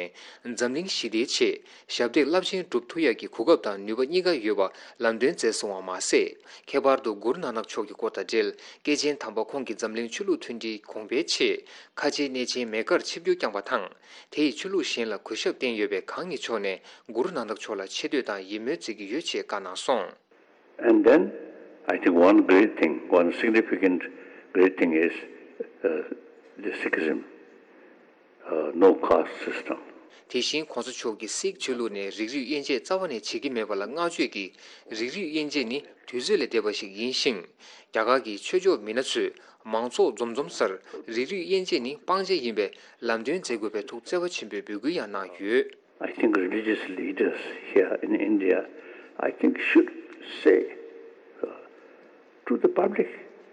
ནས་འཛམ་གླིང་ཞི་བདེའི་ཆེད་ཞབས་འདེགས་རླབས་ཆེན་སྒྲུབ་ཐུབ་ཡག་གི་གོ་སྐབས་དང་ནུས་པ་གཉིས་ཀ་ཡོད་པ་ལམ་སྟོན་མཛད་སོང་བ་མ་ཟད། ཁྱད་པར་དུ་གུ་རུ་ནཱ་ནག་མཆོག་གི་སྐོར་དང་འབྲེལ་སྐྱེས་ཆེན་དམ་པ་ཁོང་གིས་འཛམ་གླིང་ཆོས་ལུགས་མཐུན་སྒྲིལ་གོང་འཕེལ་ཆེད་ཁ་ཆེའི་གནས་ཆེན་མེ་ཀར་ཆིབས་བསྒྱུར་བསྐྱངས་པ་དང་། དེ་ཡིས་ཆོས་ལུགས་གཞན་ལ་གུས་ཞབས་བསྟན་ཡོད་པས་གང་ཉིད་མཆོག་ནས་གུ་རུ་ནཱ་ནག་མཆོག་ལ་ཆེ་བསྟོད་དང་ཡིད་སྨོན་མཛད་ཀྱི་ཡོད་ཅེས་བཀའ་གནང་སོང་། And then, I think one great thing, one significant great thing is uh, the Sikhism, uh, no caste system. དེ་བཞིན་གོང་ས་མཆོག་གིས་སིག་ཆོས་ལུགས་ནས་རིགས་རུས་དབྱེ་འབྱེད་རྩ་བ་ནས་བྱེད་ཀྱི་མེད་པ་ལ་བསྔགས་བརྗོད་ཀྱིས། རིགས་རུས་དབྱེ་འབྱེད་ནི་དུས་ཚོད་ལས་འདས་པ་ཞིག་ཡིན་ཞིང་། རྒྱ་གར་གྱི་ཆོས་ཕྱོགས་མི་སྣ་ཚོས་མང་ཚོགས་འཛོམས་འཛོམས་སར་རིགས་རུས་དབྱེ་འབྱེད་ནི་སྤང་བྱ་ཡིན་པས་ལམ་སྟོན་མཛད་དགོས་པའི་ཐུགས་བརྩེ་བ་ཆེན་པོས་འབོད་སྐུལ་ཡང་གནང་ཡོད། I think religious leaders here in India, I think, should say uh, to the public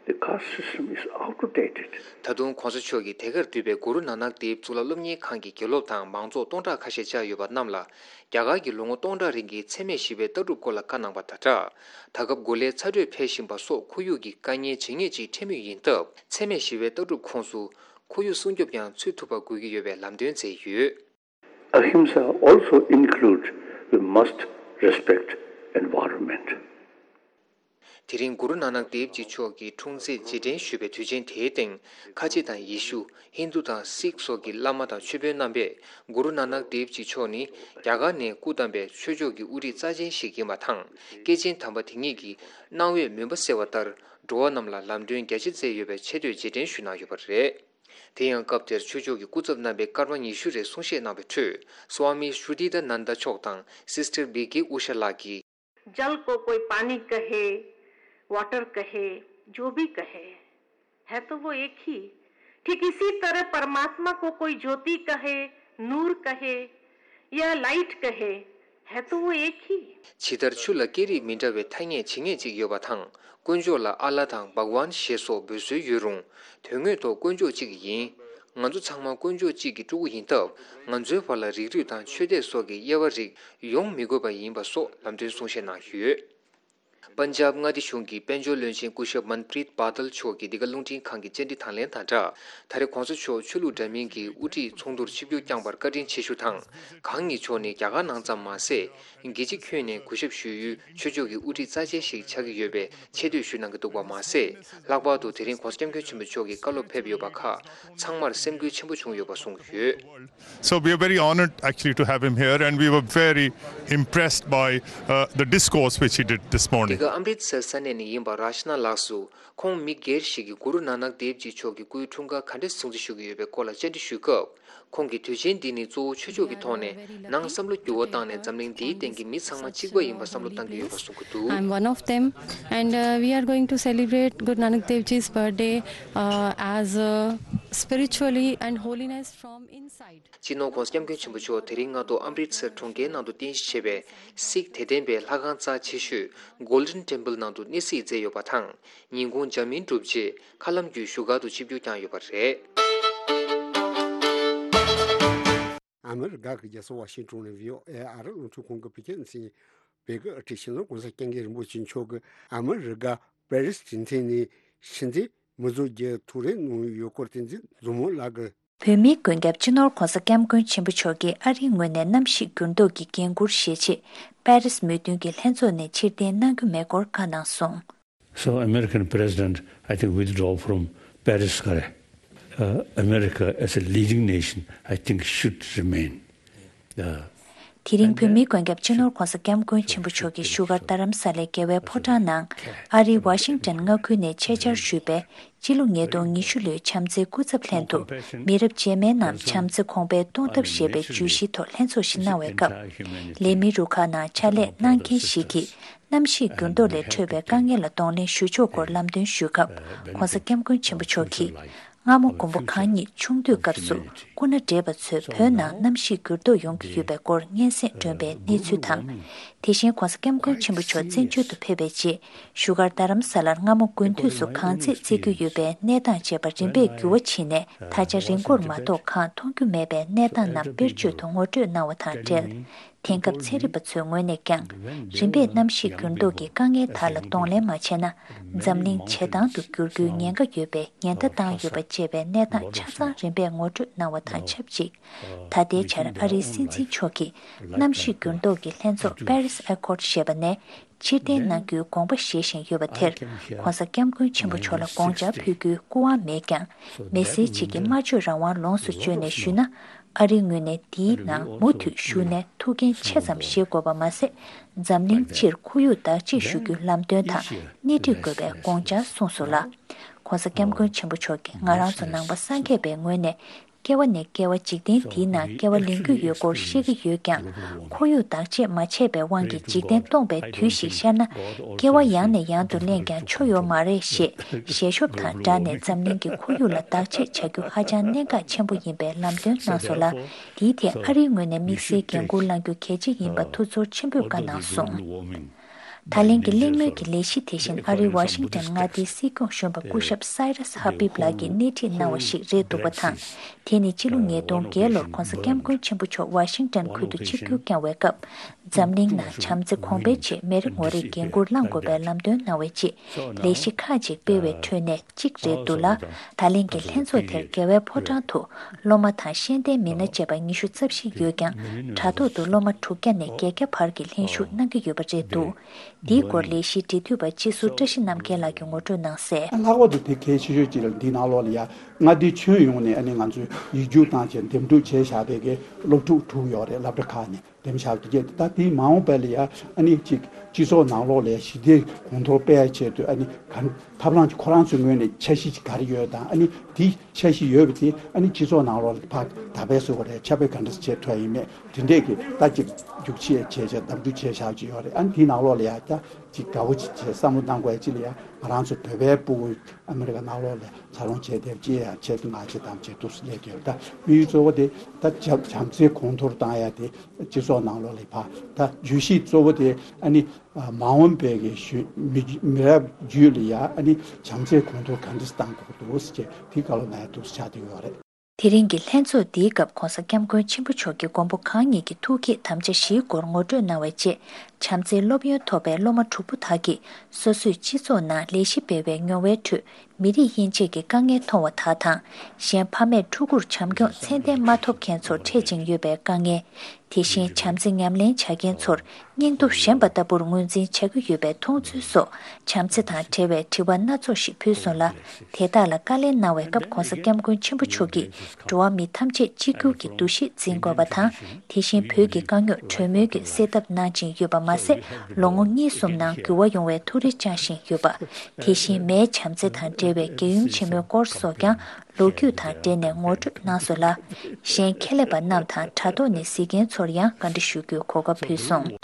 The caste system is outdated. ད་དུང་གོང་ས་མཆོག་གིས་དེ་གར་འདུས་པའི་གུ་རུ་ནཱ་ནག་དེབ་གཙུག་ལག་སློབ་གཉེར་ཁང་གི་དགེ་སློབ་དང་མང་ཚོགས་སྟོང་ཕྲག་ཁ་ཤས་བཅར་ཡོད་པ་རྣམས་ལ། རྒྱ་གར་གྱི་ལོ་ངོ་སྟོང་ཕྲག་རིང་གི་འཚེ་མེད་ཞི་བའི་ལྟ་གྲུབ་སྐོར་ལ་བཀའ་གནང་པ་དང་སྦྲགས། ད་སྐབས་གོ་ལའི་ཚ་དྲོད་འཕེལ་བཞིན་པ་སོགས་ཁོར་ཡུག་གི་དཀའ་ངལ་ཇེ་ངེས་ཅིག་འཕྲད་མུས་ཡིན་སྟབས། འཚེ་མེད་ཞི་བའི་ལྟ་གྲུབ་ཁོངས་སུ་ཁོར་ཡུག་སྲུང་སྐྱོབ་ཀྱང་ཚུད་ཐུབ་པ་དགོས་ཀྱི་ཡོད་པའི་ལམ་སྟོན་མཛད་ཡོད། Ahimsa also includes we must respect environment. དེ་རིང་གུ་རུ་ནཱ་ནག་དེབ་ཇི་མཆོག་གི་འཁྲུངས་ཚེས་རྗེས་དྲན་ཞུས་པའི་དུས་ཆེན་དེའི་སྟེང་། ཁ་ཆེ་དང་ཡེ་ཤུ། ཧིན་དུ་དང་སིག་སོགས་ཀྱི་བླ་མ་དང་ཆོས་དཔོན་རྣམ་པས་གུ་རུ་ནཱ་ནག་དེབ་ཇི་མཆོག་ནི་རྒྱ་གར་ནས་སྐུ་བལྟམས་པའི་ཆོས་ཕྱོགས་ཀྱི་དབུ་ཁྲིད་རྩ་ཆེན་ཞིག་ཡིན་པ་དང་། སྐྱེས་ཆེན་དམ་པ་དེ་ཉིད་ཀྱིས་གནང་བའི་མུན་པ་སེལ་བ་ལྟར་འགྲོ་བ་རྣམས་ལ་ལམ་སྟོན་རྒྱ་ཆེ་མཛད་ཡོད་པའི་ཆེ་བསྟོད་རྗེས་དྲན་ཞུས་གནང་ཡོད་པ་རེད། དེ་ཡང་སྐབས་དེར་ཆོས་ཕྱོགས་ཀྱི་སྐུ་ཚབ་རྣམ་པས་སྐར་མ་ཉི་ཤུ་རེ་གསུང་བཤད་གནང་བའི་ཁྲོད། སྭ་མི་ཤྲུ་ཏི་ད་ནན་ད་མཆོག་དང་སིས་ཊར་བི་ཀེ་ཨུ་ཤ་ལགས་ཀྱིས། जल को कोई पानी कहे, वाटर कहे, जो भी कहे, है तो वो एक ही। ठीक इसी तरह परमात्मा को कोई ज्योति कहे, नूर कहे या लाइट कहे, है तो वो एक ही। ཇི་ལྟར་ཆུ་ལ་སྐད་རིགས་མི་འདྲ་བའི་ཐ་སྙད་ཇི་སྙེད་ཅིག་ཡོད་པ་དང་། དཀོན་མཆོག་ལ་ཨ་ལ་དང་བྷག་ཝན་ཞེས་སོགས་འབོད་སྲོལ་ཡོད་རུང་། དོན་དངོས་ཐོག་དཀོན་མཆོག་གཅིག་ཡིན། ང་ཚོ་ཚང་མ་དཀོན་མཆོག་གཅིག་གི་ཕྲུ་གུ་ཡིན་སྟབས། ང་ཚོའི་བར་ལ་རིགས་རུས་དང་ཆོས་དད་སོགས་ཀྱི་དབྱེ་བ་རིགས་ཡོང་མི་དགོས་པ་ཡིན་པ་སོགས་ལམ་སྟོན་གསུང་བཤད་གནང་ཡོད། པན་ཇབ་མངའ་སྡེ་གཞུང་གི་དཔལ་འབྱོར་བློན་ཆེན་སྐུ་ཞབས་མན་པྲིད་པཱ་ཏལ་མཆོག་གིས་འདི་ག་རླུང་འཕྲིན་ཁང་གི་བཅར་འདྲི་དང་ལེན་དང་སྦྲགས། ད་རེས་གོང་ས་མཆོག་ཆོས་ལུགས་འདྲ་མིན་གྱི་དབུ་ཁྲིད་ཚོགས་འདུར་ཆིབས་བསྒྱུར་བསྐྱངས་པར་བཀའ་དྲིན་ཆེ་ཞུ་དང་། གང་ཉིད་མཆོག་ནི་རྒྱ་གར་ནང་ཙམ་མ་ཟད། རྒྱལ་སྤྱི་ཁྱོན་ནས་གུས་ཞབས་ཞུ་ཡུལ་ཆོས་ཕྱོགས་ཀྱི་དབུ་ཁྲིད་རྩ་ཆེན་ཞིག་ཆགས་ཀྱི་ཡོད་པའི་ཆེ་བསྟོད་ཞུས་གནང་གི་འདུག་པ་མ་ཟད། ལྷག་པར་དུ་དེ་རིང་གོང་ས་སྐྱབས་མགོན་ཆེན་པོ་མཆོག་གིས་བཀའ་སློབ་ཕེབས་ཡོད་པ་ཁག་ཚང་མར་སེམས་འགུལ་ཆེན་པོ་བྱུང་ཡོད་པ་གསུངས་ཡོད། So we are very honored actually to have him here, and we were very impressed by uh, the discourse which he did this འདི་morning. ག་ཨམ་རིད་སར་ས་གནས་ནས་ཡིན་པ་རཱཤ་ན་ལགས་སུ། ཁོང་མི་སྒེར་ཞིག་གིས་གུ་རུ་ནཱ་ནག་དེབ་ཇི་མཆོག་གི་སྐུའི་འཁྲུངས་སྐར་ག་འདྲ་སྲུང་བརྩི་ཞུ་གི་ཡོད་པའི་སྐོར་ལ་བཅར་འདྲི་ཞུས་སྐབས། ཁོང་གིས་དུས་ཆེན་འདི་ནི་གཙོ་བོ་ཆོས་ཕྱོགས་ཀྱི་ཐོག་ནས་ནང་བསམ་བློ་འགྱུར་བ་བཏང་ནས་འཛམ་གླིང་འདིའི་སྟེང་གི་མི་ཚང་མ་གཅིག་པ་ཡིན་པ་བསམ་བློ་བཏང་གི་ཡོད་པ་གསུངས་ཀྱི་འདུག I'm one of them, and uh, we are going to celebrate Guru Nanak Dev Ji's birthday uh, as uh, spiritually and holiness from inside. སྤྱི་ནོར་༧གོང་ས་༧སྐྱབས་མགོན་ཆེན་པོ་མཆོག་དེ་རིང་སྔ་དྲོ་ཨམ་རིད་སར་གྲོང་ཁྱེར་ནང་དུ་རྟེན་གཞི་བྱས་པའི་སིག་དད་ལྡན་པའི་ལྷ་ཁང་རྩ་ཆེ་ཤོས་Golden Temple ནང་དུ་གནས་གཟིགས་མཛད་ཡོད་པ་དང་། ཉིན་གུང་འཇར་མན་གྲུབ་རྗེས་མཁའ་ལམ་བརྒྱུད་བཞུགས་སྒར་དུ་ཆིབས་བསྒྱུར་བསྐྱངས་ཡོད་པ་རེད། ཨ་མི་རི་ཀ་གི་རྒྱལ་ས་ཝ་ཤིང་ཏོན་ནས་བྷི་ཨོ་ཨེ་ཨ་རི་རླུང་འཕྲིན་ཁང་གི་བོད་སྐད་སྡེ་ཚན་པས་ཀྱི་ཨ་ཁྲིད་ཕྱི་ནང་གོང་ས་སྐྱབས་མགོན་རིན་པོ་ཆེ་མཆོག་གིས་ཨ་མི་རི་ཀ་པེ་རིས་གྲོས་མཐུན་ནས་ཕྱི་འཐེན་མི་བཟོ་རྒྱུ་ཐུགས་རེ་གནང་ཡོད་སྐོར་བསྟན་འཛིན་མཛོ་མོ་ལགས་ཀྱིས། བོད་མིའི་མགོན་སྐྱབས་སྤྱི་ནོར་༧གོང་ས་༧སྐྱབས་མགོན་ཆེན་པོ་མཆོག་གིས་ཨ་རིའི་ངོས་ནས་གནམ་གཤིས་འགྱུར་ལྡོག་གི་འགན་འཁུར་བཞེས་ཆེད་པེ་རིས་མོས་མཐུན་གྱི་ལྷན་ཚོགས་ནས་ཕྱིར་འཐེན་གནང་རྒྱུ་མེད་སྐོར་བཀའ་གནང་སོང་། So American president, I think, withdraw from Paris. Uh, America as a leading nation, I think, should remain. Uh, དེ་རིང་བོད་མིའི་མགོན་སྐྱབས་སྤྱི་ནོར་༧གོང་ས་༧སྐྱབས་མགོན་ཆེན་པོ་མཆོག་གིས་བཞུགས་སྒར་རྡ་རམ་ས་ལའི་རྒྱལ་བའི་ཕོ་བྲང་ནང་ཨ་རིའི་ཝ་ཤིང་ཏོན་མངའ་ཁུལ་ནས་ཆེད་བཅར་ཞུས་པའི་སྤྱི་ལོ་ཉིས་སྟོང་ཉི་ཤུ་ལོའི་བྱམས་བརྩེའི་སྐུ་ཚབ་ལྷན་དུ་མི་རབས་རྗེས་མའི་ནང་བྱམས་བརྩེ་གོང་འཕེལ་གཏོང་ཐབས་ཞེས་པའི་བརྗོད་གཞིའི་ཐོག་ལྷན་ཚོགས་ཤིག་གནང་བའི་སྐབས། ལས་མི་རུ་ཁག་ནང་ཕྱག་ལས་གནང་མཁན་ཞིག་གིས་གནམ་གཤིས་འགྱུར་ལྡོག་ལས་འཕྲོས་པའི་དཀའ་ངལ་ལ་གདོང་ལེན་ཞུ་ཕྱོགས་སྐོར་ལམ་སྟོན་ཞུས་སྐབས། ༧གོང་ས་༧སྐྱབས་མགོན་ཆེན་པོ་མཆོག་གིས། སྔ་མོ་མགོན་པོ་གང་ཉིད་ཆུང་དུས་སྐབས་སུ་སྐུ་ན་བགྲེས་པ་ཚོས་བོད་ནང་གནམ་གཤིས་འགྱུར་ལྡོག་ཡོང་གི་ཡོད་པའི་སྐོར་སྙན་སེང་སྒྲོན་པའི་གནས་ཚུལ་དང་། དེ་བཞིན་༧གོང་ས་༧སྐྱབས་མགོན་ཆེན་པོ་མཆོག་བཙན་བྱོལ་དུ་ཕེབས་པའི་རྗེས་བཞུགས་སྒར་རྡ་རམ་ས་ལར་སྔ་མོ་དགུན་དུས་སུ་གངས་ཚད་བརྩི་རྒྱུ་ཡོད་པའི་གནས་སྟངས་བཅས་པ་རིམ་པས་འགྱུར་བ་ཕྱིན་ནས་ད་ཆ་རི་མགོར་མ་གཏོགས་གངས་མཐོང་རྒྱུ་མེད་པའི་གནས་སྟངས་རྣམས་དཔེར་བརྗོད་དུ་ངོ་སྤྲོད་གནང་བ་དང་འབྲེལ། དེང་སྐབས་ཚན་རིག་པ་ཚོའི་ངོས་ནས་ཀྱང་རིམ་པས་གནམ་གཤིས་འགྱུར་ལྡོག་གི་དཀའ་ངལ་དག་ལ་གདོང་ལེན་མ་བྱས་ན་འཛམ་གླིང་ཇེ་དྭངས་དུ་འགྱུར་རྒྱུའི་ཉེན་ཁ་ཡོད་པའི་ཉེན་བརྡ་བཏང་ཡོད་པ་བཅས་པའི་གནས་སྟངས་ཆ་ཚང་རིམ་པས་ངོ་སྤྲོད་གནང་བ་དང་ཆབས་ཅིག་ད་ལྟའི་ཆར་ཨ་རིའི་སྲིད་འཛིན་མཆོག་གིས་གནམ་གཤིས་འགྱུར་ལྡོག་གི་ལྷན་ཚོགས་Paris Accord ཞེས་པ་ནས་ཕྱིར་འཐེན་གནང་རྒྱུའི་དགོངས་པ་བཞེས་བཞིན་ཡོད་པ་དེར་༧གོང་ས་༧སྐྱབས་མགོན་ཆེན་པོ་མཆོག་ལ་དགོངས་འཆར་ཕུལ་རྒྱུའི་སྐུ་དབང་མེད་ཀྱང་། མི་སེར་གཅིག་གིས་སྨྲ་བརྗོད་རང་དབང་ལོངས་སུ་སྤྱོད་ནས་ཞུས་ན། ཨ་རིའི་ངོས་ནས་འདིའི་ནང་མུ་མཐུད་ཞུགས་ནས་ཐུགས་འགན་ཆེ་ཙམ་བཞེས་དགོས་པ་མ་ཟད། འཛམ་གླིང་སྤྱིར་ཁོར་ཡུག་བདག་གཅེས་ཞུ་རྒྱུའི་ལམ་སྟོན་དང་སྣེ་ཁྲིད་དགོས་པའི་དགོངས་འཆར་གསུངས་སོང་ལ། ༧གོང་ས་༧སྐྱབས་མགོན་ཆེན་པོ་མཆོག་གིས་ང་རང་ཚོ་ནང་པ་སངས་རྒྱས་པའི་ངོས་ནས་སྐྱེ་བ་ནས་སྐྱེ་བ་འཇིག་རྟེན་འདིའི་ནང་སྐྱེ་བ་ལེན་རྒྱུ་ཡོད་སྐོར་བཤད་ཀྱི་ཡོད་ཀྱང་། ཁོར་ཡུག་བདག་གཅེས་མ་བྱས་པའི་དབང་གིས་འཇིག་རྟེན་སྟོངས་པའི་དུས་ཤིག་ཤར་ན། སྐྱེ་བ་ཡང་ནས་ཡང་དུ་ལེན་ཀྱང་ཆོ་ཡོད་མ་རེད་ཞེས་ཞལ་ཤོབ་དང་སྦྲགས་ནས་འཛམ་གླིང་གི་ཁོར་ཡུག་ལ་བདག་གཅེས་བྱ་རྒྱུ་ཧ་ཅང་གནད་འགག་ཆེན་པོ་ཡིན་པའི་ལམ་སྟོན་གནང་སོང་ལ། དེའི་ཐད་ཨ་རིའི་ངོས་ནས་དམིགས་བསལ་འགན་འཁུར་བླང་རྒྱུ་གལ་ཆེ་ཡིན་པ་ཐུགས་ཚོར་ཆེན་པོས་བཀའ་གནང་སོང་། ད་ལན་གྱི་གླེང་མོལ་གྱི་ལས་གཞི་དེ་བཞིན་ཨ་རིའི་ཝ་ཤིང་ཊོན་མངའ་སྡེའི་སྲིད་སྐྱོང་གཞོན་པ་སྐུ་ཞབས་སའི་རས་ཧ་བིབ་ལགས་ཀྱིས་སྣེ་ཁྲིད་གནང་བ་ཞིག་རེད་འདུག་པ་དང་། དེ་ནི་ཕྱི་ལོ་ཉིས་སྟོང་བརྒྱད་ལོར་༧གོང་ས་༧སྐྱབས་མགོན་ཆེན་པོ་མཆོག་ཝ་ཤིང་ཊོན་ཁུལ་དུ་ཆིབས་བསྒྱུར་བསྐྱངས་པའི་སྐབས། འཛམ་གླིང་ནང་བྱམས་བརྩེ་གོང་འཕེལ་ཆེད་མི་རེ་ངོ་རེས་འགན་འཁུར་བླངས་དགོས་པའི་ལམ་སྟོན་གནང་བའི་རྗེས། ལས་གཞི་ཁག་ཅིག་སྤེལ་བའི་ཁྲོད་ནས་གཅིག་རེད་འདུག་ལ། ད་ལན་གྱི་ལྷན་ཚོགས་དེར་རྒྱལ་བའི་ཕོ་བྲང་དུ་སློབ་མ་དང་ཤེས་ལྡན་མི་སྣ་བཅས་པ་ཉི་ཤུ་རྩ་བཞི་ཡོད་ཀྱང་། དྲ་ཐོག་ཏུ་སློབ་མ་དྲུག་བརྒྱ་ནས་བརྒྱད་བརྒྱ་བར་གྱི་ལྷན་ཞུགས་གནང་གི་ཡོད་པ་རེད་འདུག་འདིའི་སྐོར་ལས་གཞིའི་འབྲེལ་མཐུད་པ་སྤྱི་ཟུར་བཀྲ་ཤིས་རྣམ་རྒྱལ་ལགས་ཀྱིས་ངོ་སྤྲོད་གནང་གསལ། ལྷག་པར་དུ་དེ་གལ་ཆེ་ཤོས་གཅིག་ལ་འདི་ནང་ལོགས་ལ་ཡ་མངའ་སྡེ་ཁྱོན་ཡོངས་ནས་ཨ་ནི་ང་ཚོས་ཡིག་རྒྱུགས་བཏང་བྱས་འདེམས་སྒྲུག་བྱས་བཞག་པའི་གི་སློབ་ཕྲུག་དྲུག་ཡོད་རེད། སློབ་གྲྭ་ཁག་ནས་འདེམས་བཞག་གི་རེད། ད་དེའི་མ་འོངས་པ་ལ་ཡ་ཨ་ནི་གཅིག་སྤྱི་ཚོགས་ནང་ལོགས་ལ་ཡ་ཞི་བདེ་གོང་མཐོར་སྤེལ་ཆེད་དུ་ཨ་ནི་ག་ཐབས་ལམ་གཅིག་ཁོ་རང་ཚོའི་ངོས་ནས་འཆར་གཞི་གཅིག་ག་རེ་ཡོད་དང་ཨ་ནི་དེ་འཆར་གཞི་ཡོད་པ་དེ་ཨ་ནི་སྤྱི་ཚོགས་ནང་ལོགས་ལ་ཕར་དར་སྤེལ་བཟོ་དགོས་རེད། ཁྱབ་སྤེལ་ག་འདྲ་བྱེད་ཐུབ་ཡ་ཡིན་མེད་དེ་འདྲས་ཀྱི་ལྟ་ཅིག་རྒྱུགས་ཆེ་བྱས་བྱས་འདེམས་སྒྲུག་བྱས་བཞག་ཅིག་ཡོད་རེད། ཨ་ནི་དེའི་ནང་ལོགས་ལ་ཡ་ད་ཅིག་དགའ་བོ་ཅིག་བྱས་བསམ་བློ་བཏང་དགོས་ཡ་ཅིག་ལ་ཡ་ང་རང་ཚོ་བོད་པའི་སྤུ་གུ་ཨ་མི་རི་ཀ་ནང་ལོགས་ལ་འཚར་ལོངས་བྱས་བསྡད་པ་ཅིག་ཡ་ཆེད་དུ་ང་ཆེད་དམ་ཆེད་དུ་སླེབས་ཡོད། ད་དམིགས་ཡུལ་གཙོ་བོ་དེ་ད་བྱམས་བྱམས་བརྩེ་གོང་མཐོར་བཏང་ཡ་དེ་སྤྱི་ཚོགས་ནང་ལོགས་ལ་ཕར་ད་བརྗོད་གཞི་གཙོ་བོ་དེ་ཨ་ནི་མ་འོངས་པའི་གི་གཞོན་མི་མི་རབས་རྒྱུད་ལ་ཡ་ཨ་ནི་བྱམས་བརྩེ་གོང་མཐོར་ག་འདྲ་བཏང་དགོས་འདུག་ཟེར་བྱས་དེ་བཀའ་སློབ་གནང་ཡ་འདུག་ཆགས་བསྡད་ཡོད་རེད། དེ་རིང་གི་ལྷན་ཚོགས་འདིའི་སྐབས་༧གོང་ས་༧སྐྱབས་མགོན་ཆེན་པོ་མཆོག་གིས་མགོན་པོ་གང་ཉིད་ཀྱི་ཐུགས་བསྐྱེད་དམ་བཅའ་བཞིའི་སྐོར་ངོ་སྤྲོད་གནང་བའི་རྗེས། བྱམས་བརྩེའི་སློབ་ཡོན་ཐོབ་པའི་སློབ་མ་དྲུག་པོ་དག་གིས་སོ་སོས་སྤྱི་ཚོགས་ནང་ལས་གཞི་སྤེལ་བའི་མྱོང་བའི་ཁྲོད་མི་རིགས་དབྱེ་འབྱེད་ཀྱི་དཀའ་ངལ་མཐོང་བ་དག་དང་། གཞན་ཕ་མས་ཕྲུ་གུར་བྱམས་སྐྱོང་ཚད་ལྡན་མ་ཐོབ་མཁན་ཚོར་འཕྲད་ཅིང་ཡོད་པའི་དཀའ་ངལ། དེ་བཞིན་བྱམས་བརྩེ་ཉམས་ལེན་བྱ་མཁན་ཚོར་སྙིང་སྟོབས་ཞན་པ་ལྟ་བུར་ངོས་འཛིན་བྱ་གི་ཡོད་པའི་མཐོང་ཚུལ་སོགས་བྱམས་བརྩེ་དང་འབྲེལ་བའི་དྲི་བ་སྣ་ཚོགས་ཤིག་ཕུལ་སོང་ལ། དེ་དག་ལ་བཀའ་ལན་གནང་བའི་སྐབས་༧གོང་ས་༧སྐྱབས་མགོན་ཆེན་པོ་མཆོག་གིས་འགྲོ་བ་མི་ཐམས་ཅད་གཅིག་གྱུར་གྱི་འདུ་ཤེས་འཛིན་དགོས་པ་དང་། དེ་བཞིན་བོད་ཀྱི་དཀའ་རྙོག་གྲོས་མོལ་གྱིས་སེལ་ཐབས་གནང་བཞིན་ཡོད་པ་མ་ཟད། ལོ་ངོ་གཉིས་གསུམ་ནང་འགྱུར་བ་ཡོང་བའི་ཐུགས་རེ་བཅངས་བཞིན་ཡོད་པ། དེ་བཞིན་མིའི་བྱམས་བརྩེ་དང་འབྲེལ་བའི་རྒྱལ་ཡུམ་ཆེན་མོའི་སྐོར་སོགས་ཀྱང་ལོ་རྒྱུས་དང་འབྲེལ་ནས་ངོ་སྤྲོད་གནང་སོང་ལ། གཞན་ཁྱད་ལས་པ་རྣམས་དང་དྲ་ཐོག་ནས་གཟིགས་མཁན་ཚོར་ཡང་བཀའ་འདྲི་ཞུ་རྒྱུའི་གོ་སྐབས་ཕུལ་སོང་།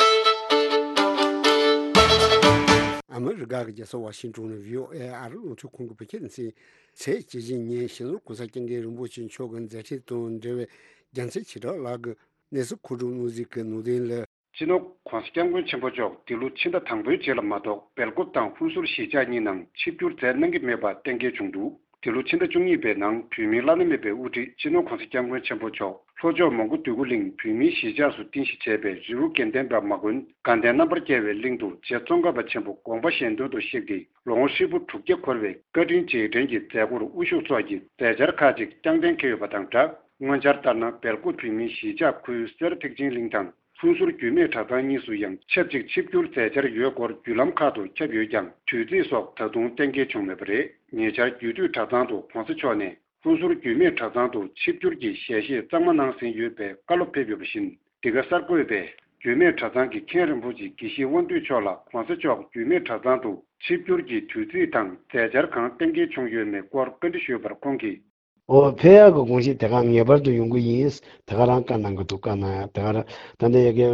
ཨ་མི་རི་ཀ་གི་རྒྱལ་ས་ཝ་ཤིང་ཏོན་ནས་བྷི་ཨོ་ཨེ་ཨ་རི་རླུང་འཕྲིན་ཁང་གི་བོད་སྐད་སྡེ་ཚན་གྱིས་ཚེས་བཅུ་བཞི་ཉིན་སྤྱི་ནོར་༧གོང་ས་༧སྐྱབས་མགོན་རིན་པོ་ཆེ་མཆོག་གི་མཛད་འཕྲིན་དང་འབྲེལ་བའི་རྒྱལ་མཚན་ཆེ་གྲགས་ལགས་ཀྱི་གནས་ཚུལ་མཁོ་སྒྲུབ་གནང་གཟིགས་ཀྱི་ནང་དོན་ལ། སྤྱི་ནོར་༧གོང་ས་༧སྐྱབས་མགོན་ཆེན་པོ་མཆོག་འདི་ལོ་ཕྱི་ཟླ་དང་པོའི་རྗེས་ལ་མ་གཏོགས་སྦེལ་ཀོབ་དང་ཧུན་སུར་གཞིས་ཆགས་གཉིས་ནང་ཆིབས་བསྒྱུར་མཛད་གནང་གི་མེད་པ་གཏན་འཁེལ་བྱུང་འདུག་འདི་ལོ་ཕྱི་ཟླ་བཅུ་གཉིས་པའི་ནང་བོད་མིའི་བླ་ན་མེད་པའི་དབུ་ཁྲིད་སྤྱི་ནོར་༧གོང་ས་༧སྐྱབས་མགོན་ཆེན་པོ་མཆོག་ལྷོ་ཕྱོགས་མོན་གྷོ་འདོད་རྒུ་གླིང་བོད་མིའི་གཞིས་ཆགས་སུ་རྟེན་གཞི་བྱས་པའི་རི་བོ་དགེ་ལྡན་པ་མ་དགོན་དགའ་ལྡན་རྣམ་པར་རྒྱལ་བའི་གླིང་དུ་རྗེ་ཙོང་ཁ་པ་ཆེན་པོ་དགོངས་པ་གཞན་དོན་དུ་གཤེགས་ཏེ་ལོ་ངོ་ཧྲིལ་པོ་དྲུག་བརྒྱ་འཁོར་བའི་བཀའ་དྲིན་རྗེས་དྲན་གྱི་མཛད་སྒོར་དབུ་བཞུགས་སོགས་ཀྱི་མཛད་འཆར་ཁག་ཅིག་རྐྱང་གཏན་འཁེལ་ཡོད་པ་དང་སྦྲགས། སྔོན་འཆར་ལྟར་ན་སྦེལ་ཀོབ་བོད་མིའི་གཞིས་ཆགས་ཁུལ་སེར་ཐེག་ཆེན་གླིང་དང་། ཧུན་སུར་རྒྱུད་སྨད་གྲྭ་ཚང་གཉིས་སུ་ཡང་ཆབས་ཅིག་ཆིབས་བསྒྱུར་མཛད་འཆར་ཡོད་སྐོར་བརྒྱུད་ལམ་ཁག་ཏུ་ཁྱབ་ཡོད་ཀྱང་དུས་ཚིགས་སོགས་ད་དུང་གཏན་འཁེལ་བྱུང་མེད་པ་རེད། ཉེ་ཆར་རྒྱུད་སྟོད་གྲྭ་ཚང་དུ་༧གོང་ས་མཆོག་ནས་ཧུན་སུར་རྒྱུད་སྨད་གྲྭ་ཚང་དུ་ཆིབས་བསྒྱུར་གྱི་ཞལ་བཞེས་གཙང་མ་གནང་ཟིན་ཡོད་པའི་བཀའ་སློབ་ཕེབས་ཡོད་པ་བཞིན། འདི་ག་གསར་འགོད་པས་རྒྱུད་སྨད་གྲྭ་ཚང་གི་མཁན་རིན་པོ་ཆེ་དགེ་བཤེས་དབང་འདུས་མཆོག་ལ་༧གོང་ས་མཆོག་རྒྱུད་སྨད་གྲྭ་ཚང་དུ་ཆིབས་བསྒྱུར་གྱི་དུས་ཚིགས་དང་མཛད་འཆར་གང་གཏན་འཁེལ་བྱུང་ཡོད་མེད་སྐོར་བཀའ་འདྲི་ཞུས་པར་ཁོང་གིས། ཨོ་ཕེབས་ཡག་གི་དགོངས་གཞི་དེ་ག་ངེས་པར་དུ་ཡོང་གི་ཡིན། དེ་ག་རང་བཀའ་གནང་གི་འདུག་བཀའ་གནང་ཡག་དེ་ག་རང་ད་ལྟ་ཡ་གི་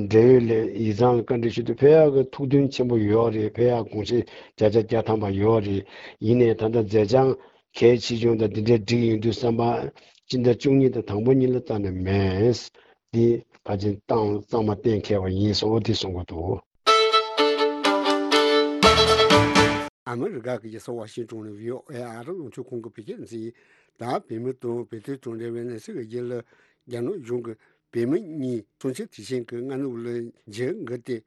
འབྲེལ་ཡོད་ལས་ཡིག་ཚང་ལ་བཀའ་འདྲི་ཞུ་དུས་ཕེབས་ཡག་གི་ཐུགས་འདུན་ཆེན་པོ་ཡོད་རེད། ཕེབས་ཡག་དགོངས་གཞི་བརྒྱ་ཆ་བརྒྱ་ཐམ་པ་ཡོད་རེད། ཡིན་ནའི་ད་ལྟ་མཛད་བྱང་གལ་ཆེ་ཆུང་དང་འདི་འདྲའི་སྒྲིག་ཡོང་དུས་བསམ་པ་སྤྱི་ཟླ་བཅུ་གཉིས་དང་དང་པོ་གཉིས་ལ་རྩ་ནས་མེད། འདི་ཕལ་ཆེར་ཏང་གཙང་མ་གཏན་འཁེལ་བ་ཡིན་སོགས་འདི་གསུང་གི་འདུག་ཨ་མི་རི་ཀ་གི་རྒྱལ་ས་ཝ་ཤིང་ཏོན་ནས་བྷི་ཨོ་ཨེ་ཨ་རི་རླུང་འཕྲིན་ཁང་གི་བོད་སྐད་སྡེ་ཚན་གྱིས་ད་བོད་མི་དང་བོད་དོན་དང་འབྲེལ་བའི་གནས་ཚུལ་གྱི་རྒྱུད་ལ། རྒྱ་ནག་གཞུང་གིས་བོད་མི་གཉིས་སྲོག་ཆགས་དེ་བཞིན་གྱི་སྔ་ནུབ་ལ་འཇིགས་འགུལ་ཏེ་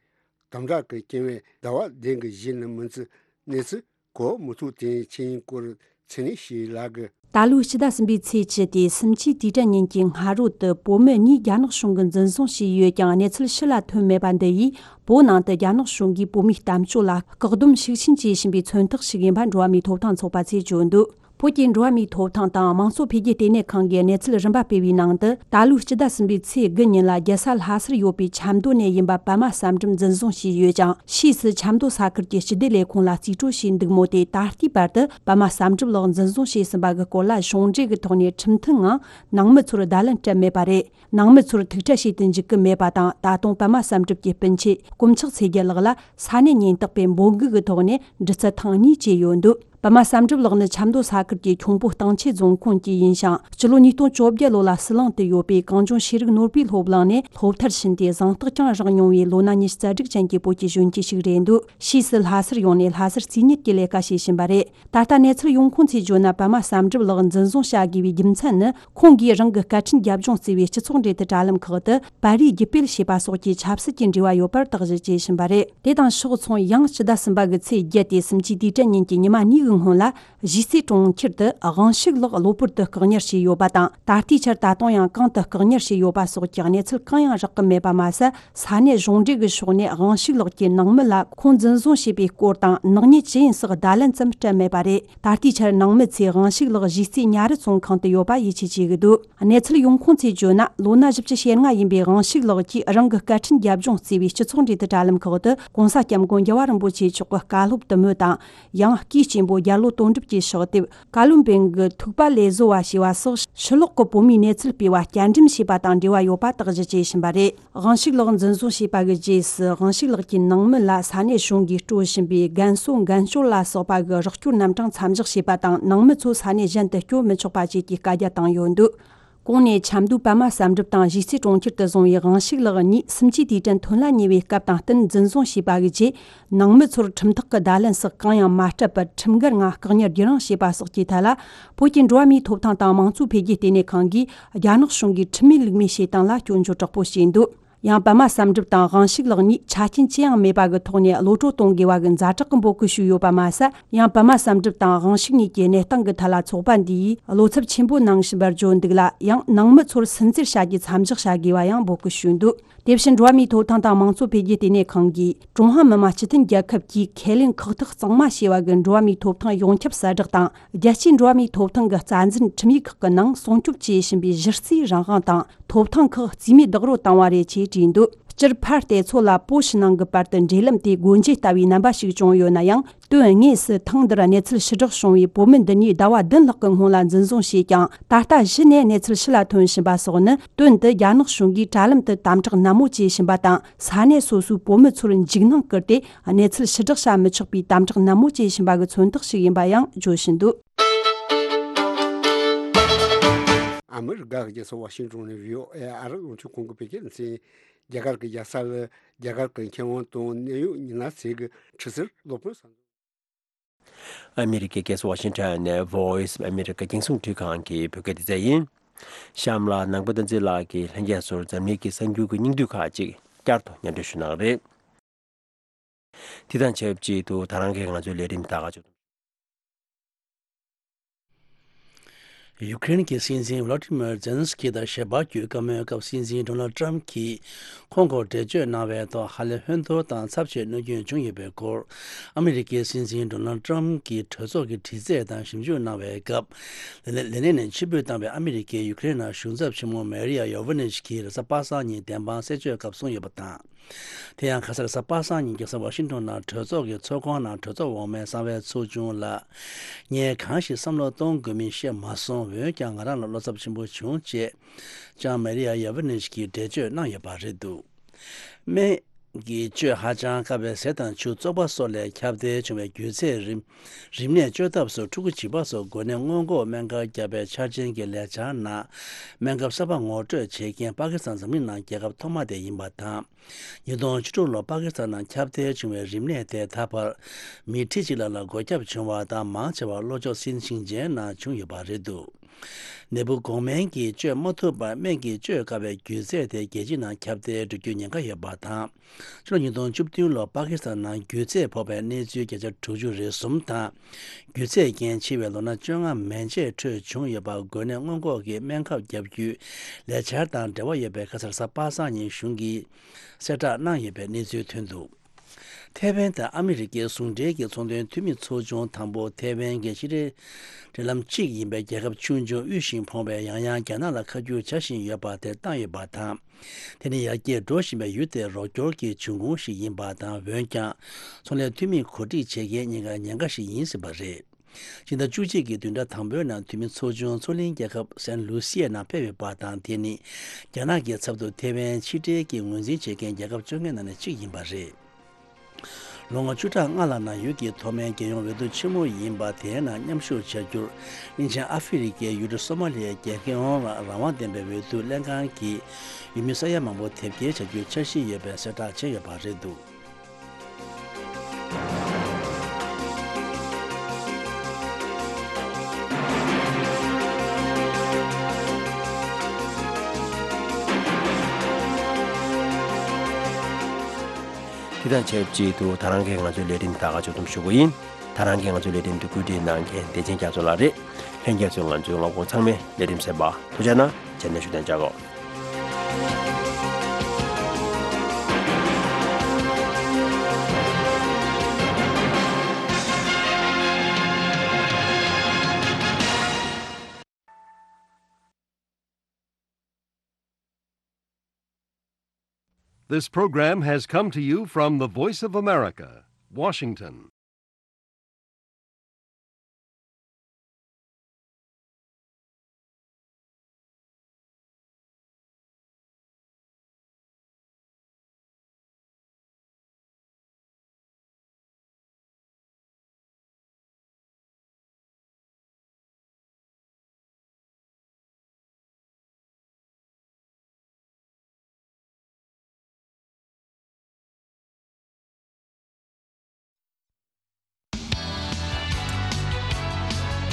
དམ་དྲག་གི་རྐྱེན་བས་ཟླ་བ་བདུན་གྱི་གཞི་ནས་མི་ཚེ་གནས་ཚུལ་གོ་མི་ཐུབ་དེ་ཕྱིན་སྐོར་ཚེ་ནི་ཞིག་ལ་གི། ད་ལོའི་སྤྱི་ཟླ་གསུམ་པའི་ཚེས་བཅུ་སྟེ་སུམ་ཅུའི་དུས་དྲན་ཉིན་གྱི་སྔ་དྲོ་དུ་བོད་མི་གཉིས་རྒྱ་ནག་གཞུང་གིས་འཛིན་བཟུང་བྱས་ཡོད་ཀྱང་གནས་ཚུལ་ཕྱི་ལ་ཐོན་མེད་པ་འདི་ཡིས་བོད་ནང་དུ་རྒྱ་ནག་གཞུང་གིས་བོད་མིའི་གཏམ་སྤྱོད་ལ་བཀག་སྡོམ་ཤུགས་ཆེན་བྱེད་བཞིན་པའི་མཚོན་རྟགས་ཤིག་ཡིན་པ་འགྲོ་བ་མིའི་ཐོབ་ཐང་ཚོགས་པ་ཚོས་བརྗོད་འདུག་བོད་ཀྱི་འགྲོ་བ་མིའི་ཐོབ་ཐང་དང་དམངས་གཙོ་འཕེལ་རྒྱས་ལྟེ་གནས་ཁང་གིས་གནས་ཚུལ་རིམ་པ་སྤེལ་བའི་ནང་དུ། ད་ལོའི་སྤྱི་ཟླ་གསུམ་པའི་ཚེས་དགུ་ཉིན་ལ་རྒྱལ་ས་ལྷ་སར་ཡོད་པའི་ཆབ་མདོ་ནས་ཡིན་པ་པདྨ་བསམ་གྲུབ་འཛིན་བཟུང་བྱས་ཡོད་ཅིང་། ཕྱིས་སུ་ཆབ་མདོ་ས་ཁུལ་གྱི་སྤྱི་བདེ་ལས་ཁུངས་ལ་རྩིས་སྤྲོད་བྱས་འདུག་མོད། དེ་ད་ལྟའི་བར་དུ་པདྨ་བསམ་གྲུབ་ལགས་འཛིན་བཟུང་བྱས་ཟིན་པ་གི་སྐོར་ལ་གཞུང་འབྲེལ་གྱི་ཐོག་ནས་ཁྲིམས་མཐུན་ངང་ནང་མི་ཚོར་བརྡ་ལན་སྤྲད་མེད་པ་རེད། ནང་མི་ཚོར་ཐུག་འཕྲད་བྱེད་དུ་འཇུག་གི་མེད་པ་དང་། ད་དུང་པདྨ་བསམ་གྲུབ་ཀྱི་སྤུན་མཆེད་དཀོན་མཆོག་ཚེ་རྒྱལ་ལགས་ལ་ས་གནས་ཉེན་རྟོག་པས་འབོད་འགུག་གི་ཐོག་ནས་འདྲི་རྩད་ཐེངས་གཉིས་བྱས་ཡོད་འདུག་པདྨ་བསམ་གྲུབ་ལགས་ནི་ཆབ་མདོ་ས་ཁུལ་གྱི་ཁྱུང་པོ་སྟང་ཆེ་རྫོང་ཁོངས་ཀྱི་ཡིན་ཞིང་། སྤྱི་ལོ་ཉིས་སྟོང་བཅོ་བརྒྱད་ལོ་ལ་ཟི་ལིང་དུ་ཡོད་པའི་གངས་ལྗོངས་ཤེས་རིག་ནོར་བུའི་སློབ་གླིང་ནས་སློབ་མཐར་ཕྱིན་ཏེ་གཟེངས་རྟགས་ཀྱང་བཞག་མྱོང་བའི་ལོ་ན་ཉི་ཤུ་རྩ་དྲུག་ཅན་གྱི་བོད་ཀྱི་གཞོན་སྐྱེས་ཤིག་རེད་འདུག་ཕྱིས་སུ་ལྷ་སར་ཡོང་ནས་ལྷ་སར་རྩིས་གཉེར་གྱི་ལས་ཀ་བྱེད་བཞིན་པ་རེད། ད་ལྟ་གནས་ཚུལ་ཡོང་ཁུངས་ཚོས་བརྗོད་ན། པདྨ་བསམ་གྲུབ་ལགས་འཛིན་བཟུང་བྱ་དགོས་པའི་རྒྱུ་མཚན་ནི། ཁོང་གིས་རང་གི་སྐད་འཕྲིན་རྒྱབ་ལྗོངས་བརྩི་བའི་སྤྱི་ཚོགས་འབྲེལ་མཐུད་དྲ་ལམ་ཁག་ཏུ་པར་རིས་བརྒྱུད་སྤེལ་བྱས་པ་སོགས་ཀྱི་ཆབ་སྲིད་ཀྱི་འབྲེལ་བ་ཡོད་པར་དག་གཞི་བྱས་བཞིན་པ་རེད། དེ་དང་ཕྱོགས་མཚུངས། ཡང་ཕྱི་ཟླ་གསུམ་པ་གི་ཚེས་བརྒྱད་དེ་སུམ་ཅུའི་དུས་དྲན་ཉིན་གྱི་ཉི་མ་གཉིས་ཀྱི་སྔོན་ལ། གཞིས་རྩེ་གྲོང་ཁྱེར་དུ་དབང་ཕྱུག་ལགས་གློ་བུར་དུ་བཀག་ཉར་བྱས་ཡོད་པ་དང་། ད་ལྟའི་ཆར་ད་དུང་ཡང་གང་དུ་བཀག་ཉར་བྱས་ཡོད་པ་སོགས་ཀྱི་གནས་ཚུལ་གང་ཡང་རག་གི་མེད་པ་མ་ཟད། ས་གནས་གཞུང་འབྲེལ་གྱི་ཕྱོགས་ནས་དབང་ཕྱུག་ལགས་ཀྱི་ནང་མི་ལ་ཁོང་འཛིན་བཟུང་བྱས་པའི་སྐོར་དང་། ནག་ཉེས་ཇི་ཡིན་སོགས་བརྡ་ལན་ཙམ་སྤྲད་མེད་པ་རེད། ད་ལྟའི་ཆར་ནང་མི་ཚོས་དབང་ཕྱུག་ལགས་གཞིས་རྩེ་ཉ་རི་བཙོན་ཁང་དུ་ཡོད་པ་ཡིད་ཆེས་བྱེད་ཀྱི་འདུག་གནས་ཚུལ་ཡོང་ཁུངས་ཚོས་བརྗོད་ན། ལོ་ན་བཞི་བཅུ་ཞེ་ལྔ་ཡིན་པའི་དབང་ཕྱུག་ལགས་ཀྱིས་རང་གི་སྐད་འཕྲིན་རྒྱབ་ལྗོངས་བརྩིས་པའི་སྤྱི་ཚོགས་འབྲེལ་མཐུད་དྲ་ལམ་ཁག་ཏུ་༸གོང་ས་༸སྐྱབས་མགོན་རྒྱལ་བ་རིན་པོ་ཆེ་མཆོག་གི་བཀའ་སློབ་དུ་མོ་དང་། ཡང་། སྐུའི་གཅེན་པོ་རྒྱལ་བློན་དོན་གྲུབ་ཀྱི་ཕྱག་དེབ། བཀའ་བློན་པོ་གི་ཐུག་པ་ལས་བཟོ་བ་ཞེས་པ་སོགས་ཕྱི་ལོགས་ཀྱི་བོད་མིའི་གནས་ཚུལ་སྤེལ་བ་བསྐྱར་འགྲེམས་བྱས་པ་དང་འབྲེལ་བ་ཡོད་པ་དག་གཞི་བྱས་བཞིན་པ་རེད། དབང་ཕྱུག་ལགས་འཛིན་བཟུང་བྱས་པ་གི་རྗེས་སུ། དབང་ཕྱུག་ལགས་ཀྱི་ནང་མི་ལ་ས་གནས་གཞུང་གིས་སྤྲོད་བཞིན་པའི་རྒན་གསོ་འགན་བཅོལ་ལ་སོགས་པ་གི་རོགས་སྐྱོར་རྣམ་གྲངས་མཚམས་བཞག་བྱས་པ་དང་། ནང་མི་ཚོ་ས་གནས་གཞན་དུ་བསྐྱོད་མི་ཆོག་པ་བཅས་ཀྱི་བཀའ་རྒྱ་བཏང་ཡོད་འདུག་གོང་ནས་ཆབ་མདོའི་པདྨ་བསམ་གྲུབ་དང་གཞིས་རྩེ་གྲོང་ཁྱེར་དུ་བཟུང་བའི་དབང་ཕྱུག་ལགས་གཉིས་སུམ་ཅུའི་དུས་དྲན་ཐོན་ལ་ཉེ་བའི་སྐབས་དང་བསྟུན་འཛིན་བཟུང་བྱས་པ་གི་རྗེས། ནང་མི་ཚོར་ཁྲིམས་ཐག་གི་བརྡ་ལན་སོགས་གང་ཡང་མ་སྤྲད་པར། ཁྲིམས་འགལ་ངང་བཀག་ཉར་བརྒྱུད་རིམ་བྱས་པ་སོགས་ཀྱི་ཐད་ལ། བོད་ཀྱི་འགྲོ་བ་མིའི་ཐོབ་ཐང་དང་མང་གཙོ་འཕེལ་རྒྱས་ལྟེ་གནས་ཁང་གིས་རྒྱ་ནག་གཞུང་གིས་ཁྲིམས་མེད་ལུགས་མེད་བྱེད་སྟངས་ལ་སྐྱོན་བརྗོད་དྲག་པོ་བྱས་འདུག་ཡང་པདྨ་བསམ་གྲུབ་དང་དབང་ཕྱུག་ལགས་གཉིས་ཆ་རྐྱེན་ཅི་ཡང་མེད་པ་གི་ཐོག་ནས་གློད་གྲོལ་གཏོང་དགོས་པ་གི་ཛ་དྲག་གི་འབོད་སྐུལ་ཞུས་ཡོད་པ་མ་ཟད། ཡང་པདྨ་བསམ་གྲུབ་དང་དབང་ཕྱུག་གཉིས་ཀྱི་གནས་སྟངས་ཀྱི་ཐད་ལ་ཚོགས་པ་འདིས་བློ་འཚབ་ཆེན་པོ་གནང་བཞིན་པར་བརྗོད་འདུག་ལ། ཡང་ནང་མི་ཚོར་སུན་གཙེར་བྱ་རྒྱུ་མཚམས་འཇོག་བྱ་དགོས་པ་ཡང་འབོད་སྐུལ་ཞུས་འདུག་དེ་བཞིན་འགྲོ་བ་མིའི་ཐོབ་ཐང་དང་མང་གཙོ་འཕེལ་རྒྱས་ལྟེ་གནས་ཁང་གིས་ཀྲུང་ཧྭ་མི་དམངས་སྤྱི་མཐུན་རྒྱལ་ཁབ་ཀྱིས་ཁས་ལེན་ཁག་ཐེག་གཙང་མ་བྱས་པ་གི་འགྲོ་བ་མིའི་ཐོབ་ཐང་ཡོངས་ཁྱབ་གསལ་བསྒྲགས་དང་། རྒྱལ་སྤྱིའི་འགྲོ་བ་མིའི་ཐོབ་ཐང་གི་རྩ་འཛིན་ཁྲིམས་ཡིག་ཁག་གི་ནང་སྲུང་སྐྱོབ་བྱེད་བཞིན་པའི་གཞི་རྩའི་རང་དབང་དང་ཐོབ་ཐང་ཁག་རྩིས་མེད་རྡོག་རོལ་བཏང་བ་རེད་ཅེས་བྲིས་འདུག་སྤྱིར་ཕར་བལྟས་ཚོད་ལ་བོད་ཕྱི་ནང་གི་བར་དུ་འབྲེལ་ལམ་དེ་སྒོ་འབྱེད་ལྟ་བུའི་རྣམ་པ་ཞིག་བྱུང་ཡོད་ན་ཡང་། དོན་དངོས་སུ་ཐེངས་འདིར་གནས་ཚུལ་ཕྱིར་བསྒྲགས་བྱུང་བའི་བོད་མི་འདི་གཉིས་ཟླ་བ་བདུན་ལྷག་གི་སྔོན་ལ་འཛིན་བཟུང་བྱས་ཀྱང་། ད་ལྟ་གཞི་ནས་གནས་ཚུལ་ཕྱི་ལ་ཐོན་བཞིན་པ་སོགས་ནི། དོན་དུ་རྒྱ་ནག་གཞུང་གིས་དྲ་ལམ་དུ་དམ་དྲག་ནན་མོ་བྱེད་བཞིན་པ་དང་། ས་གནས་སོ་སོའི་བོད་མི་ཚོར་འཇིགས་སྣང་བསྐུལ་ཏེ། གནས་ཚུལ་ཕྱིར་བསྒྲགས་བྱ་མི་ཆོག་པའི་དམ་དྲག་ནན་མོ་བྱེད་བཞིན་པ་གི་མཚོན་རྟགས་ཤིག་ཡིན་པ་ཡང་བརྗོད་བཞིན་འདུག་ཨ་མི་རི་ཀ་གི་རྒྱལ་ས་ཝ་ཤིང་ཏོན་ནས་བྷི་ཨོ་ཨེ་ཨ་རི་རླུང་འཕྲིན་ཁང་གི་བོད་སྐད་སྡེ་ཚན། རྒྱ་གར་གྱི་རྒྱལ་ས་ལ་རྒྱ་གར་གྱི་མཁས་དབང་དང་གནད་ཡོད་མི་སྣ་ཚོས་ཀྱི་ཁྲི་སིར་སློབ་དཔོན་གསར་འཛུགས། ཨ་མི་རི་ཀའི་རྒྱལ་ས་ཝ་ཤིང་ཊོན་ནས་Voice of America་རྒྱང་སྲིང་འཕྲིན་ཁང་གི་བོད་སྐད་སྡེ་ཚན་ཡིན། གཤམ་ལ་ནང་པ་བསྟན་འཛིན་ལགས་ཀྱིས་ལྷན་རྒྱས་ཚོར་འཛམ་གླིང་གི་གསར་འགྱུར་གྱི་སྙིང་བསྡུས་ཁག་ཅིག་བསྐྱར་དུ་སྙན་སྒྲོན་ཞུ་གནང་རེད། དེ་དང་ཆབས་ཅིག་ཏུ་ད་རང་གིས་ང་ཚོའི་ལས་རིམ་ད་ག་ཅིག་ཡུ་ཀེ་རེན་གྱི་སྲིད་འཛིན་ཝ་ལོ་ཏི་མིར་ཛེ་ལན་སི་ཀི་དང་ཞལ་པར་བརྒྱུད་བཀའ་མོལ་སྐབས། སྲིད་འཛིན་ཌོ་ནལ་ཏྲམ་གྱིས་ཁོང་སྐོར་འགྲེལ་བརྗོད་གནང་བའི་ཐོག་ཧ་ལས་ཧོན་ཐོར་དང་ཚབས་ཆེ་གནོད་སྐྱོན་བྱུང་ཡོད་པའི་སྐོར། ཨ་མི་རི་ཀའི་སྲིད་འཛིན་ཌོ་ནལ་ཏྲམ་གྱིས་གྲོས་ཚོགས་ཀྱི་དྲི་རྩད་དང་ཞིབ་འཇུག་གནང་བའི་སྐབས། ལས་ལས་གནས་ནས་ཕྱིར་འབུད་བཏང་བའི་ཨ་མི་རི་ཀས་ཡུ་ཀེ་རེན་ནང་གཞུང་ཚབ་ཆེན་མོ་མེ་རི་ཡ་ཡོ་ཝ་ནེ་ཤི་ཀིས་རེས་གཟའ་པ་སངས་ཉིན་བདེན་དཔང་གསལ་བརྗོད་སྐབས་གསུངས་ཡོད་པ་དང་། དེ་ཡང་ཁ་སང་རེས་གཟའ་པ་སངས་ཉིན་རྒྱལ་ས་ཝ་ཤིང་ཏོན་ནང་གྲོས་ཚོགས་ཀྱི་ཚོགས་ཁང་ནང་གྲོས་ཚོགས་འོག་མའི་གསང་བའི་ཚོགས་ཆུང་ལ། ངས་གང་ཞིག་བསམ་བློ་གཏོང་དགོས་མིན་ཤེས་མ་སོང་། འོན་ཀྱང་ང་རང་ལ་བློ་འཚབ་ཆེན་པོ་བྱུང་ཅེས་ཀྱང་མེ་རི་ཡ་ཡ་ཝི་ནེ་ཤི་ཀིས་འགྲེལ་བརྗོད་གནང་ཡོད་པ་རེད་འདུག་སྨན་གྱི་བཅོས་ཧ་ཅང་དཀའ་བའི་ཟས་དང་ཆུ། བཙོག་པ་སོགས་ལས་ཁྱབ་གདལ་བྱུང་བའི་རྒྱུ་ཚད། རིམས་རིམས་ནད་བཅོས་ཐབས་སུ་ཕྲུ་གུ་བྱིས་པ་སོགས་འགོས་ནད་སྔོན་འགོག་སྨན་ཁབ་བརྒྱབ་པའི་འཆར་ཅན་གྱི་ལས་འཆར་ནང་སྨན་ཁབ་གསར་པ་ངོ་སྤྲོད་བྱེད་མཁན་པ་ཀི་སི་ཐན་འཛམ་གླིང་ནང་རྒྱལ་ཁབ་ཐོག་མ་དེ་ཡིན་པ་དང་། ཉིས་སྟོང་བཅུ་དྲུག་ལོར་པ་ཀི་སི་ཐན་ནང་ཁྱབ་གདལ་བྱུང་བའི་རིམས་ནད་དེ་ད་བར་མི་ཁྲི་གཅིག་ལྷག་ལ་འགོས་ཁྱབ་བྱུང་བ་དང་། མང་ཆེ་བ་ལྷོ་ཕྱོགས་སིན་ཅིང་ཇན་ནང་བྱུང་ཡོད་པ་རེད་འདུག་ནད་འབུ་འགོག་སྨན་གྱིས་བཅོས་མ་ཐུབ་པར་སྨན་གྱིས་བཅོས་དཀའ་བའི་རྒྱུ་ཚད་དེ་རྒྱལ་སྤྱི་ནང་ཁྱབ་གདལ་འགྲོ་རྒྱུའི་ཉེན་ཁ་ཡོད་པ་དང་། ཕྱི་ལོ་ཉིས་སྟོང་བཅུ་བདུན་ལོར་པ་ཀི་སི་ཐན་ནང་རྒྱུ་ཚད་ཕོག་པའི་གནས་ཚུལ་བརྒྱ་ཆ་དྲུག་ཅུ་རེ་གསུམ་དང་། རྒྱུ་ཚད་རྐྱེན་འཆི་བའི་ལོ་ན་བཅོ་ལྔ་མན་ཆད་ཁྲོད་བྱུང་ཡོད་པ། འགོས་ནད་སྔོན་འགོག་གི་སྨན་ཁབ་བརྒྱབ་རྒྱུའི་ལས་འཆར་དང་འབྲེལ་བ་ཡོད་པའི་ཁ་སང་རེས་གཟའ་པ་སངས་ཉིན་གཞུང་གིས་གསལ་བསྒྲགས་གནང་ཡོད་པའི་གནས་ཚུལ་ཐོན་འདུག་ཐེ་ཝན་དང་ཨ་མི་རི་ཀའི་ཟུང་འབྲེལ་གྱི་ཚོང་དོན་འཐུས་མི་ཚོགས་ཆུང་དང་པོ་ཐེ་ཝན་གྱི་ཕྱི་འབྲེལ་འབྲེལ་ལམ་གཅིག་ཡིན་པའི་རྒྱལ་ཁབ་ཆུང་ཆུང་དབུལ་ཞིང་ཕོངས་པས་ཡང་ཡང་རྒྱ་ནག་ལ་ཁ་བསྒྱུར་བྱ་བཞིན་ཡོད་པ་དེར་བཏང་ཡོད་པ་དང་། དེ་ནི་ཡར་རྒྱས་འགྲོ་བཞིན་པའི་ཡུལ་དེར་རོགས་སྐྱོར་གྱི་འབྱུང་ཁུངས་ཤིག་ཡིན་པ་དང་། འོན་ཀྱང་ཚོང་ལས་འཐུས་མི་གོ་སྒྲིག་བྱེད་མཁན་གཉིས་ཀ་ཉེན་ཁ་ཞིག་ཡིན་སྲིད་པ་རེད། སྤྱི་ཟླ་བཅུ་གཅིག་གི་བདུན་ཕྲག་དང་པོའི་ནང་འཐུས་མི་ཚོགས་ཆུང་མཚོ་གླིང་རྒྱལ་ཁབ་སན་ལུ་སི་ཡའི་ནང་ཕེབས་ཡོད་པ་དང་། དེ་ནི་རྒྱ་ནག་གི་ཚབ་ཏུ་ཐེ་ཝན་ཕྱི་འབྲེལ་གྱི་ངོས་འཛིན་བྱེད་མཁན་རྒྱལ་ཁབ་བཅོ་ལྔའི་ནང་ནས་གཅིག་ཡིན་པ་རེད། ལོ་ངོ་བཅུ་ཕྲག་ལྔ་ལ་ནང་ཡུལ་གྱི་ཐོག་མའི་རྒྱལ་ཡོངས་འོས་བསྡུ་ཆེན་མོ་ཡིན་པ་དེའི་ནང་མཉམ་ཞུགས་བྱ་རྒྱུར། གླིང་ཆེན་ཨ་ཧྥེ་རི་ཁའི་ཡུལ་གྲུ་སོ་མ་ལི་ཡའི་རྒྱལ་ཡོངས་རང་དབང་ལྡན་པའི་འོས་བསྡུ་ལྷན་ཁང་གིས་ཡུལ་མི་ས་ཡ་མང་པོ་དེབ་སྐྱེལ་བྱ་རྒྱུའི་འཆར་གཞི་ཡོད་པའི་གསལ་བསྒྲགས་བྱས་ཡོད་པ་རེད་འདུག། དེ་དང་ཆབས་ཅིག་ཏུ་ད་རང་གིས་ང་ཚོའི་ལས་རིམ་ད་ག་ཕྱོགས་བསྡོམས་ཞུ་གི་ཡིན། ད་རང་གིས་ང་ཚོའི་ལས་རིམ་དུ་བཀོད་སྒྲིག་གནང་མཁན་བདེ་ཆེན་རྒྱ་མཚོ་ལགས་རེད། ལྷན་རྒྱས་ཚོས་ང་ཚོའི་རླབས་དཔོན་ཚང་མའི་ལས་རིམ་གསན་པ་ཐུགས་རྗེ་གནང་། མཇལ་ན་ཞུ་དན་ཅག་གོ། This program has come to you from the Voice of America, Washington.